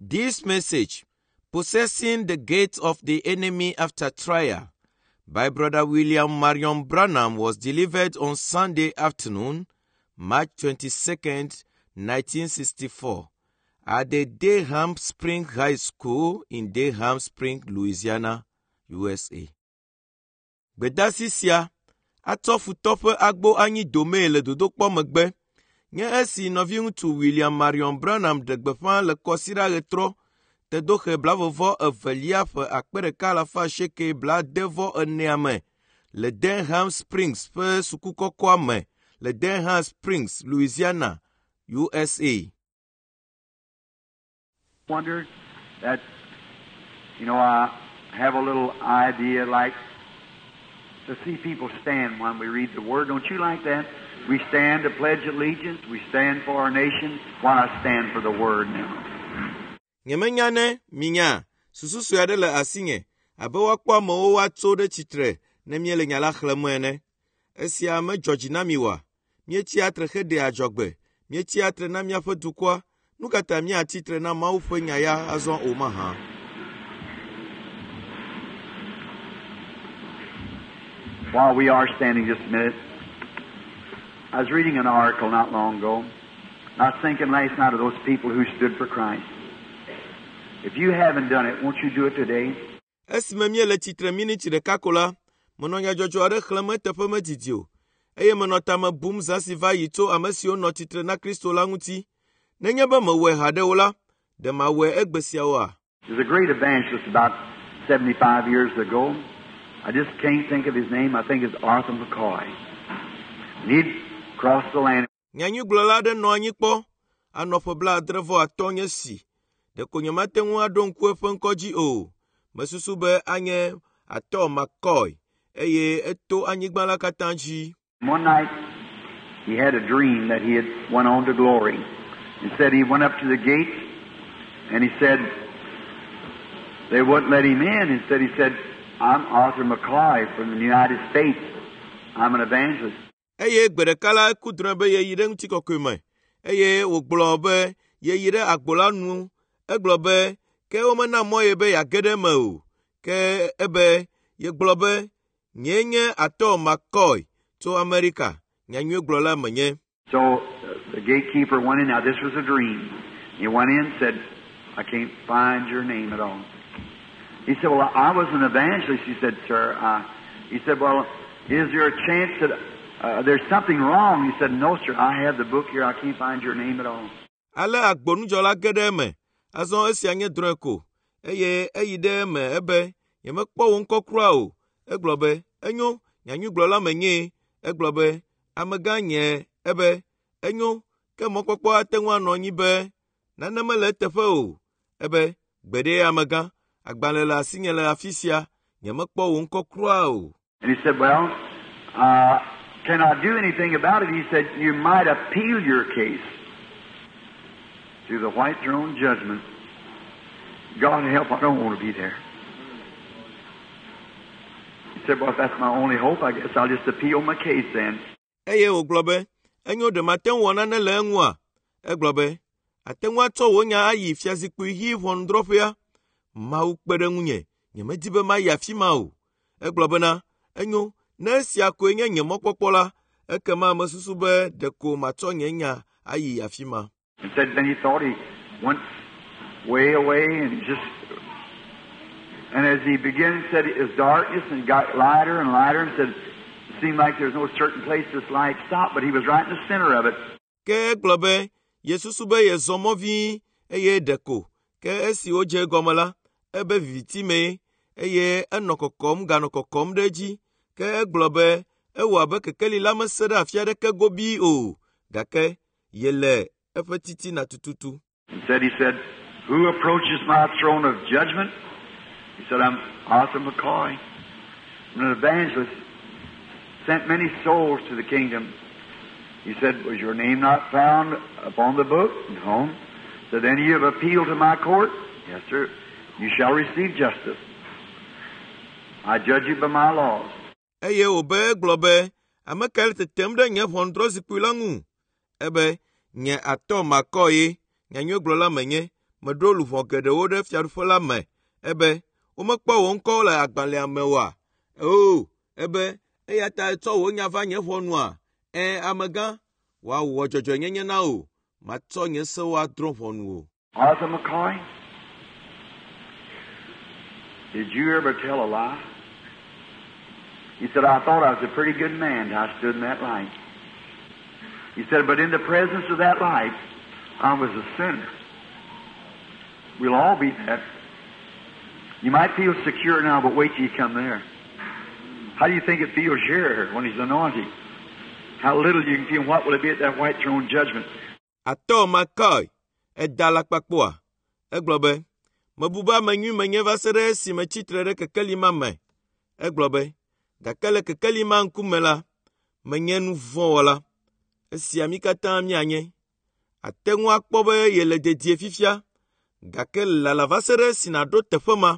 This message, Possessing the Gates of the Enemy After Trial, by Brother William Marion Branham was delivered on Sunday afternoon, March 22nd, 1964, at the Durham Spring High School in Durham Spring, Louisiana, USA. Gbedasi sia atsɔ futɔ ƒe agbo anyi domee le dodokpɔ megbe nye esi nɔviŋutsu William Marion Branham ɖe gbeƒã le kɔsiɖa ɣetrɔ tedoxe blavevɔ evelia ƒe 1894 me le Denham Springs ƒe sukukɔkɔa me le Denham Springs, Louisiana, USA. Wonder that, I have a little idea like to see people stand when we read the Word. Don't you like that? We stand to pledge allegiance. We stand for our nation. Why not stand for the Word now? Nyemenya ne minya susu sue aɖe le asinye abe woakpɔ amewo woatso ɖe tsitre ne míele nya la xlẽm ene. Esia medzɔ dzi na mi oa? Míetsia tre heɖea adzɔgbe. Míetsia tre na míaƒe dukɔa. Nu ka ta míatsi tre na Mawu ƒe nya ya azɔ o mahã? While we are standing just a minute, I was reading an article not long ago. I was thinking last night of those people who stood for Christ. If you haven't done it, won't you do it today? Esime míele tsitre miniti ɖeka ko la, menɔ nyadzɔdzɔ aɖe xlẽm eteƒe medidi o, eye menɔ tame bum zã si va yi tso ame siwo nɔ tsitre na Kristo la ŋuti. Nenye be mewɔe haɖe o la, ɖe mawɔe egbe sia oa? There's a great evangelist about 75 years ago. I just can't think of his name. I think it's Arthur McCoy. And he'd crossed the land. Nyanyuigblɔla aɖe nɔ anyi kpɔ anɔ ƒe 65 nye si. Ɖeko nyemate ŋu aɖo ŋku eƒe ŋkɔ dzi o. Mesusu be anye Arthur McCoy eye eto anyigba la katã dzi. One night he had a dream that he had went on to glory. He said he went up to the gates and he said they wouldn't let him in. Instead he said, I'm Arthur McCoy from the United States. I'm an evangelist. Eye gbe ɖeka la eku drɔ̃e be yeyi ɖe ŋutikɔkɔe me eye wògblɔ be yeyi ɖe agbo la nu. Egblɔ be ke womena mɔ ye be yeage ɖe eme o. Ke ebe yegblɔ be nyee nye Arthur McCoy tso Amerika. Nyanyuigblɔla menye. So the gatekeeper went in. Now this was a dream. He went in and said, I can't find your name at all. He said, well, I was an evangelist. He said, sir, he said, well, is there a chance that there's something wrong? He said, no, sir, I have the book here. I can't find your name at all. Ale agbonudzɔla ge ɖe eme. Azɔ esia nye drɔ̃e ko. Eye eyi ɖe eme ebe nyemekpɔ wò ŋkɔ kura o. Egblɔ be, enyo, nyanyuigblɔla menyee. Egblɔ be, amegã nye ebe, enyo, ke mɔkpɔkpɔ ate ŋu anɔ anyi be nane mele eteƒe o. Ebe, gbeɖe amegã, agbalẽ le asinye le afi sia, nyemekpɔ wò ŋkɔ kura o. And he said, well, can I do anything about it? He said, you might appeal your case to the white throne judgment. God help, I don't want to be there. He said, well, if that's my only hope, I guess I'll just appeal my case then. Eye wògblɔ be, enyo ɖe mate ŋu wɔ nane le eŋua? Egblɔ be, ate ŋu atsɔ wò nya ayi fiazikpui ɣi ʋɔnudrɔ̃ƒea? Mawu kpe ɖe ŋunye, nyemedi be mayi afi ma o. Egblɔ bena, enyo, ne esia koe nye nye mɔkpɔkpɔ la, ekema mesusu be ɖeko matsɔ nye nya ayi afi ma. And said then he thought he went way away and just, and as he began, said it was darkness and got lighter and lighter and said, it seemed like there's no certain place this light stopped, but he was right in the center of it. Ke egblɔ be, yesusu be yezɔ mɔ vĩi eye ɖeko ke esi wodze egɔme la, ebe viviti mee eye enɔ kɔkɔm ganɔ kɔkɔm ɖe edzi. Ke egblɔ be ewɔ abe kekeli la mese ɖe afi aɖeke gobii o, gake yele eƒe titina tututu. And said, he said, who approaches my throne of judgment? He said, I'm Arthur McCoy. I'm an evangelist. Sent many souls to the kingdom. He said, was your name not found upon the book? No. So then you have appealed to my court? Yes, sir. You shall receive justice. I judge you by my laws. Eye wòbe egblɔ be, ame kae le tetem ɖe nye ʋɔnudrɔ̃zikpui la ŋu? Ebe, nye Arthur McCoy ye, nyanyuigblɔla menye, Meɖo luʋɔ geɖewo ɖe fiaɖuƒe la me. Ebe, womekpɔ wò ŋkɔ le agbalẽa me oa? O, ebe, eya ta ètsɔ wò nya va nye ʋɔnua? Ẽ, amegã, woawɔ dzɔdzɔenyenye na wò. Matsɔ nye sewo adrɔ̃ ʋɔnu wò. Arthur McCoy, did you ever tell a lie? He said, I thought I was a pretty good man till I stood in that light. He said, but in the presence of that light, I was a sinner. We'll all be that. You might feel secure now, but wait till you come there. How do you think it feels here when he's anointed? How little you can feel, what will it be at that white throne judgment? Arthur McCoy, eda alakpa kpɔa? Egblɔ be, mebu be ame nyui menye va se ɖe esime tsitre ɖe kekeli ma me. Egblɔ be, gake le kekeli ma ŋkume la, menye nu vɔ̃ wɔla. Esia mí katã míanye. Ate ŋu akpɔ be yele dedie fifia, gake lala va se ɖe esi nàɖo teƒe ma.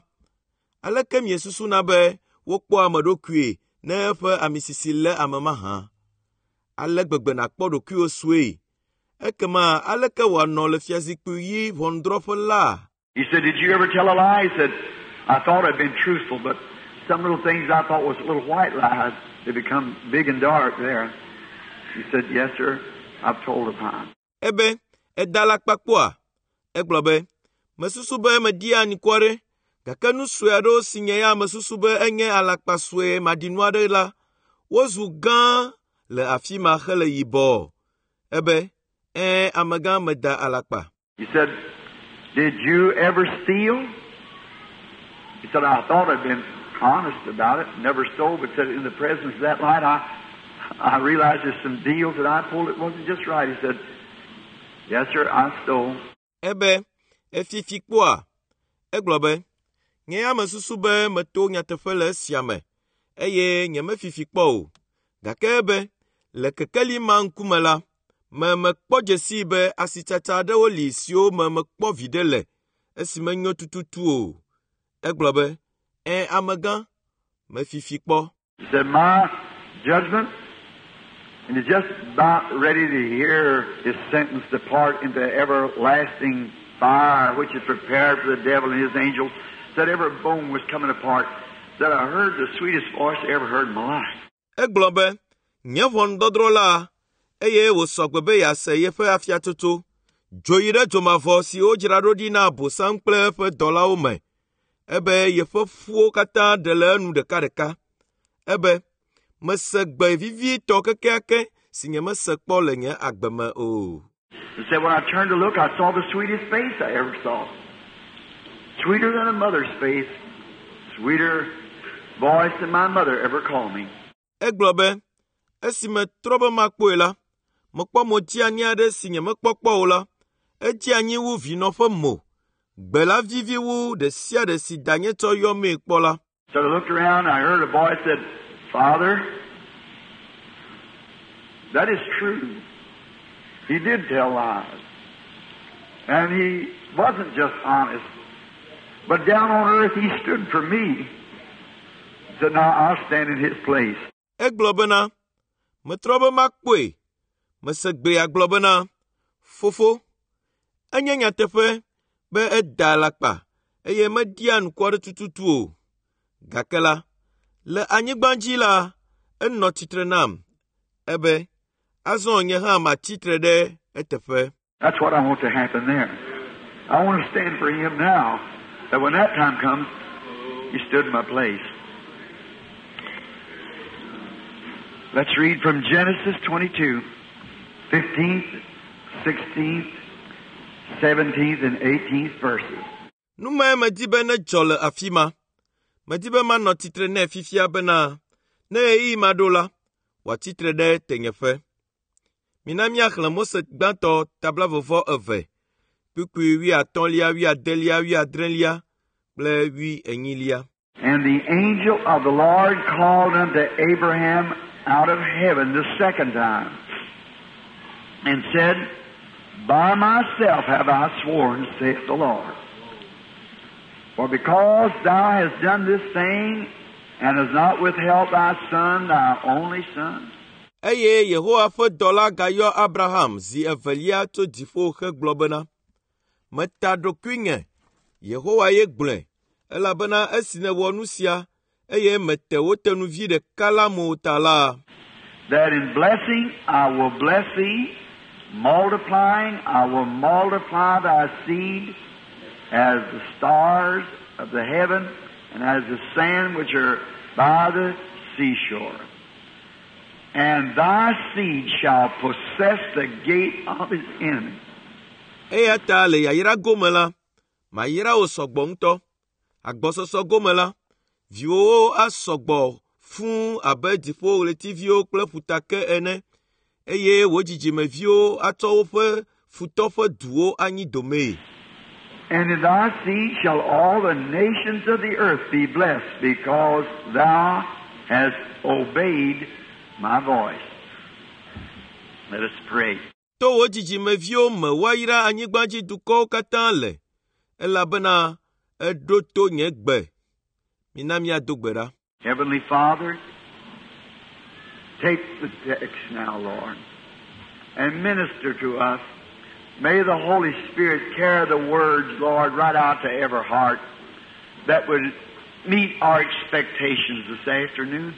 Aleke miesusuna be wokpɔa ame ɖokuie ne eƒe amisisi lé ame mahã? Ale gbegbe nàkpɔ ɖokuiwò sue. Ekema aleke wòanɔ le fiazikpui ɣi ʋɔnudrɔ̃ƒe la? He said, Did you ever tell a lie? He said, I thought I'd been truthful, but some little things I thought was little white lies, they become big and dark there. He said, Yes, sir, I've told a lie. Ebe, eda alakpa kpɔa? Egblɔ be, mesusu be meɖia anukware, gake nu sue aɖewo si nye ya mesusu be enye alakpa sue maɖinu aɖe la, wozu gã le afi ma hele yibɔ. Ebe, ẽ, amegã meda alakpa. He said, Did you ever steal? He said, I thought I'd been honest about it, never stole, but said in the presence of that light, I realized there's some deals that I pulled that wasn't just right. He said, Yes, sir, I stole. Ebe, efifi kpɔa? Egblɔ be, nye ya mesusu be meto nyateƒe le esia me, eye nyemefifi kpɔ o. Gake ebe, le kekeli ma ŋkume la, me mekpɔ dzesii be asitsatsa aɖewo li siwo me mekpɔ viɖe le esi menyo tututu o. Egblɔ be, ẽ, amegã, mefifi kpɔ. He said, My judgment, and he's just about ready to hear his sentence depart into everlasting fire, which is prepared for the devil and his angels. Said every bone was coming apart. Said I heard the sweetest voice I ever heard in my life. Egblɔ be, nye ʋɔnudɔdrɔ̃ la, eye wòsɔ gbe be yease yeƒe afiatsotso. Dzo yi ɖe dzomavɔ si wodzra ɖo ɖi na Abosam kple eƒe dɔlawo me. Ebe yeƒe ƒuwo katã ɖe le enu ɖekaɖeka. Ebe, mese gbe vivitɔ kekeake si nyemese kpɔ le nye agbe me o. He said, when I turned to look, I saw the sweetest face I ever saw. Sweeter than a mother's face. Sweeter voice than my mother ever called me. Egblɔ be, esi metrɔ be makpɔe la, mekpɔ mo dzeani aɖe si nyemekpɔ kpɔ o la, edze anyi wu vinɔ ƒe mo. Gbe la vivi wu ɖe sia ɖe si danye tsɔ yɔmee kpɔ la. So I looked around and I heard a voice said, Father, that is true. He did tell lies. And he wasn't just honest. But down on earth he stood for me. He said, now I'll stand in his place. Egblɔ bena, metrɔ be makpɔe. Mese gbea gblɔ bena, fofo, enye nyateƒe be eda alakpa eye meɖia anukware tututu o. Gake la, le anyigba dzi la, enɔ tsitre nam. Ebe, azɔ nye hã matsi tre ɖe eteƒe. That's what I want to happen there. I want to stand for him now, that when that time comes, he stood in my place. Let's read from Genesis 22, 15th, 16th, 17th, and 18th verses. Nu mae medi be nedzɔ le afi ma. Medi be manɔ tsitre nɛ fifia bena ne ɣeyiɣi ma ɖo la, wòatsi tre ɖe tenyeƒe. Mina míaxlẽ Mose gbãtɔ ta 22, kpukpui wuiatɔ̃lia, wuiadelia, wuiadrelia kple wuienyilia. And the angel of the Lord called unto Abraham out of heaven the second time and said, By myself have I sworn, saith the Lord. For because thou hast done this thing and hast not withheld thy son, thy only son, Eye Yehowa ƒe dɔla gayɔ Abraham zi evelia tso dziƒo hegblɔ bena, Meta ɖokuinye, Yehowa ye gblɔe, elabena esi nèwɔ nu sia, eye mète wò tenuvi ɖeka la me o ta la, that in blessing I will bless thee, multiplying I will multiply thy seed as the stars of the heaven and as the sand which are by the seashore. And thy seed shall possess the gate of his enemy. Eya ta le yayra gome la, mayra wò sɔgbɔ ŋutɔ. Agbɔsɔsɔ gome la, viwòwo asɔgbɔ fũu abe dziƒoɣletiviwo kple ƒutake ene, eye wò dzidzimeviwo atsɔ woƒe futɔ ƒe duwo anyi domee. And in thy seed shall all the nations of the earth be blessed, because thou hast obeyed my voice. Let us pray. To wò dzidzimeviwo me woayra anyigbadzidukɔwo katã le, elabena èɖo to nye gbe. Mina míado gbe ɖa. Heavenly Father, take the text now, Lord, and minister to us. May the Holy Spirit carry the words, Lord, right out to every heart that would meet our expectations this afternoon.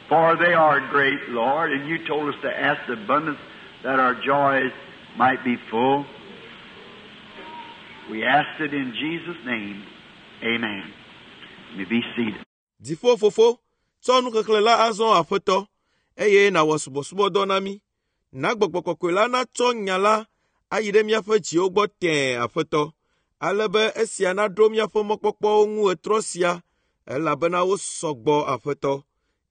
For they are great, Lord, and you told us to ask abundance that our joys might be full. We asked it in Jesus' name. Amen. You may be seated. Dziƒo Fofo, tsɔ nuxexlẽ la azɔ Aƒetɔ, eye nàwɔ subɔsubɔdɔ na mí. Na Gbɔgbɔ Kɔkɔe la natsɔ nya la ayi ɖe míaƒe dziwo gbɔ tẽe, Aƒetɔ, ale be esia naɖo míaƒe mɔkpɔkpɔwo ŋu ɣetrɔ sia, elabena wosɔ gbɔ, Aƒetɔ.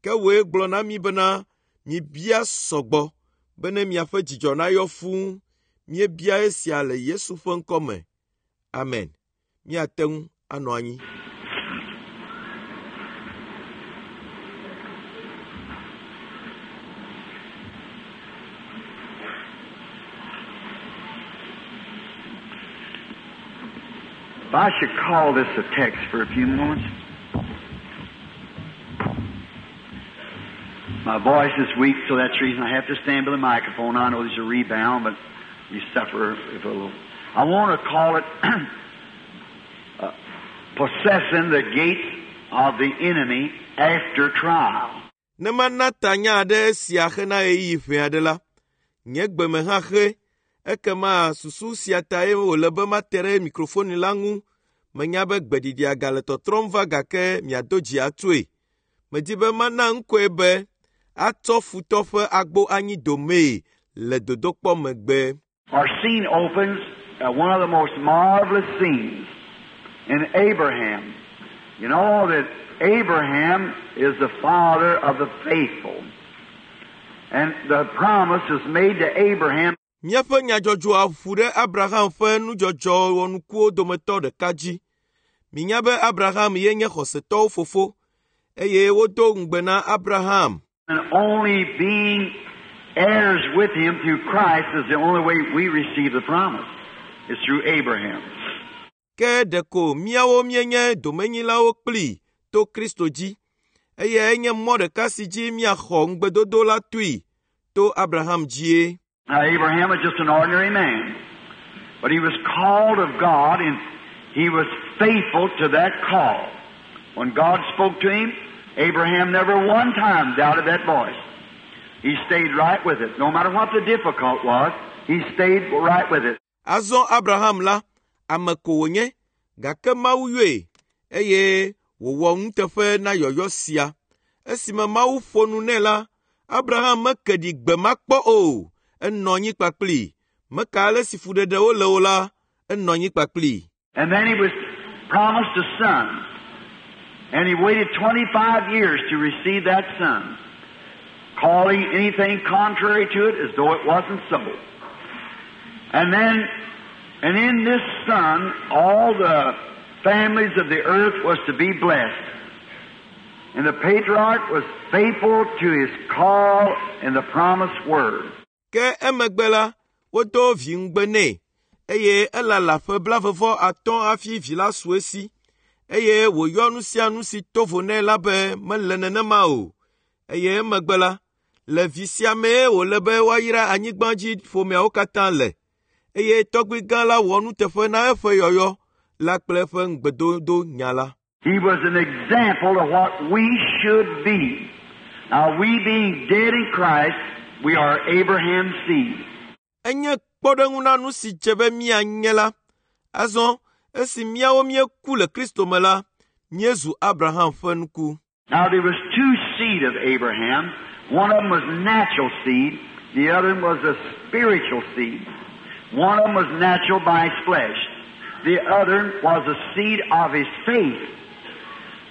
Ke wòe gblɔ na mí bena mibia sɔgbɔ bene miaƒe dzidzɔ nayɔ fũu. Míebia esia le Yesu ƒe ŋkɔ me. Amen. Míate ŋu anɔ anyi. If I should call this a text for a few moments. My voice is weak, so that's the reason I have to stand by the microphone. I know there's a rebound, but you suffer if a little. I want to call it possessing the gates of the enemy after trial. Ne mana ta nya aɖe sia hena ɣeyiɣi ʋɛ aɖe la, nye gbeme hã xe. Ekema susu sia tae wòle be mate ɖe mikrofoni la ŋu. Menya be gbeɖiɖia gale tɔtrɔm va gake miado dzi atsoe. Medi be mana ŋkɔe be atsɔ futɔ ƒe agbo anyi domee le dodokpɔ megbe. Our scene opens at one of the most marvelous scenes in Abraham. You know that Abraham is the father of the faithful. And the promise was made to Abraham. Míaƒe nyadzɔdzɔa ƒu ɖe Abraham ƒe nudzɔdzɔ wɔnukuwo dometɔ ɖeka dzi. Minya be Abraham ye nye xɔsetɔwo fofo, eye wodo ŋugbe na Abraham. And only being heirs with him through Christ is the only way we receive the promise. It's through Abraham. Ke ɖeko míawo míenye domenyilawo kplii to Kristo dzi, eye enye mɔ ɖeka si dzi míaxɔ ŋugbedodo la toe to Abraham dzie. Now, Abraham was just an ordinary man, but he was called of God and he was faithful to that call. When God spoke to him, Abraham never one time doubted that voice. He stayed right with it. No matter what the difficult was, he stayed right with it. Azɔ Abraham la, ame ko wònye, gake Mawu yɔe, eye wòwɔ nuteƒe na yɔyɔ sia. Esime Mawu ƒo nu nɛ la, Abraham meke ɖi gbe ma kpɔ o. Enɔ anyi kpakplii. Meka ale si fuɖeɖewo le o la, enɔ anyi kpakplii. And then he was promised a son. And he waited 25 years to receive that son, calling anything contrary to it as though it wasn't so. And then, and in this son, all the families of the earth was to be blessed. And the patriarch was faithful to his call and the promised word. Ke emegbe la, wodo vi ŋugbe nɛ, eye elala ƒe blaeve-vɔ-atɔ̃ hafi vi la su esi, eye wòyɔ nu sia nu si to vo nɛ la be mele nenema o. Eye emegbe la, le vi sia mee wòle be woayra anyigbadzi ƒomeawo katã le. Eye tɔgbui gã la wɔ nuteƒe na eƒe yɔyɔ la kple eƒe ŋugbedodo nya la. He was an example of what we should be. Now, we being dead in Christ, we are Abraham's seed. Enye kpɔɖeŋu na nu si dze be míanye la. Azɔ esi míawo míeku le Kristo me la, míezu Abraham ƒe nuku. Now, there was two seed of Abraham. One of them was natural seed. The other was a spiritual seed. One of them was natural by his flesh. The other was the seed of his faith.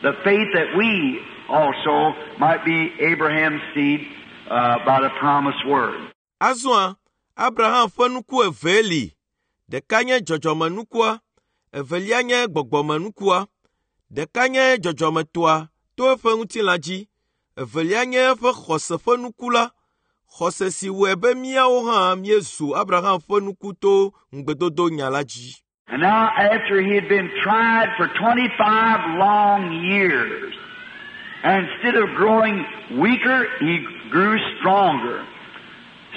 The faith that we also might be Abraham's seed by the promised word. Azɔa, Abraham ƒe nuku evee li. Ɖeka nye dzɔdzɔmenukua, evelia nye gbɔgbɔmenukua. Ɖeka nye dzɔdzɔmetɔa to eƒe ŋutilã dzi, evelia nye eƒe xɔse ƒe nuku la. Xɔse si wɔe be míawo hã míezu Abraham ƒe nuku to ŋugbedodo nya la dzi. And now, after he had been tried for 25 long years, and instead of growing weaker, he grew stronger.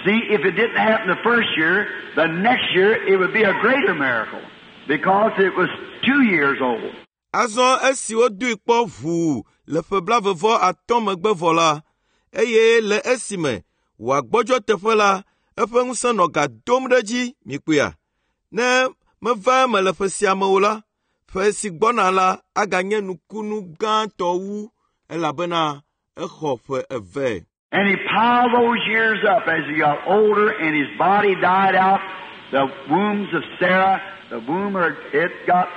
See, if it didn't happen the first year, the next year it would be a greater miracle because it was 2 years old. Azɔ esi wodoe kpɔ ʋuu le ƒe blaeve-vɔ-atɔ̃ megbe vɔ la, eye le esime wòagbɔdzɔ teƒe la, eƒe ŋusẽ nɔ ga dom ɖe edzi mikpɔea. Ne meva eme le ƒe sia me o la, ƒe si gbɔna la aganye nukunu gãtɔ wu elabena exɔ ƒe eve. And he piled those years up as he got older and his body died out. The wombs of Sarah, the womb, it got,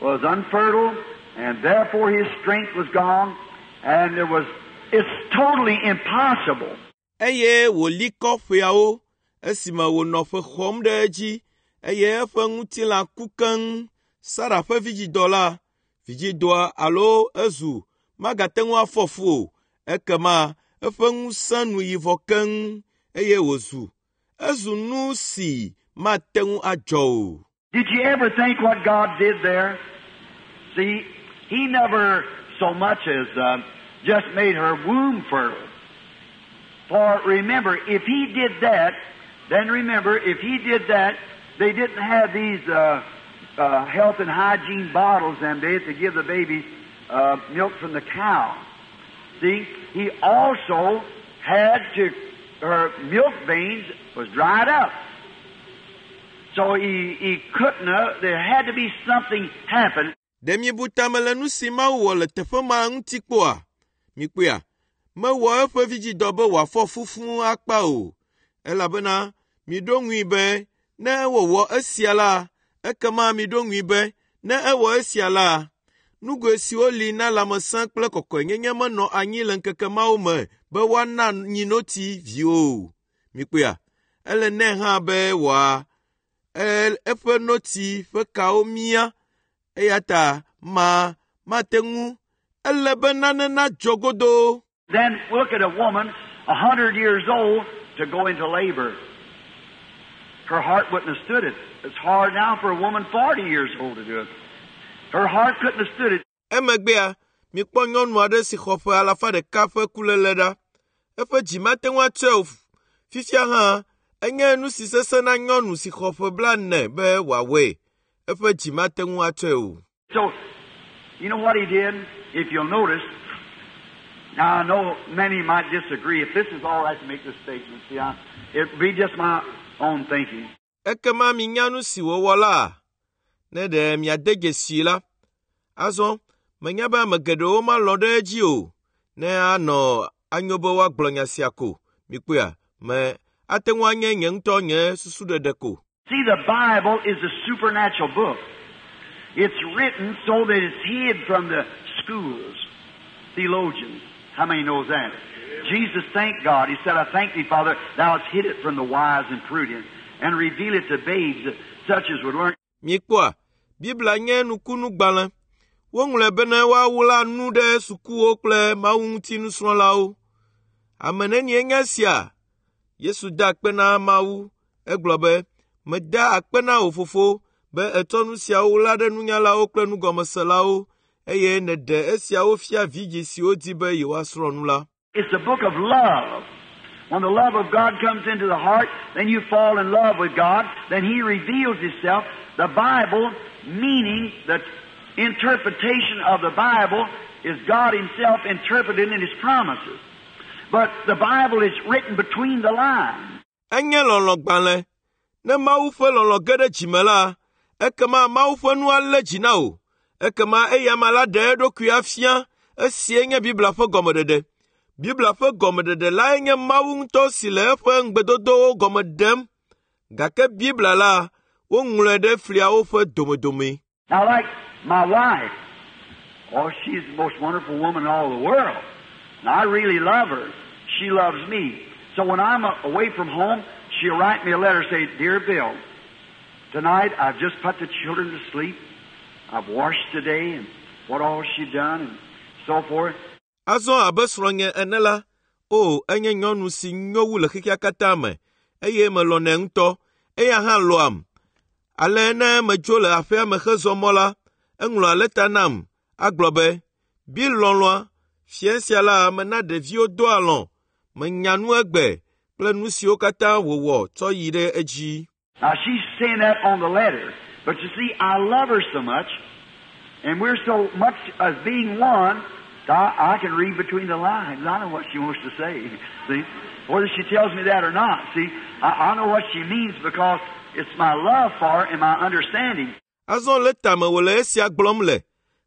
was unfertile, and therefore his strength was gone, and there was, it's totally impossible. Eye wòli kɔ ƒeawo esime wònɔ ƒe xɔm ɖe edzi eye eƒe ŋutilã ku keŋ. Sara ƒe vidzidɔ la, vidzidɔa alo ezu magate ŋu afɔ fu o. Ekema eƒe ŋusẽ nu yi vɔ keŋ eye wòzu ezu nu si mate ŋu adzɔ o. Did you ever think what God did there? See, He never so much as just made her womb fertile. For remember, if He did that, then remember, if He did that, they didn't have these health and hygiene bottles them days to give the babies milk from the cow. See, He also had to, her milk veins was dried up. So he couldn't, there had to be something happen. Ɖe miebu tame le nu si Mawu wɔ le teƒe ma ŋuti kpɔa? Mikpɔea, mewɔ eƒe vidzidɔ be wòafɔ fu fũu akpa o, elabena miɖo ŋui be ne ewɔwɔ esia la, ekema miɖo ŋui be ne ewɔ esia la, nugoe siwo li na lãmesẽ kple kɔkɔenyenye menɔ anyi le ŋkeke mawo me be woana nyinotsi viwo o. Mikpɔea, ele nɛ hã be wòa eƒe notsi ƒe kawo mia eya ta ma mate ŋu ele be nane nadzɔ godoo. Then look at a woman 100 years old to go into labor. Her heart wouldn't have stood it. It's hard now for a woman 40 years old to do it. Her heart couldn't have stood it. Emegbea, mikpɔ nyɔnu aɖe si xɔ ƒe alafa ɖeka ƒe kuléle ɖa. Eƒe dzi mate ŋu atsɔe o. Fifia hã, enye nu si sesẽ na nyɔnu si xɔ ƒe blaene be wòawɔe. Eƒe dzi mate ŋu atsɔe o. So, you know what he did? If you'll notice, now I know many might disagree. If this is all right to make this statement, see, it'd be just my own thinking. Ekema minya nu si wòwɔ la, ne ɖe miade dzesii la. Azɔ, menya be ame geɖewo malɔ̃ ɖe edzi o, ne anɔ anyo be woagblɔ nya sia ko. Mikpɔea, me ate ŋu anye nye ŋutɔ nye susuɖeɖe ko. See, the Bible is a supernatural book. It's written so that it's hid from the schools, theologians. How many knows that? Jesus thanked God. He said, I thank thee, Father, thou hast hid it from the wise and prudent, and reveal it to babes such as would learn. Mikpɔa, Biblia nye nukunugbalẽ. Woŋlɔe bene woaɣla nu ɖe sukuwo kple Mawu ŋuti nusrɔ̃lawo. Ame nenie nye esia? Yesu da akpe na Mawu. Egblɔ be, meda akpe na wò fofo be ètsɔ nu siawo ɣla ɖe nunyalawo kple nugɔmeselawo eye nèɖe esiawo fia vidzĩ siwo di be yewoasrɔ̃ nu la. It's a book of love. When the love of God comes into the heart, then you fall in love with God. Then He reveals Himself. The Bible, meaning the interpretation of the Bible, is God Himself interpreted in His promises. But the Bible is written between the lines. Enye lɔlɔ̃gbalẽ. Ne Mawu ƒe lɔlɔ̃ ge ɖe dzime la, ekema Mawu ƒe nu alé dzi na wò. Ekema eyama la ɖe eɖokui afia. Esie nye Biblia ƒe gɔmeɖeɖe. Biblia ƒe gɔmeɖeɖe lae nye Mawu ŋutɔ si le eƒe ŋugbedodowo gɔme ɖem. Gake Biblia la, woŋlɔe ɖe fliawo ƒe domedome. Now, like my wife, oh, she's the most wonderful woman in all the world. And I really love her. She loves me. So when I'm away from home, she'll write me a letter say, Dear Bill, tonight I've just put the children to sleep. I've washed today and what all she done and so forth. Azɔ abe srɔ̃nye ene la, o enye nyɔnu si nyo wu le xexea katã me, eye melɔ̃nɛ ŋutɔ. Eya hã lɔ̃am. Ale ne medzo le aƒea me hezɔ mɔ la, eŋlɔa lɛta nam agblɔ be, Bill lɔlɔ̃a, fiẽ sia la mena ɖeviwo do alɔ̃. Menya nu egbe kple nu siwo katã wòwɔ tsɔ yi ɖe edzi. Now she's saying that on the letter. But you see, I love her so much, and we're so much as being one, I can read between the lines. I know what she wants to say. See? Whether she tells me that or not, see, I know what she means because it's my love for her and my understanding. Azɔ lɛta me wòle esia gblɔm le.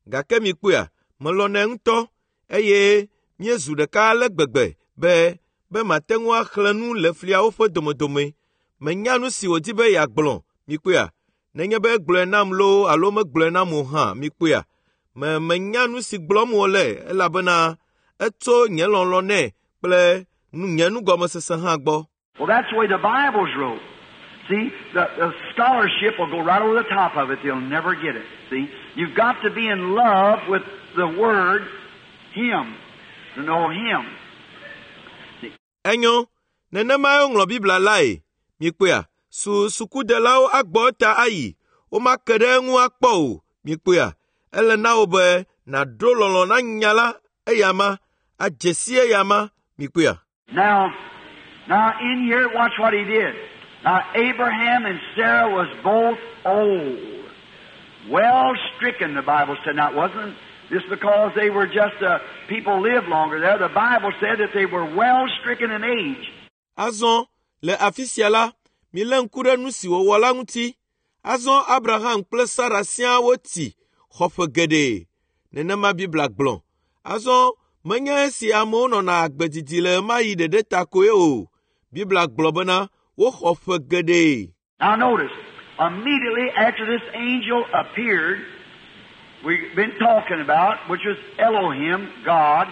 Gake mikpɔea, melɔ̃nɛ ŋutɔ eye míezu ɖeka ale gbegbe be be mate ŋu axlẽ nu le fliawo ƒe domedome. Menya nu si wòdi be yeagblɔ. Mikpɔea, nenye be egblɔe nam loo alo megblɔe nam o hã, mikpɔea, me menya nu si gblɔm wòle elabena etso nye lɔlɔ̃ nɛ kple nu, nye nugɔmesese hã gbɔ. Well, that's the way the Bible's wrote. See, the scholarship will go right over the top of it. They'll never get it. See, you've got to be in love with the Word, Him, to know Him. See. Enyo, nenemae woŋlɔ Biblia lae. Mikpɔea, su sukudelawo agbɔ eta ayi, womake ɖe eŋu akpɔ o. Mikpɔea, ele na wò be nàɖo lɔlɔ̃ na nya la eyama, adze si eyama. Mikpɔea. Now in here, watch what he did. Now Abraham and Sarah was both old, well stricken, the Bible said. Now it wasn't just because they were just people lived longer there. The Bible said that they were well stricken in age. Azɔ le afi sia la, milé ŋku ɖe nu si wòwɔ la ŋuti. Azɔ Abraham kple Sara siaa wotsi xɔ ƒe geɖe. Nenema Biblia gblɔ. Azɔ menye esi amewo nɔna agbe didi le ɣemaɣi ɖeɖe ta koe o. Biblia gblɔ bena woxɔ ƒe geɖe. Now notice, immediately after this angel appeared, we've been talking about, which was Elohim, God,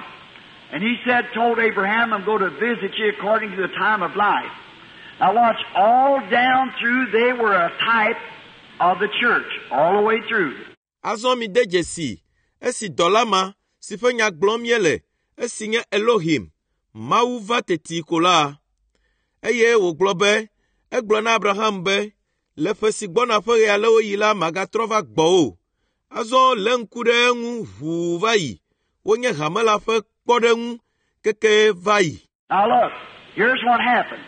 and he said, told Abraham, I'm going to visit you according to the time of life. Now watch, all down through they were a type of the church, all the way through. Azɔ mide dzesi esi dɔla ma si ƒe nya gblɔm míele, esi nye Elohim, Mawu va teti ko la. Eye wògblɔ be, egblɔ na Abraham be, le ƒe si gbɔna ƒe ɣe alewo yi la magatrɔ va gbɔwò. Azɔ lé ŋku ɖe eŋu ʋuu va yi. Wonye hame la ƒe kpɔɖeŋu keke va yi. Now look, here's what happened.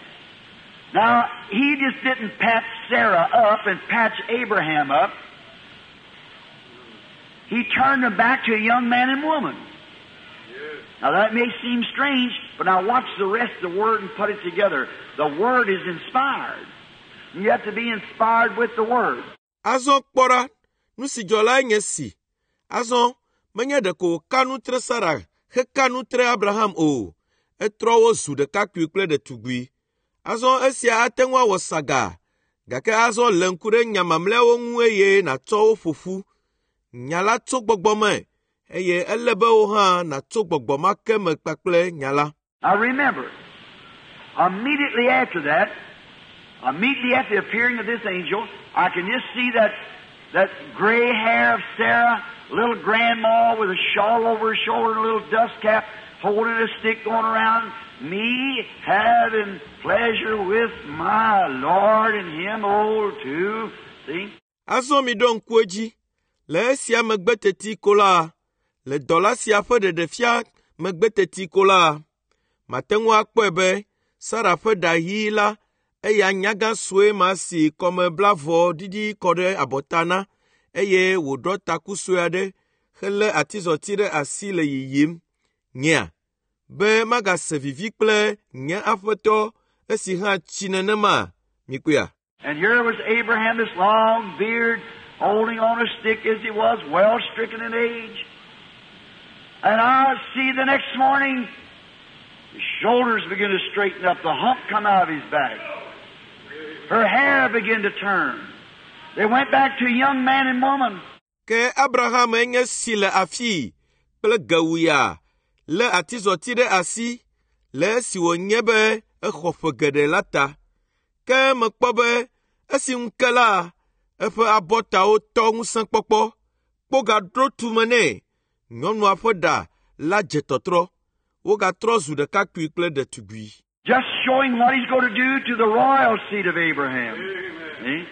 Now, he just didn't patch Sarah up and patch Abraham up. He turned them back to a young man and woman. Now that may seem strange, but now watch the rest of the Word and put it together. The Word is inspired. You have to be inspired with the Word. Azɔ kpɔ ɖa, nu si dzɔ lae nye si. Azɔ menye ɖeko wòka nu tre Sara heka nu tre Abraham o. Etrɔ wo zu ɖekakpui kple ɖetugbui. Azɔ esia ate ŋu awɔ saga, gake azɔ lé ŋku ɖe nya mamlɛawo ŋu eye nàtsɔ wo ƒo ƒu. Nya la tso gbɔgbɔ me eye ele be wò hã nàtso gbɔgbɔ ma ke me kpakple nya la. Now remember, immediately after that, immediately after the appearing of this angel, I can just see that gray hair of Sarah, little grandma with a shawl over her shoulder and a little dust cap, holding a stick going around, me having pleasure with my Lord and him old too. See? Azɔ miɖo ŋku edzi. Le esia megbe teti ko la, le dɔla sia ƒe ɖeɖefia megbe teti ko la, mate ŋu akpɔe be Sara ƒe ɖa ɣi la, eya nyagã sue ma si kɔmeblavɔ ɖiɖi kɔ ɖe abɔta na eye wòɖɔ taku sue aɖe helé atizɔti ɖe asi le yiyim. Nyea, be magase vivi kple nye aƒetɔ esi hã tsi nenema? Mikpɔea? And here was Abraham, his long beard, holding on a stick as he was, well stricken in age. And I see the next morning, his shoulders begin to straighten up, the hump come out of his back. Her hair began to turn. They went back to young man and woman. Ke Abraham enye si le afii kple gewuya lé atizɔti ɖe asi le esi wònye be exɔ ƒe geɖe la ta. Ke mekpɔ be esi ŋu ke la, eƒe abɔtawo tɔ ŋusẽkpɔkpɔ, kpo gaɖo tume nɛ. Nyɔnua ƒe ɖa la dze tɔtrɔ. Wogatrɔ zu ɖekakpui kple ɖetugbui. Just showing what he's going to do to the royal seed of Abraham. See?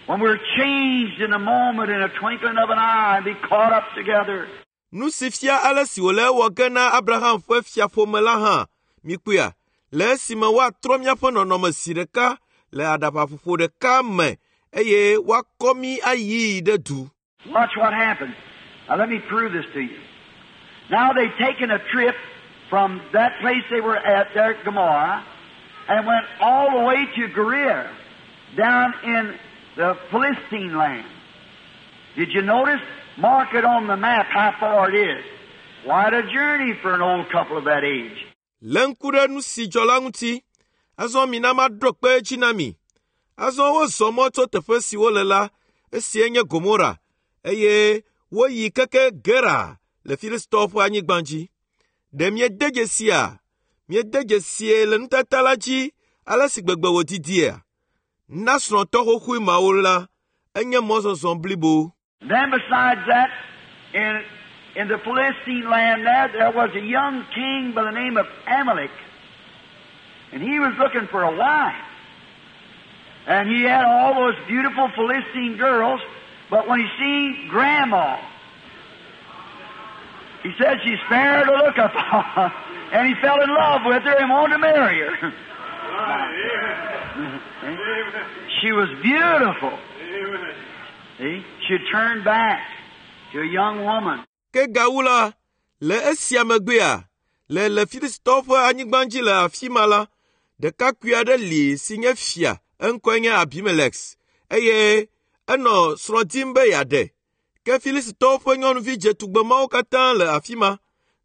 When we're changed in a moment, in a twinkling of an eye, and be caught up together. Nu si fia ale si wòle ewɔ ge na Abraham ƒe fiaƒome la hã, mikpɔea, le esime woatrɔ míaƒe nɔnɔme zi ɖeka le aɖabaƒoƒo ɖeka me eye woakɔ mí ayii ɖe du. Watch what happens. Now let me prove this to you. Now they've taken a trip from that place they were at there at Gomorrah and went all the way to Gerar down in the Philistine land. Did you notice? Mark it on the map how far it is. Quite a journey for an old couple of that age. Lé ŋku ɖe nu si dzɔ la ŋuti. Azɔ mina maɖo kpe edzi na mi. Azɔ wozɔ mɔ tso teƒe si wole la, esie nye Gomora, eye woyi keke Gera le Filistitɔwo ƒe anyigba dzi. Ɖe miede dzesia? Miede dzesie le nutata la dzi ale si gbegbe wòdidia? Na srɔ̃tɔ xoxoe mawo la, enye mɔzɔzɔ blibo. Then besides that, in the Philistine land there, there was a young king by the name of Amalek. And he was looking for a wife. And he had all those beautiful Philistine girls, but when he seen Grandma, he said she's fair to look upon. And he fell in love with her and wanted to marry her. She was beautiful. See? She turned back to a young woman. Ke gawu la, le esia megbea, le le Filistitɔwo ƒe anyigba dzi le afi ma la, ɖekakpui aɖe li si nye fia, eŋkɔe nye Abimelex, eye enɔ srɔ̃ dim be yeaɖe. Ke Filistitɔwo ƒe nyɔnuvi dzetugbe mawo katã le afi ma.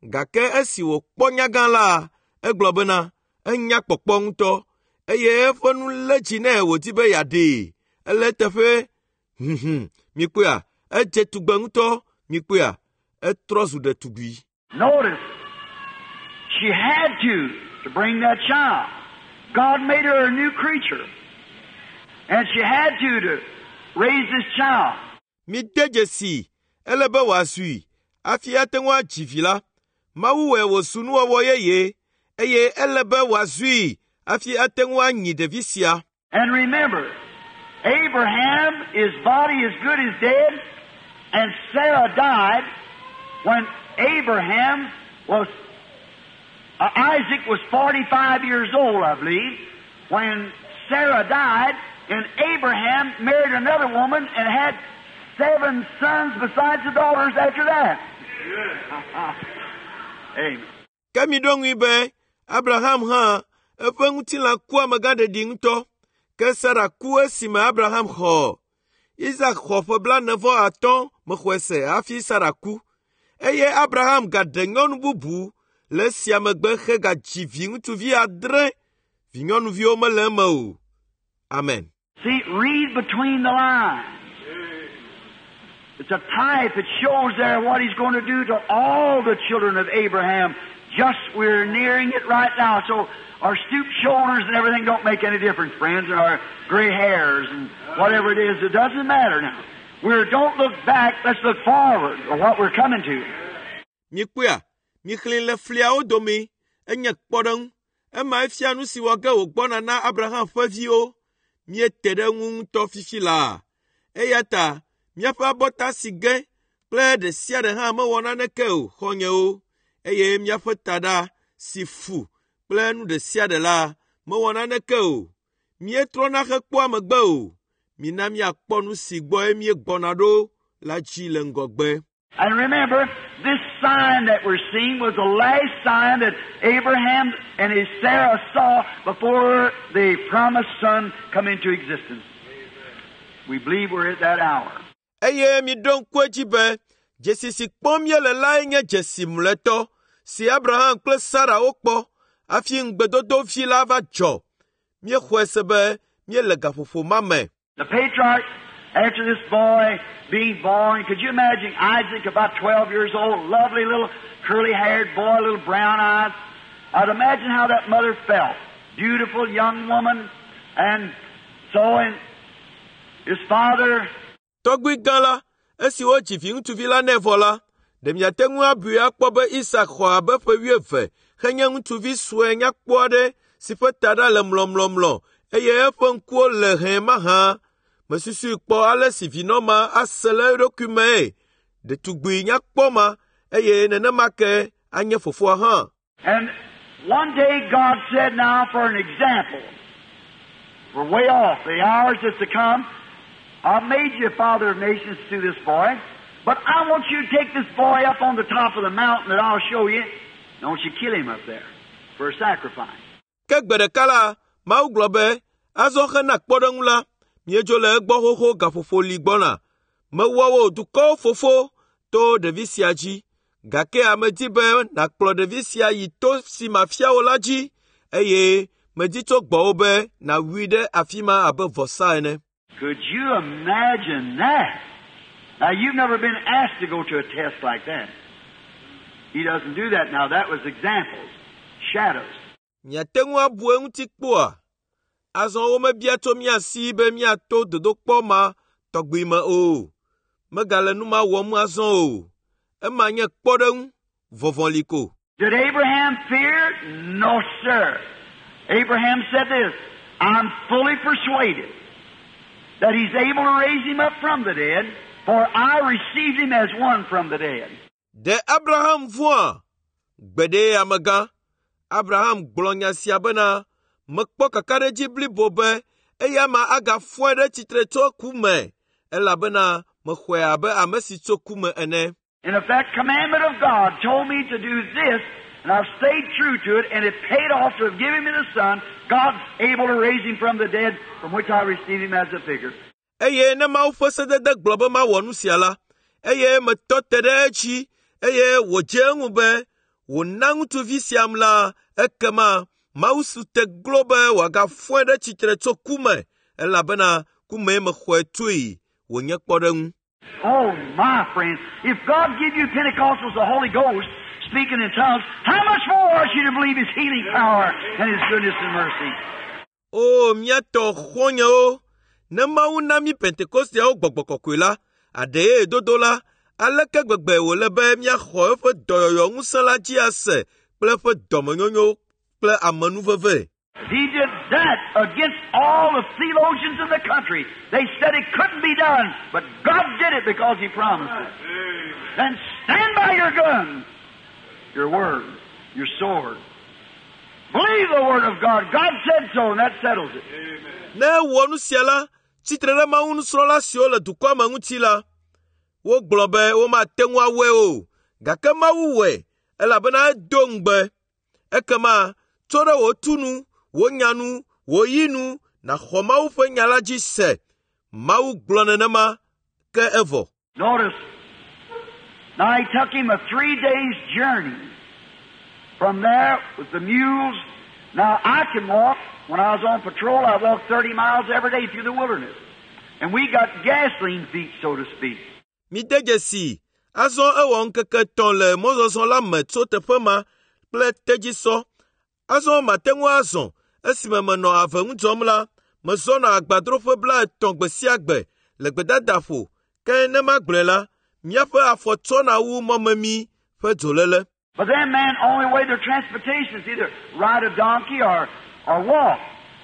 Gake esi wòkpɔ nyagã la, egblɔ bena enya kpɔkpɔ ŋutɔ eye eƒe nu lé dzi nɛ wòdi be yeaɖee. Ele eteƒe huhum mikpɔea, edze tugbe ŋutɔ mikpɔea, etrɔ zu ɖetugbui. Notice, she had to bring that child. God made her a new creature. And she had to raise this child. Mide dzesi, ele be wòazui hafi ate ŋu adzi vi la. Mawu wɔe wòzu nuwɔwɔ yeye eye ele be wòazui hafi ate ŋu anyi ɖevi sia. And remember, Abraham, his body is good as dead, and Sarah died when Abraham was, Isaac was 45 years old, I believe, when Sarah died, and Abraham married another woman and had 7 sons besides the daughters after that. Amen. Ke miɖo ŋui be Abraham hã eƒe ŋutilã ku amegãɖeɖi ŋutɔ. Ke Sara ku esime Abraham xɔ. Isak xɔ ƒe 45 mexɔe se hafi Sara ku. Eye Abraham gaɖe nyɔnu bubu le esia megbe hegadzi viŋutsuvi 7. Vinyɔnuviwo mele eme o. Amen. See, read between the lines. It's a type. It shows there what he's going to do to all the children of Abraham. Just we're nearing it right now. So our stooped shoulders and everything don't make any difference, friends, and our gray hairs and whatever it is. It doesn't matter now. We don't look back. Let's look forward or what we're coming to. Mikpɔea, mixlẽ le fliawo dome enye kpɔɖeŋu. Ema efia nu si wɔ ge wògbɔna na Abraham ƒe viwo. Míete ɖe eŋu ŋutɔ fifi laa. Eya ta míaƒe abɔta si ge kple ɖe sia ɖe hã mewɔ naneke o, xɔ̃nyewo. Eye míaƒe taɖa si fu kple nu ɖe sia ɖe la Mewɔ naneke o. Míetrɔna hekpɔa megbe o. Mina míakpɔ nu si gbɔe míegbɔna ɖo la dzi le ŋgɔgbe. And remember, this sign that we're seeing was the last sign that Abraham and his Sarah saw before the promised son come into existence. We believe we're at that hour. Eye miɖo ŋku edzi be dzesi si kpɔm míele lae nye dzesi mlɔetɔ si Abraham kple Sara wokpɔ hafi ŋugbedodo vi la va dzɔ. Míexɔe se be míele gaƒoƒo ma me. The patriarch, after this boy being born, could you imagine Isaac about 12 years old, lovely little curly-haired boy, little brown eyes? I'd imagine how that mother felt. Beautiful young woman, and so and his father Tɔgbui gã la, esi wodzi viŋutsuvi la nɛ vɔ la, ɖe miate ŋu abui akpɔ be Isak xɔ abe ƒe wuieve henye ŋutsuvi sue nyakpɔ aɖe si ƒe taɖa le mlɔmlɔmlɔ eye eƒe ŋkuwo le hɛ̃ mahã. Mesusui kpɔ ale si vinɔ ma ase le eɖokui mee. Ɖetugbui nyakpɔ ma eye nenema ke anye fofoa hã. And one day God said, now for an example, we're way off, the hours that's to come, I've made you a father of nations through this boy, but I want you to take this boy up on the top of the mountain that I'll show you. Don't you kill him up there for a sacrifice. Ke gbe ɖeka la, Mawu gblɔ be, azɔ hena kpɔɖeŋu la, míedzo le egbɔ xoxo gaƒoƒo li gbɔna. Mewɔ wò dukɔwo fofo to ɖevi sia dzi. Gake medi be nàkplɔ ɖevi sia yi to si mafia wò la dzi eye medi tso gbɔwò be nàwui ɖe afi ma abe vɔsa ene. Could you imagine that? Now, you've never been asked to go to a test like that. He doesn't do that now. That was examples, shadows. Miate ŋu abu eŋuti kpɔa? Azɔ womebia tso mía si be míato dodokpɔ ma tɔgbi me o. Megale nu ma wɔm azɔ o. Ema nye kpɔɖeŋu, vɔvɔli ko. Did Abraham fear? No, sir. Abraham said this, I'm fully persuaded that he's able to raise him up from the dead, for I received him as one from the dead. Ɖe Abraham vɔ̃a? Gbeɖe amegã. Abraham gblɔ nya sia bena, mekpɔ kakaɖedzi blibo be eya ma agafɔe ɖe tsitre tso ku me, elabena mexɔe abe ame si tso ku me ene. And if that commandment of God told me to do this, and I've stayed true to it, and it paid off to have given me the Son, God's able to raise him from the dead, from which I received him as a figure. Eye ne Mawu ƒe sedede gblɔ be mawɔ nu sia la, eye metɔ te ɖe edzi, eye wòdze eŋu be wòna ŋutsuvi siam la, ekema Mawu su te glo be wòagafɔe ɖe tsitre tso ku me, elabena ku mee mexɔe tsoe wònye kpɔɖeŋu. Oh, my friend, if God give you Pentecostals the Holy Ghost, speaking in tongues, how much more ought you to believe His healing power and His goodness and mercy? O míatɔ xɔ̃nyewo, ne Mawu na mí Pentekosteawo gbɔgbɔ kɔkɔe la, aɖee dodo la, aleke gbegbe wòle be míaxɔ eƒe dɔyɔyɔ ŋusẽ la dzi ase kple eƒe dɔmenyonyo kple amenuveve. If He did that against all the theologians in the country, they said it couldn't be done, but God did it because He promised it. Then stand by your gun, your word, your sword. Believe the word of God. God said so, and that settles it. Ne ewɔ nu sia la, tsitre ɖe Mawu nusrɔ̃la siwo le dukɔa me ŋuti la, wogblɔ be womate ŋu awɔe o, gake Mawu wɔe, elabena edo ŋugbe. Ekema tso ɖe wò tu nu, wò nya nu, wò yi nu, nàxɔ Mawu ƒe nya la dzi se. Mawu gblɔ nenema, ke evɔ. Notice, now he took him a 3 days journey. From there with the mules. Now I can walk. When I was on patrol, I walked 30 miles every day through the wilderness. And we got gasoline feet, so to speak. Mide dzesi, azɔ ewɔ ŋkeke etɔ̃ le mɔzɔzɔ la me tso teƒe ma kple tedzisɔ. Azɔ mate ŋu azɔ esime menɔ ave ŋu dzɔm la, mezɔna agbadroƒe 30 gbe sia gbe le gbedadaƒo. Ke ne magblɔe la, míaƒe afɔ tsɔna wu mɔmemi ƒe dzoléle. But them men, only way their transportation is either ride a donkey or walk.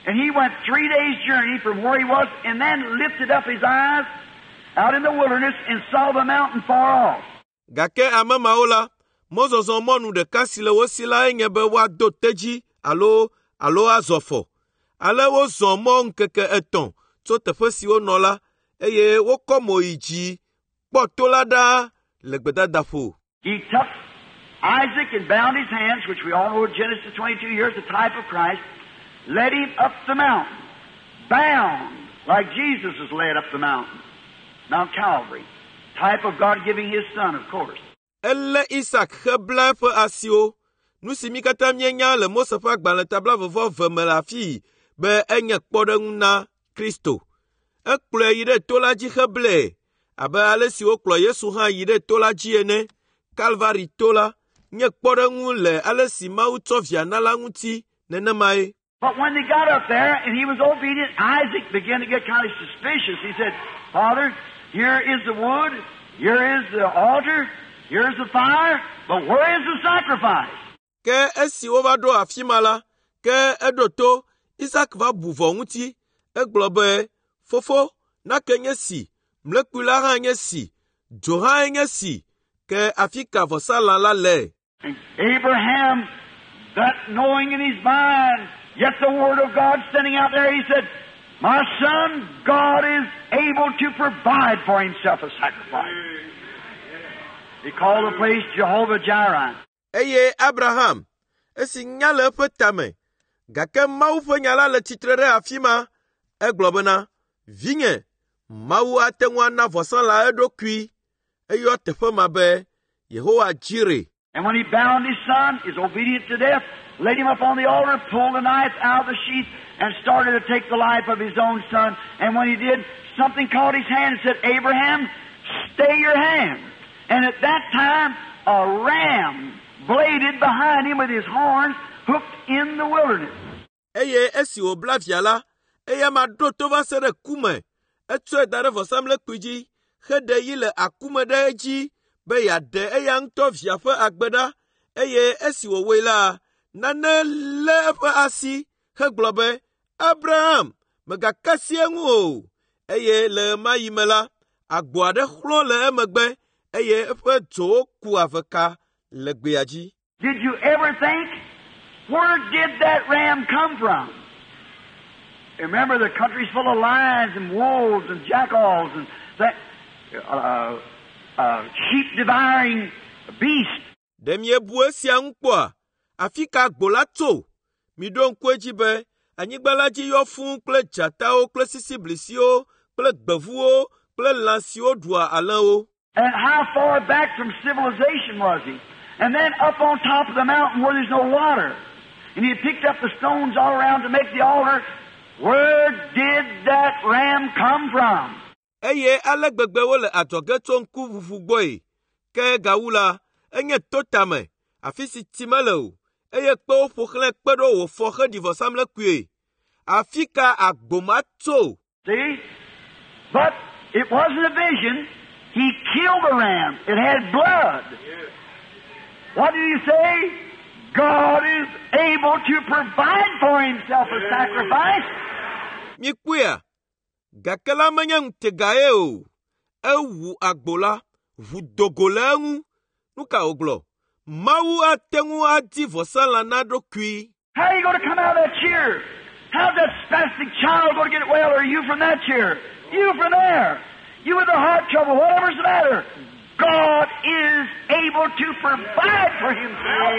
And he went 3 days' journey from where he was and then lifted up his eyes out in the wilderness and saw the mountain far off. Gake ame mawo la, mɔzɔzɔ mɔnu ɖeka si le wo si lae nye be woado tedzi alo azɔ afɔ. Ale wozɔ mɔ ŋkeke 3 tso teƒe si wonɔ la, eye wokɔ mo yi dzi kpɔ to la ɖaa le gbedadaƒo. He took Isaac and bound his hands, which we all know in Genesis 22 here is the type of Christ, led him up the mountain, bound, like Jesus was led up the mountain, Mount Calvary. Type of God giving His Son, of course. Elé Isak hebla eƒe asiwo. Nu si mí katã míenya le Mose ƒe agbalẽ ta 22 me le afii be enye kpɔɖeŋu na Kristo. Ekplɔe yi ɖe to la dzi heblae abe ale si wokplɔ Yesu hã yi ɖe to la dzi ene. Kalvari to la nye kpɔɖeŋu le ale si Mawu tsɔ via na la ŋuti nenemae. But when they got up there and he was obedient, Isaac began to get kind of suspicious. He said, Father, here is the wood, here is the altar, here's the fire, but where is the sacrifice? Ke esi wova ɖo afi ma la, ke eɖo to Isak va bu vɔ ŋuti. Egblɔ be, Fofo, nake nye si, mlekpui la hã nye si, dzo hã nye si, ke afi ka vɔsalã la le? And Abraham, that knowing in his mind, yet the Word of God standing out there, he said, My son, God is able to provide for himself a sacrifice. He called the place Jehovah Jireh. Eye Abraham, esi nya le eƒe tame, gake Mawu ƒe nya la le tsitre ɖe afi ma, egblɔ bena, Vinye, Mawu ate ŋu ana vɔsalã eɖokui. Eyɔ teƒe ma be Yehowa Jireh. And when he bound his son, his obedient to death, laid him up on the altar, pulled the knife out of the sheath, and started to take the life of his own son. And when he did, something caught his hand and said, Abraham, stay your hand. And at that time, a ram bladed behind him with his horns hooked in the wilderness. Eye esi wòbla via la, eya ma ɖo to va se ɖe ku me. Etsɔe da ɖe vɔsamlekpui dzi heɖe yi le akume ɖe edzi be yeaɖe eya ŋutɔ via ƒe agbe ɖa. Eye esi wòwɔe la, nane lé eƒe asi hegblɔ be, Abraham, mègaka asi eŋu o. Eye le ɣe ma ɣi me la, agbo aɖe xlɔ̃ le emegbe eye eƒe dzowo ku aveka le gbea dzi. Did you ever think, where did that ram come from? Remember, the country's full of lions and wolves and jackals and that sheep-devouring beasts. Ɖe miebu esia ŋu kpɔa? Afi ka agbo la tso? Miɖo ŋku edzi be anyigba la dzi yɔ fũu kple dzatawo kple sisiblisiwo kple gbevuwo kple lã siwo ɖua alẽwo. And how far back from civilization was he? And then up on top of the mountain where there's no water. And he picked up the stones all around to make the altar. Where did that ram come from? Eye ale gbegbe wole adzɔge tso ŋkuʋuʋu gbɔe. Ke gawu la, enye to tame, afi si tsi mele o, eye kpewo ƒo xlãe kpe ɖo wòfɔ heɖi vɔsamlekpui. Afi ka agbo ma tso? See? But it wasn't a vision. He killed the ram. It had blood. What did he say? God is able to provide for himself a sacrifice. Mikpɔea? Gake la menye ŋutegae o. Ewu agbo la, ʋu do go le eŋu. Nu ka wògblɔ? Mawu ate ŋu adi vɔsalã na eɖokui. How are you going to come out of that chair? How's that spastic child going to get well, or you from that chair? You from there. You with the heart trouble, whatever's the matter. God is able to provide for himself.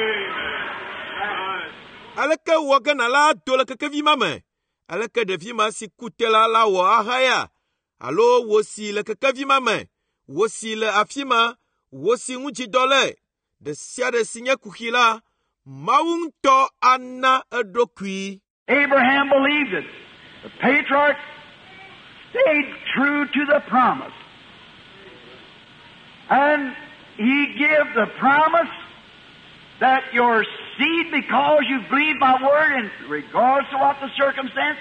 Aleke wɔ ge nàla ado le kekevi ma me? Aleke ɖevi ma si ku te la la wɔ ahaya? Alo wò si le kekevi ma me, wò si le afi ma, wò si ŋudzidɔ le, ɖe sia ɖe si nye kuxi la, Mawu ŋutɔ ana eɖokui. Abraham believed it. The patriarch stayed true to the promise. And he gave the promise that your seed, because you believe my word, in regards to what the circumstance,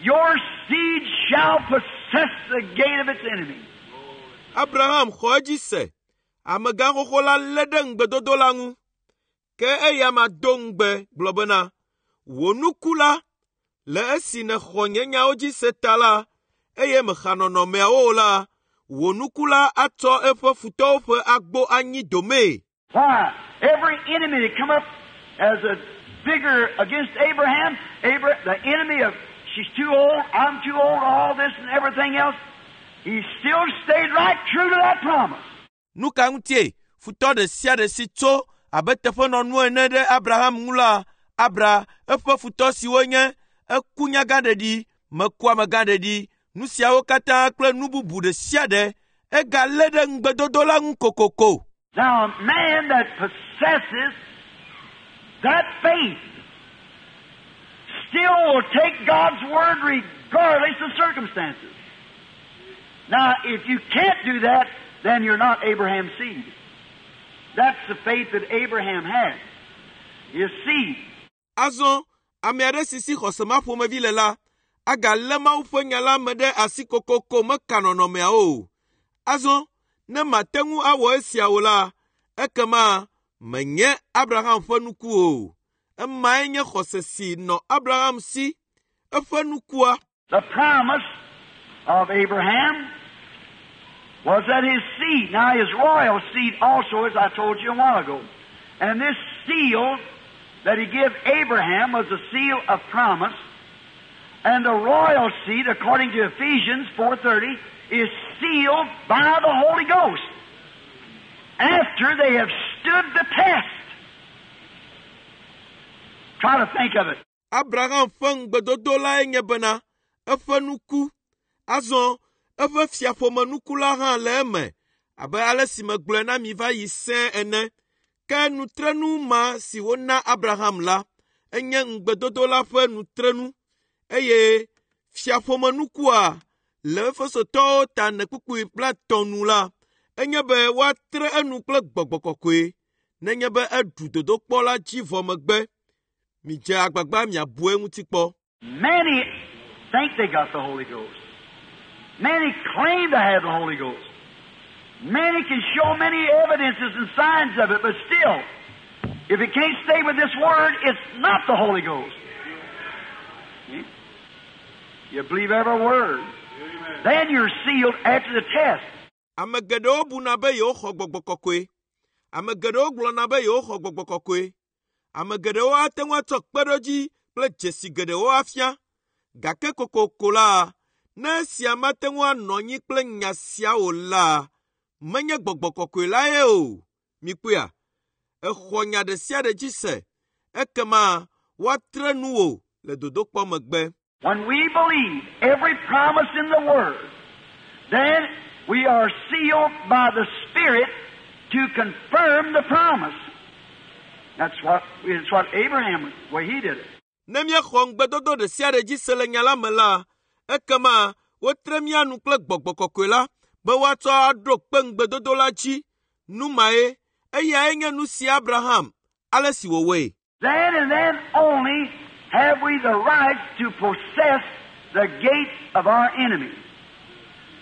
your seed shall possess the gate of its enemy. Abraham xɔ edzi se. Amegã xoxo la lé ɖe ŋugbedodo la ŋu. Ke eya ma do ŋugbe gblɔ bena, wò nuku la, le esi nèxɔ nye nyawo dzi se ta la, eye mèxa nɔnɔmeawo o la, wò nuku la atsɔ eƒe futɔwo ƒe agbo anyi domee. Why? Every enemy that come up as a figure against Abraham, the enemy of, she's too old, I'm too old, all this and everything else, he still stayed right true to that promise. Nu ka ŋutie futɔ ɖe sia ɖe si tso abe teƒenɔnu ene ɖe Abraham ŋu la, Abra eƒe futɔ siwo nye eku nyagãɖeɖi, meku amegãɖeɖi, nu siawo katã kple nu bubu ɖe sia ɖe, egalé ɖe ŋugbedodo la ŋu kokoko. Now, a man that possesses that faith still will take God's word regardless of circumstances. Now, if you can't do that, then you're not Abraham's seed. That's the faith that Abraham had. His seed. Azɔ, ame aɖe si si xɔse ma ƒomevi le la, agalé Mawu ƒe nya la me ɖe asi kokoko meka nɔnɔmeawo o. Azɔ, ne mate ŋu awɔ esia o la, ekema menye Abraham ƒe nuku o. Emae nye xɔse si nɔ Abraham si, eƒe nukua. The promise of Abraham was that his seed, now his royal seed also, as I told you a while ago, and this seal that he gave Abraham was the seal of promise, and the royal seed, according to Ephesians 4:30, is sealed by the Holy Ghost after they have stood the test. Try to think of it. Abraham ƒe ŋugbedodo lae nye bena eƒe nuku, azɔ eƒe fiaƒomenuku la hã le eme abe ale si megblɔe na mi va yi sẽe ene. Ke nutrenu ma si wona Abraham la, enye ŋugbedodo la ƒe nutrenu eye fiaƒomenukua le Efesotɔwo ta ene kpukpui 50 nu la, enye be woatre enu kple gbɔgbɔ kɔkɔe nenye be eɖu dodokpɔ la dzi vɔ megbe. Midze agbagba miabu eŋuti kpɔ. Many think they got the Holy Ghost. Many claim to have the Holy Ghost. Many can show many evidences and signs of it, but still, if it can't stay with this Word, it's not the Holy Ghost. See? You believe every word. Then you're sealed after the test. Ame geɖewo buna be yewoxɔ gbɔgbɔ kɔkɔe. Ame geɖewo gblɔna be yewoxɔ gbɔgbɔ kɔkɔe. Ame geɖewo ate ŋu atsɔ kpeɖodzi kple dzesi geɖewo afia. Gake kokoko la, ne esia mate ŋu anɔ anyi kple nya sia o la, menye gbɔgbɔ kɔkɔe lae o. Mikpɔea? Exɔ nya ɖe sia ɖe dzi se. Ekema woatre nu wò le dodokpɔ megbe. When we believe every promise in the Word, then we are sealed by the Spirit to confirm the promise. That's what Abraham, the way he did it. Ne míexɔ ŋugbedodo ɖe sia ɖe dzi se le nya la me la, ekema wotre mía nu kple gbɔgbɔ kɔkɔe la be woatsɔ aɖo kpe ŋugbedodo la dzi. Nu mae, eyae nye nu si Abraham, ale si wòwɔe. Then and then only have we the right to possess the gates of our enemy.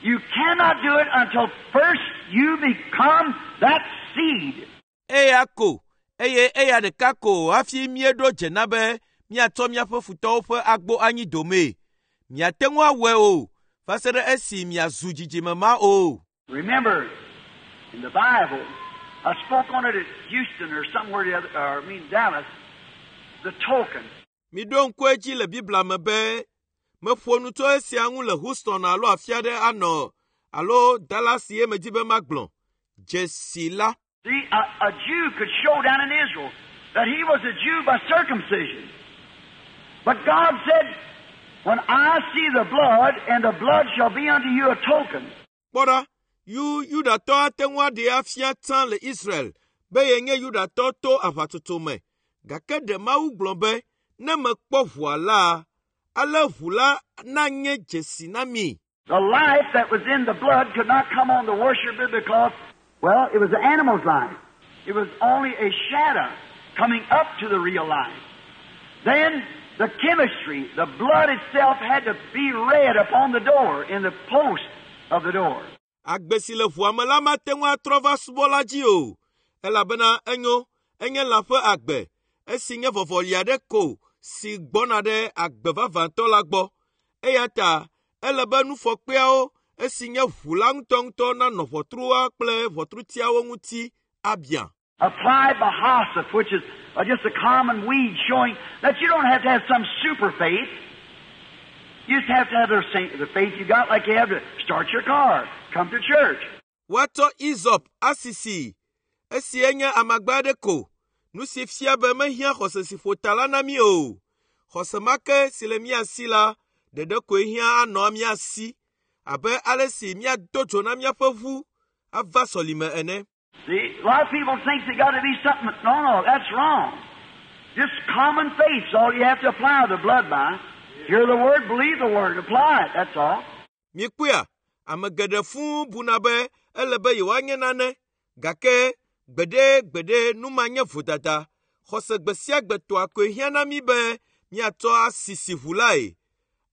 You cannot do it until first you become that seed. Eya ko, eye eya ɖeka ko hafi míeɖo dze na be míatsɔ míaƒe futɔwo ƒe agbo anyi domee. Miate ŋu awɔe o, va se ɖe esi miazu dzidzime ma o. Remember, in the Bible, I spoke on it at Houston or somewhere the other, or I mean Dallas, the token. Miɖo ŋku edzi le Biblia me be meƒo nu tso esia ŋu le Houston alo afi aɖe anɔ alo Dallas ye medi be magblɔ. Dzesi la. See, a Jew could show down in Israel that he was a Jew by circumcision. But God said, when I see the blood, and the blood shall be unto you a token. Kpɔ ɖa, Yudatɔ ate ŋu aɖee afia tsã le Israel be yenye Yudatɔ to aʋatsotso me. Gake ɖe Mawu gblɔ be, ne mekpɔ ʋua la, ale ʋu la nanye dzesi na mi. The life that was in the blood could not come on the worshiper because, well, it was the animal's life. It was only a shadow coming up to the real life. Then the chemistry, the blood itself had to be red upon the door, in the post of the door. Agbe si le ʋua me la mate ŋu atrɔ va subɔla dzi o, elabena enyo, enye lã ƒe agbe, esi nye vɔvɔli aɖe ko si gbɔna ɖe agbe vavãtɔ la gbɔ. Eya ta ele be nufɔkpeawo esi nye ʋu la ŋutɔŋutɔ nanɔ ʋɔtrua kple ʋɔtrutiawo ŋuti abia. Applied by hyssop, which is just a common weed, showing that you don't have to have some super faith. You just have to have the faith you got like you have to start your car, come to church. Woatsɔ Izɔp asisi. Esia nye amagbe aɖe ko. Nu si fia be mehiã xɔse si ƒo ta la na mí o. Xɔse ma ke si le mía si la ɖeɖe koe hiã anɔ mía si abe ale si míado dzo na míaƒe ʋu ava sɔlime ene. See, a lot of people think they got to be something. No, that's wrong. Just common faith's all you have to apply the blood by. Hear the word, believe the word, apply it. That's all. Mikpɔea, ame geɖe fũu buna be ele be yewoanye nane gake gbeɖe gbeɖe nu ma nye vodada. Xɔse gbe sia gbe tɔa koe hiã na mí be míatsɔ asisi ʋu lae,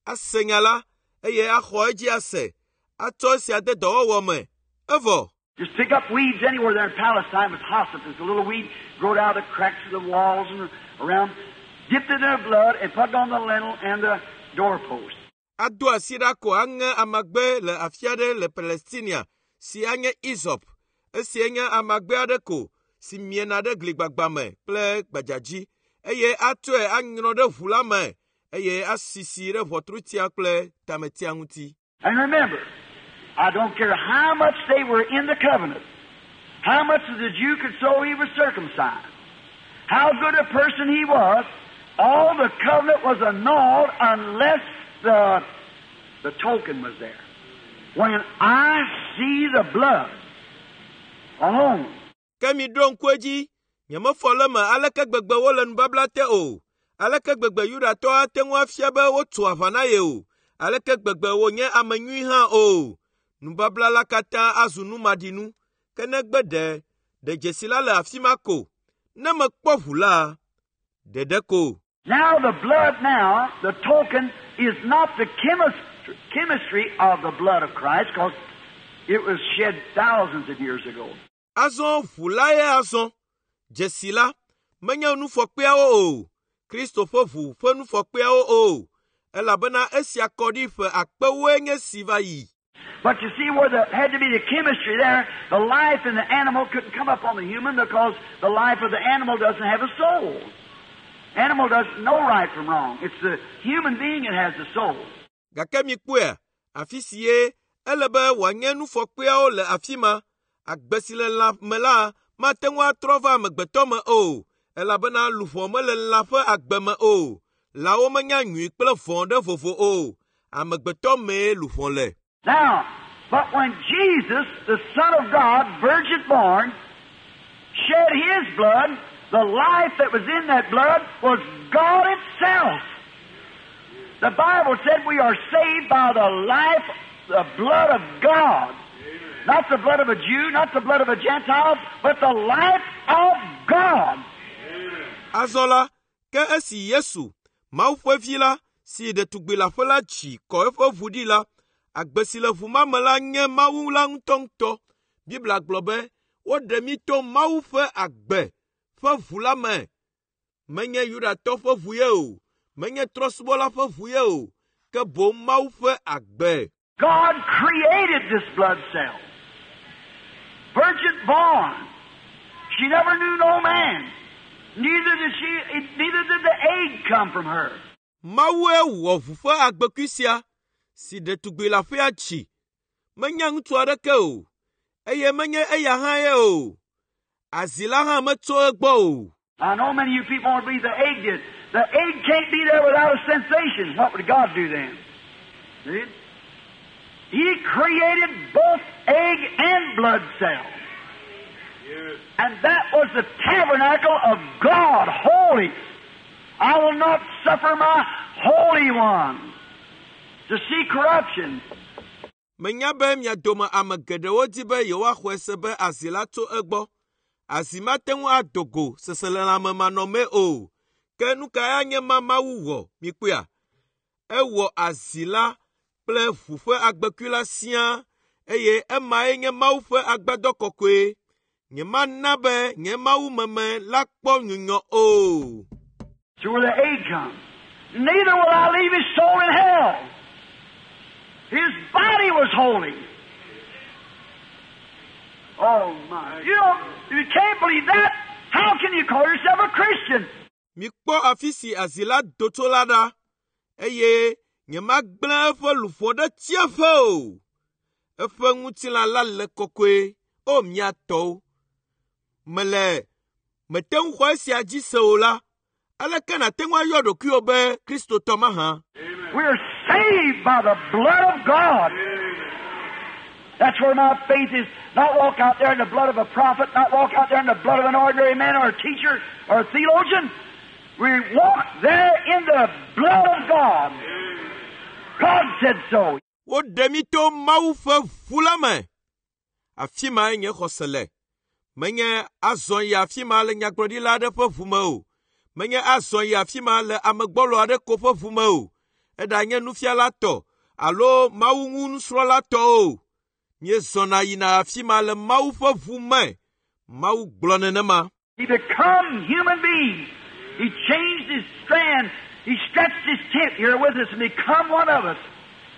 ase nya la eye axɔ edzi ase, atsɔ esia de dɔwɔwɔ me. Evɔ. Just pick up weeds anywhere there in Palestine with hyssop. There's a little weed growed out of the cracks of the walls and around. Dipped it in their blood and put it on the lintel and the doorpost. Ado asi ɖa ko aŋe amagbe le afi aɖe le Palestinia si anye Izɔp. Esia nye amagbe aɖe ko si miena ɖe gligbagba me kple gbadzadzi eye atsɔe anyrɔ ɖe ʋu la me eye asisi ɖe ʋɔtrutia kple tametia ŋuti. And remember, I don't care how much they were in the covenant, how much the Jew could show he was circumcised, how good a person he was, all the covenant was annulled unless the token was there. When I see the blood alone. Ke miɖo ŋku edzi, nyemefɔ le eme aleke gbegbe wole nubabla te o, aleke gbegbe Yudatɔ ate ŋu afia be wotso aʋa na ye o, aleke gbegbe wònye ame nyui hã o. Nubabla la katã azu numaɖinu, ke negbe ɖe ɖe dzesi la le afi ma ko. Ne mekpɔ ʋu la, ɖeɖe ko. Now the blood now, the token, is not the chemistry of the blood of Christ, because it was shed thousands of years ago. Azɔ ʋu la ye azɔ. Dzesi la, menye nufɔkpeawo o, Kristo ƒe ʋu ƒe nufɔkpeawo o, elabena esia kɔ ɖi ƒe akpewoe nye si va yi. But you see where there had to be the chemistry there, the life in the animal couldn't come up on the human because the life of the animal doesn't have a soul. Animal doesn't know right from wrong. It's the human being that has the soul. Gake mikpɔea, afi si ye ele be wòanye nufɔkpeawo le afi ma. Agbe si le lã me la mate ŋu atrɔ va amegbetɔ me o, elabena luʋɔ mele lã ƒe agbe me o. Lãwo menya nyui kple vɔ̃ ɖe vovo o. Amegbetɔ mee luʋɔ le. Now, but when Jesus, the Son of God, virgin born, shed His blood, the life that was in that blood was God itself. The Bible said we are saved by the life, the blood of God. Not the blood of a Jew, not the blood of a Gentile, but the life of God. Azɔ la, ke esi Yesu, Mawu ƒe vi la, si ɖetugbi leaƒe la dzi kɔ eƒe ʋu ɖi la, agbe si le ʋu ma me la nye Mawu la ŋutɔŋutɔ. Biblia gblɔ be woɖe mí to Mawu ƒe agbe ƒe ʋu la me. Menye Yudatɔ ƒe ʋu ye o, menye trɔ̃subɔla ƒe ʋu ye o, ke boŋ Mawu ƒe agbe. God created this blood cell. Virgin born. She never knew no man. Neither did she, neither did the egg come from her. Mawue wɔ ʋu ƒe agbekui sia si ɖetugbi leaƒea dzi. Menya ŋutsu aɖeke o, eye menye eya hã ye o. Azi la hã metso egbɔ o. I know many of you people want to believe the egg did. The egg can't be there without a sensation. What would God do then? See? He created both egg and blood cell. And that was the tabernacle of God, holy. I will not suffer my Holy One to see corruption. Menya be mia dome ame geɖewo di be yewoaxɔe se be azi la tso egbɔ. Azi mate ŋu ado go seselelãme manɔmee o. Ke nu kae anye ma Mawu wɔ? Mikpɔea? Ewɔ azi la kple ʋu ƒe agbekui la siaa eye emae nye Mawu ƒe agbadɔ kɔkɔe. Nyemana be nye Mawu meme la kpɔ nyunyɔ o. See where the egg comes. Neither will I leave his soul in hell. His body was holy. Oh my. You don't, you can't believe that. How can you call yourself a Christian? Mikpɔ afi si azi la do tso la ɖa, eye nyemagblẽ eƒe luʋɔ ɖe tsiẽƒe o. Eƒe ŋutilã la le kɔkɔe, o mia tɔwo. Mele mete ŋu xɔ esia dzi se o la, aleke nàte ŋu ayɔ ɖokuiwò be Kristotɔ mahã? We're saved by the blood of God. That's where my faith is. Not walk out there in the blood of a prophet, not walk out there in the blood of an ordinary man or a teacher or a theologian. We walk there in the blood of God. God said so. Woɖe mí to Mawu ƒe ʋu la me. Afi mae nye xɔse le. Menye azɔ yi afi ma le nyagblɔɖila aɖe ƒe ʋu me o. Menye azɔ yi afi ma le ame gbɔlo aɖe ko ƒe ʋu me o. Eɖanye nufiala tɔ alo Mawu ŋu nusrɔ̃la tɔ o. Míezɔna yina afi ma le Mawu ƒe ʋu me. Mawu gblɔ nenema. He become human being. He changed his strand. He stretched his tent here with us and become one of us.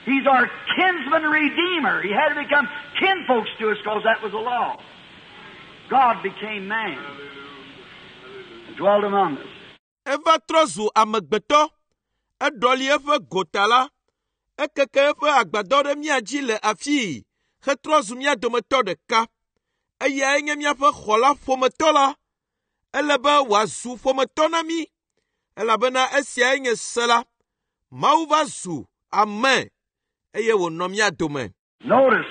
He's our kinsman redeemer. He had to become kinfolks to us because that was the law. God became man and dwelt among us. Eva trɔ zu amegbetɔ. Eɖɔli eƒe gota la. Ekeke eƒe agbadɔ ɖe mía dzi le afii hetrɔ zu mía dometɔ ɖeka. Eyae nye míaƒe xɔla ƒometɔ la. Ele be wòazu ƒometɔ na mí elabena esiae nye se la. Mawu va zu ame eye wònɔ mía dome. Notice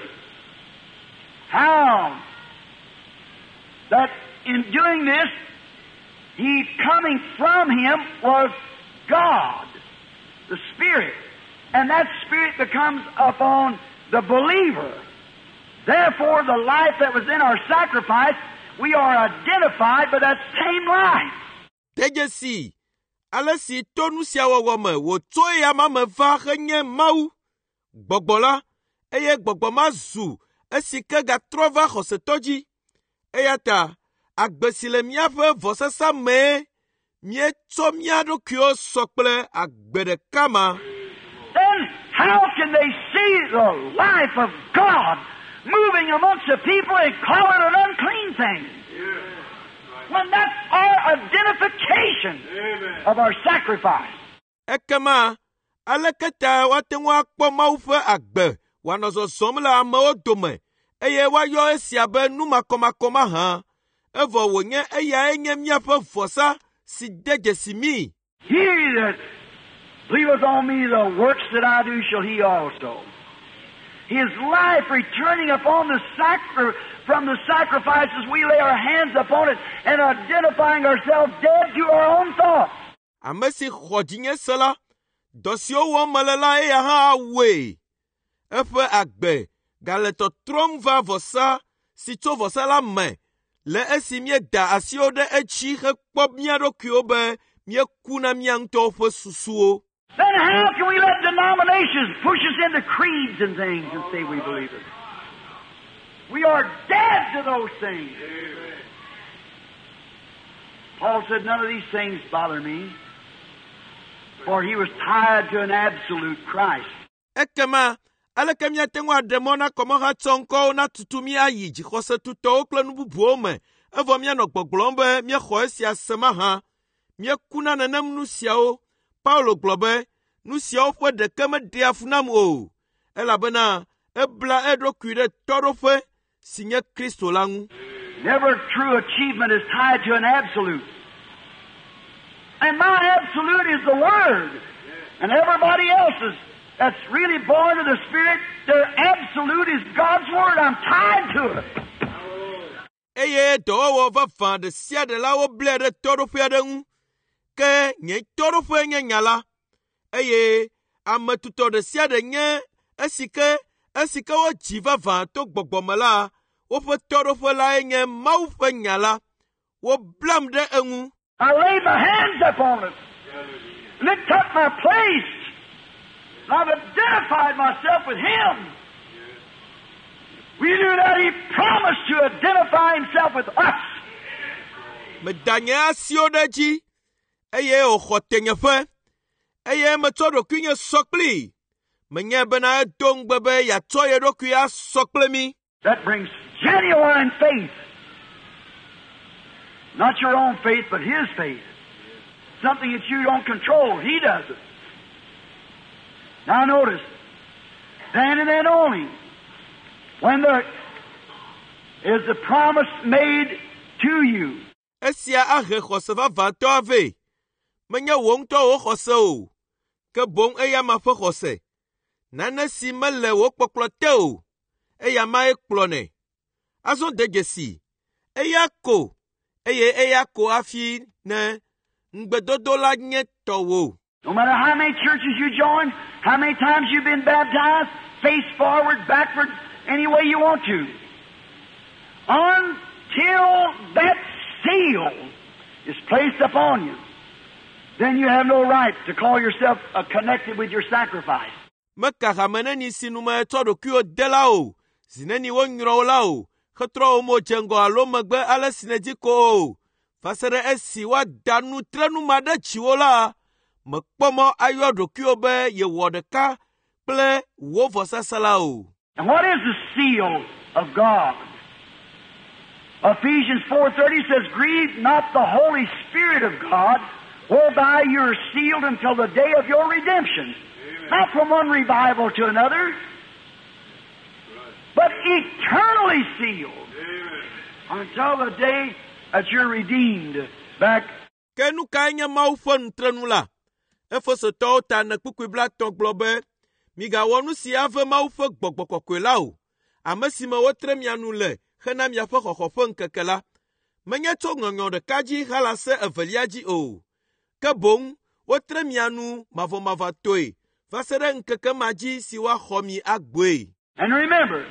how that in doing this, he coming from him was God, the Spirit. And that Spirit becomes upon the believer. Therefore, the life that was in our sacrifice, we are identified by that same life. De dzesi ale si to nu sia wɔwɔ me wòtso eya ma me va henye Mawu, Gbɔgbɔ la, eye gbɔgbɔ ma zu esi ke gatrɔ va xɔsetɔ dzi. Eya ta agbe si le míaƒe vɔsasa mee míetsɔ mía ɖokuiwo sɔ kple agbe ɖeka ma. Then how can they see the life of God moving amongst the people and call it an unclean thing? When that's our identification of our sacrifice. Ekema aleke ta woate ŋu akpɔ Mawu ƒe agbe wòanɔ zɔzɔm le amewo dome eye woayɔ esia be nu makɔmakɔ mahã evɔ wònye eyae nye míaƒe vɔsa si de dzesi mí. He that believeth on me, the works that I do shall he also. His life returning upon the from the sacrifices we lay our hands upon it and identifying ourselves dead to our own thoughts. Ame si xɔ dzinye se la, dɔ siwo wɔm mele la eya hã awɔe. Eƒe agbe gale tɔtrɔm va vɔsa si tso vɔsa la me le esi míeda asiwo ɖe edzi hekpɔ mía ɖokuiwo be míeku na mía ŋutɔwo ƒe susuwo. Then how can we let denominations push us into creeds and things and say we believe it? We are dead to those things. Paul said, none of these things bother me, for he was tied to an absolute Christ. Ekema aleke míate ŋu aɖe mɔ na kɔmɔhatsɔŋkɔwo natutu mí ayi dzixɔsetutɔwo kple nu bubuwo me evɔ míanɔ gbɔgblɔm be míexɔ esia se mahã. Míekuna nenem nu siawo. Paulo gblɔ be nu siawo ƒe ɖeke meɖea fu nam o elabena ebla eɖokui ɖe tɔɖoƒe si nye Kristo la ŋu. Never true achievement is tied to an absolute. And my absolute is the Word. And everybody else's that's really born of the Spirit, their absolute is God's Word. I'm tied to it. Eye dɔwɔwɔ vavã ɖe sia ɖe la woblae ɖe tɔɖoƒe aɖe ŋu. Ke nye tɔɖoƒe nye nya la. Eye ame tutɔ ɖe sia ɖe nye esi ke esi ke wodzi vavã to gbɔgbɔ me la, woƒe tɔɖoƒe lae nye Mawu ƒe nya la. Woblam ɖe eŋu. I laid my hands upon it. And it took my place. And I've identified myself with Him. We knew that He promised to identify Himself with us. Meda nye asiwo ɖe edzi eye wòxɔ tenyeƒe eye metsɔ ɖokuinye sɔ kplii. Menye bena edo ŋugbe be yeatsɔ ye ɖokui asɔ kple mí. That brings genuine faith. Not your own faith, but His faith. Something that you don't control. He does it. Now notice, then and then only, when there is the promise made to you. Esia ahe xɔse vavãtɔ avɛ. Menye wò ŋutɔ wò xɔse o, ke boŋ eyama ƒe xɔse. Nane si mele wò kpɔkplɔ te o, eya mae kplɔnɛ. Azɔ de dzesi, eya ko eye eya ko hafi ne ŋugbedodo la nye tɔwò. No matter how many churches you join, how many times you've been baptized, face forward, backward, any way you want to, until that seal is placed upon you, then you have no right to call yourself connected with your sacrifice. Meka hame neni si nu metsɔ ɖokuiwò de la o, zi neni wonyrɔ wò la o, hetrɔ wò mo dze ŋgɔ alo megbe ale si nèdi ko o. Va se ɖe esi woada nutrenu ma ɖe dziwò la, mèkpɔ mɔ ayɔ ɖokuiwò be yewɔ ɖeka kple wò vɔsasa la o. And what is the seal of God? Ephesians 4:30 says, "Grieve not the Holy Spirit of God, whereby you are sealed until the day of your redemption." Not from one revival to another, but eternally sealed until the day that you're redeemed back. Ke nu kae nye Mawu ƒe nutrenu la? Efesotɔwo ta ene kpukpui 30 gblɔ be, migawɔ nu si ave Mawu ƒe gbɔgbɔ kɔkɔe la o, ame si me wotre mia nu le hena miaƒe xɔxɔ ƒe ŋkeke la. Menye tso ŋɔŋlɔ ɖeka dzi halase evelia dzi o, ke boŋ wotre mia nu mavɔmavɔtɔe va se ɖe ŋkeke ma dzi si woaxɔ mi agboe. And remember,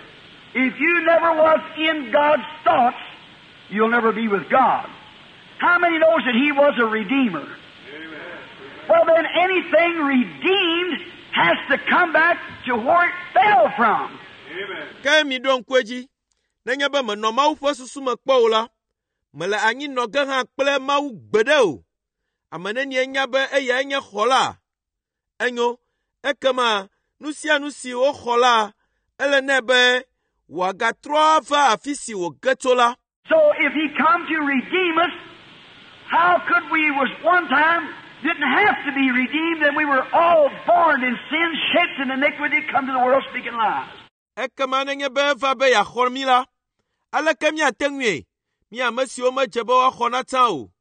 if you never was in God's thoughts, you'll never be with God. How many knows that He was a redeemer? Well, then anything redeemed has to come back to where it fell from. Ke miɖo ŋku edzi, nenye be menɔ Mawu ƒe susu me kpɔ o la, mele anyi nɔ ge hã kple Mawu gbeɖe o. Ame nenie nya be eyae nye xɔla? Enyo, ekema nu sia nu si woxɔ la, ele nɛ be wòagatrɔ ava afi si wòge tso la. So if He come to redeem us, how could we was one time didn't have to be redeemed, and we were all born in sin, shaped in iniquity, come to the world speaking lies. Ekema nenye be eva be yeaxɔ mí la, aleke míate ŋui? Mí ame siwo medze be woaxɔ na tsã o.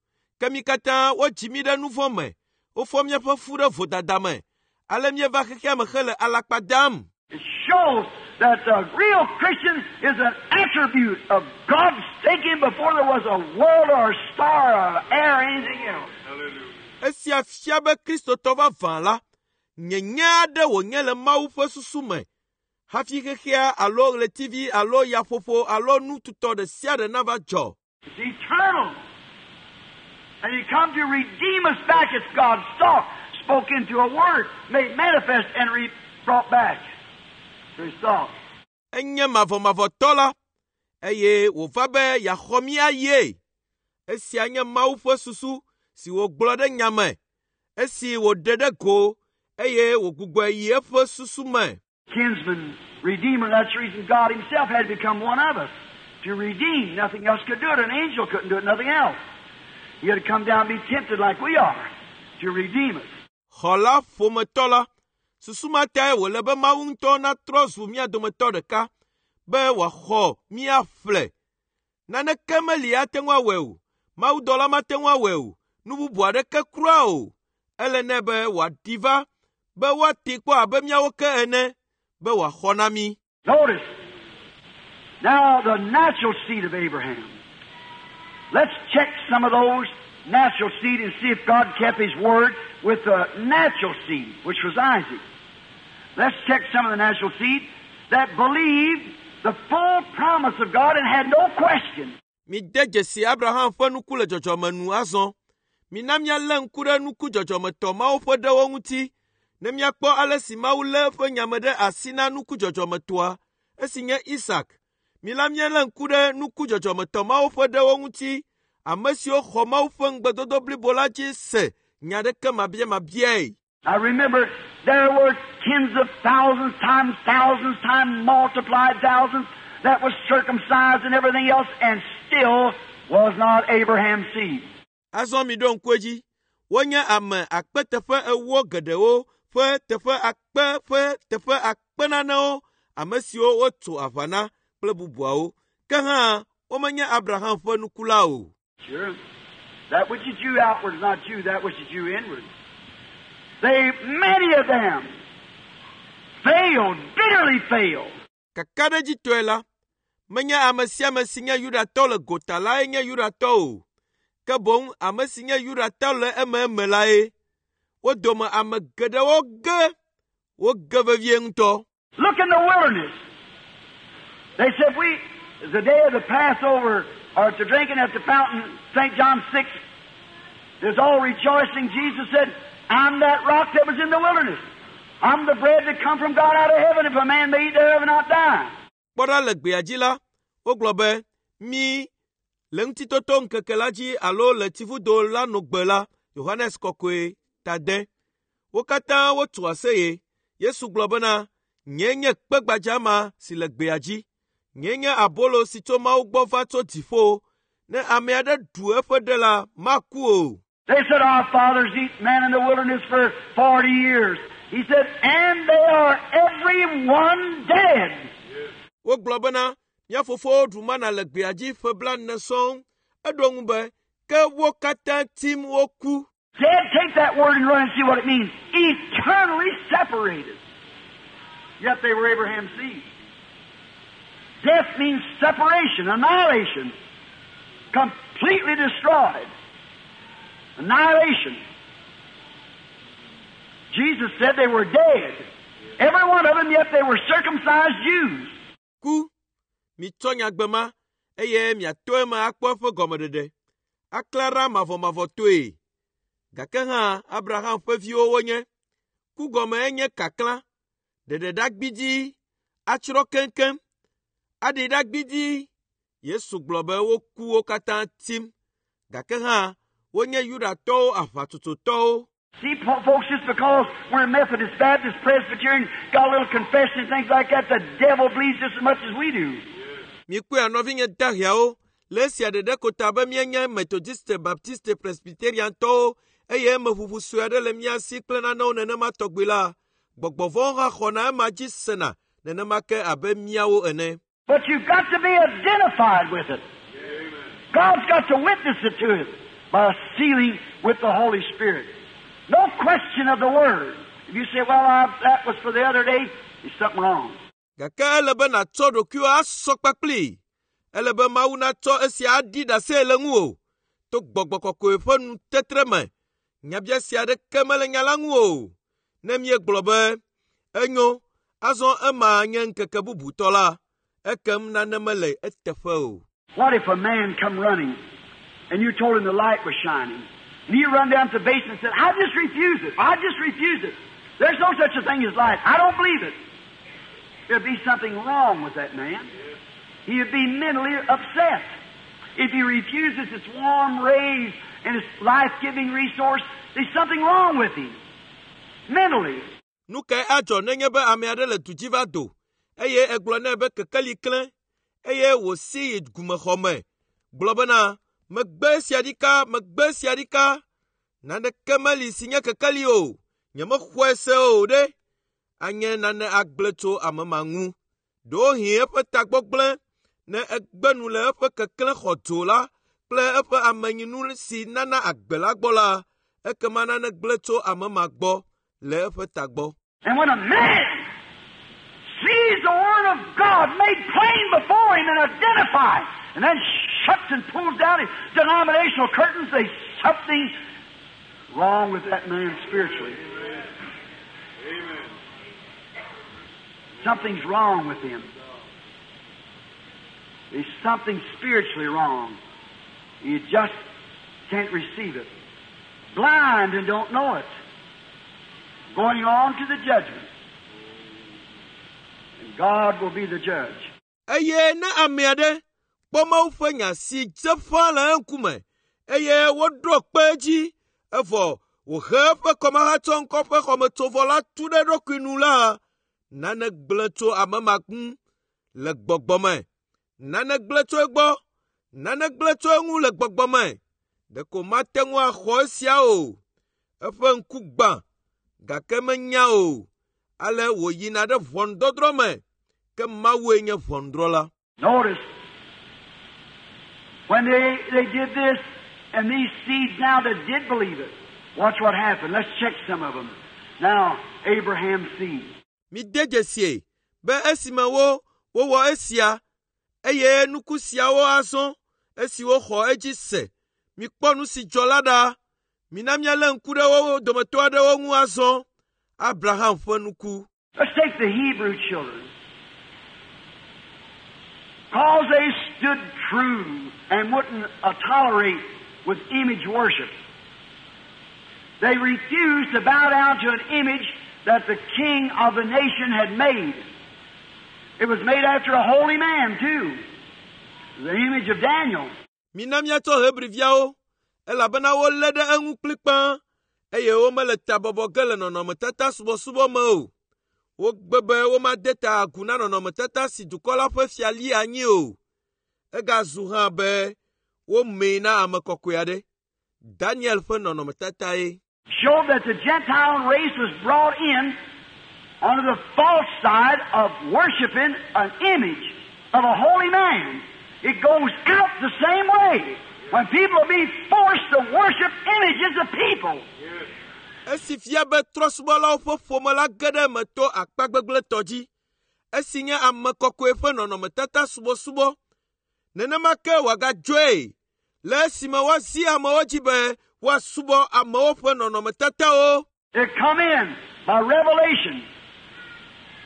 Ke mí katã wodzi mí ɖe nu vɔ̃ me, wofɔ míaƒe fu ɖe vodada me. Ale míeva xexea me hele alakpa dam. It shows that the real Christian is an attribute of God's thinking before there was a world or a star or air or anything else. Esia fia be Kristotɔ vavã la, nyenye aɖe wònye le Mawu ƒe susu me hafi xexea alo ɣletivi alo yaƒoƒo alo nu tutɔ ɖe sia ɖe nava dzɔ. It's eternal. And He come to redeem us back. It's God's thought spoke into a word, made manifest, and brought back to His thought. Enye mavɔmavɔtɔ la, eye wòva be yeaxɔ mí ayie. Esia nye Mawu ƒe susu si wògblɔ ɖe nya me, esi wòɖe ɖe go eye wògbugbɔe yi eƒe susu me. Kinsman, redeemer, that's the reason God Himself had to become one of us. To redeem. Nothing else could do it. An angel couldn't do it, nothing else. He had to come down and be tempted like we are to redeem us. Xɔla ƒometɔ la, susu ma tae wòle be Mawu ŋutɔ natrɔ zu mía dometɔ ɖeka be wòaxɔ míaƒle. Naneke meli ate ŋu awɔe o. Mawudɔla mate ŋu awɔe o. Nu bubu aɖeke kura o. Ele nɛ be wòaɖi va be woatee kpɔ abe míawo ke ene be wòaxɔ na mí. Notice, now the natural seed of Abraham. Let's check some of those natural seed and see if God kept His word with the natural seed, which was Isaac. Let's check some of the natural seed that believed the full promise of God and had no question. Mide dzesi Abraham ƒe nuku le dzɔdzɔme nu azɔ. Mina míalé ŋku ɖe nuku dzɔdzɔmetɔ mawo ƒe ɖewo ŋuti ne míakpɔ ale si Mawu lé eƒe nyame ɖe asi na nuku dzɔdzɔmetɔa, esi nye Isak. Mina míalé ŋku ɖe nuku dzɔdzɔmetɔ mawo ƒe ɖewo ŋuti, ame siwo xɔ Mawu ƒe ŋugbedodo blibo la dzi se nya ɖeke mabiamabiae. I remember there were tens of thousands times thousands times multiplied thousands that was circumcised and everything else and still was not Abraham's seed. Azɔ miɖo ŋku edzi, wonye ame akpe teƒe ewo geɖewo ƒe teƒe akpe ƒe teƒe akpe nanewo, ame siwo wotso aʋa na kple bubuawo. Ke hã womenye Abraham ƒe nuku la o. Sure. That which is Jew outward is not Jew, that which is Jew inward. They, many of them, failed, bitterly failed. Kakaɖedzitɔe la, menye ame sia ame si nye Yudatɔ le gota lae nye Yudatɔ o, ke boŋ ame si nye Yudatɔ le ememe lae. Wo dome ame geɖewo ge, woge vevie ŋutɔ. Look in the wilderness. They said, we, the day of the Passover, or to drinking at the fountain, St. John 6, there's all rejoicing. Jesus said, I'm that rock that was in the wilderness. I'm the bread that come from God out of heaven. If a man may eat thereof and not die. Kpɔ ɖa le gbea dzi la, wogblɔ be, mí le ŋutitoto ŋkeke la dzi alo le tsivudo la nogbe la, Yohanes Kɔkɔe tade. Wo katã wotso aseye. Yesu gblɔ bena, nyee nye kpe gbadza ma si le gbea dzi. Nyee nye abolo si tso Mawu gbɔ va tso dziƒo. Ne ame aɖe ɖu eƒe ɖe la, maku o. They said, Our fathers eat manna in the wilderness for 40 years. He said, and they are every one dead. Wogblɔ bena, mía fofowo ɖu mana le gbea dzi ƒe blaene sɔŋ. Eɖo ŋu be, ke wo katã tim woku. Dead, take that word and run and see what it means. Eternally separated. Yet they were Abraham's seed. Death means separation, annihilation. Completely destroyed. Annihilation. Jesus said they were dead. Every one of them, yet they were circumcised Jews. Ku, mitsɔ nyagbe ma, eye miato eme akpɔ eƒe gɔmeɖeɖe. Aklã ɖa mavɔmavɔtɔe. Gake hã Abraham ƒe viwo wonye. Ku gɔme enye kaklã, ɖeɖeɖa gbidii, atsrɔ̃ keŋkeŋ, aɖi ɖa gbidii. Yesu gblɔ be woku wo katã tim. Gake hã wonye Yudatɔwo aʋatsotsotɔwo. See, folks, just because we're Methodist, Baptist, Presbyterian, got a little confession and things like that, the devil believes just as much as we do. Mikpɔe nɔvinye daheawo le esia ɖeɖe ko ta be míenye Methodiste, Baptiste, Presbyteriantɔwo eye emeʋuʋu sue aɖe le mía si kple nanewo nenema tɔgbi la, gbɔgbɔ vɔ̃wo hã xɔna ema dzi sena nenema ke abe míawo ene. But you've got to be identified with it. God's got to witness it to us by sealing with the Holy Spirit. No question of the Word. If you say, well, that was for the other day, there's something wrong. Gake ele be nàtsɔ ɖokuiwò asɔ kpakplii. Ele be Mawu natsɔ esia aɖi ɖase le ŋuwò to gbɔgbɔ kɔkɔe ƒe nutetre me. Nyabiase aɖeke mele nya la ŋu o. Ne míegblɔ be, enyo, azɔ ema nye ŋkeke bubutɔ la, ekem nane mele eteƒe o. What if a man come running and you told him the light was shining? And he run down to the basement and said, I just refuse it. I just refuse it. There's no such a thing as light. I don't believe it. There'd be something wrong with that man. He'd be mentally upset. If he refuses its warm rays and its life-giving resource, there's something wrong with him. Mentally. Nu kae adzɔ nenye be ame aɖe le du dzi va do eye egblɔ nɛ be kekeli klẽ eye wòsi yi gumexɔ me gblɔ bena megbe esia ɖika megbe esia ɖika naneke meli si nye kekeli o nyemexɔe se o ɖe anye nane agblẽ tso ame ma ŋu ɖewohĩ eƒe tagbɔ gblẽ ne egbe nu le eƒe keklẽ xɔdzo la kple eƒe amenyinu si nana agbe la gbɔ la ekema nane gblẽ tso ame ma gbɔ le eƒe tagbɔ. And when a man sees the Word of God made plain before him and identified, and then shuts and pulls down his denominational curtains, there's something wrong with that man spiritually. Amen. Something's wrong with him. There's something spiritually wrong. He just can't receive it. Blind and don't know it. Going on to the judgment. And God will be the judge. Eye ne ame aɖe kpɔ Mawu ƒe nya si dze ƒãa le eŋkume eye woɖo kpe edzi evɔ wòhe eƒe kɔmahatsɔŋkɔ ƒe xɔmetsovɔ la tu ɖe eɖokui nu la, nane gblẽ tso ame ma ŋu le gbɔgbɔ me. Nane gblẽ tso egbɔ, nane gblẽ tso eŋu le gbɔgbɔ me. Ɖeko mate ŋu axɔ esia o. Eƒe ŋku gbã, gake menya o. Ale wòyina ɖe ʋɔnudɔdrɔ̃ me, ke Mawue nye ʋɔnudrɔ̃la. Notice, when they did this, and these seeds now that did believe it, watch what happened. Let's check some of them. Now, Abraham's seed. Mide dzesie be esime wo wowɔ esia, eye nuku siawo azɔ esi woxɔ edzi se. Mikpɔ nu si dzɔ la ɖa. Mina míalé ŋku ɖe wo dometɔ aɖewo ŋu azɔ. Abraham ƒe nuku. Let's take the Hebrew children. Cause they stood true and wouldn't tolerate with image worship. They refused to bow down to an image that the king of the nation had made. It was made after a holy man, too. The image of Daniel. Mina míatsɔ Hebriviawo, elabena wolé ɖe eŋu kplikpaa, eye womele ta bɔbɔ ge le nɔnɔmetata subɔsubɔ me o. Wogbe be womade ta agu na nɔnɔmetata si dukɔ la ƒe fia li anyi o. Egazu hã be womee na ame kɔkɔe aɖe. Daniel ƒe nɔnɔmetatae. Showed that the Gentile race was brought in onto the false side of worshiping an image of a holy man. It goes out the same way. When people are being forced to worship images of people. Esi fia be trɔ̃subɔlawo ƒe ƒome la ge ɖe eme to akpa gbegblẽtɔ dzi, esi nye ame kɔkɔe ƒe nɔnɔmetata subɔsubɔ. Nenema ke wòagadzɔe le esime woazi amewo dzi be woasubɔ amewo ƒe nɔnɔmetatawo. It come in by revelation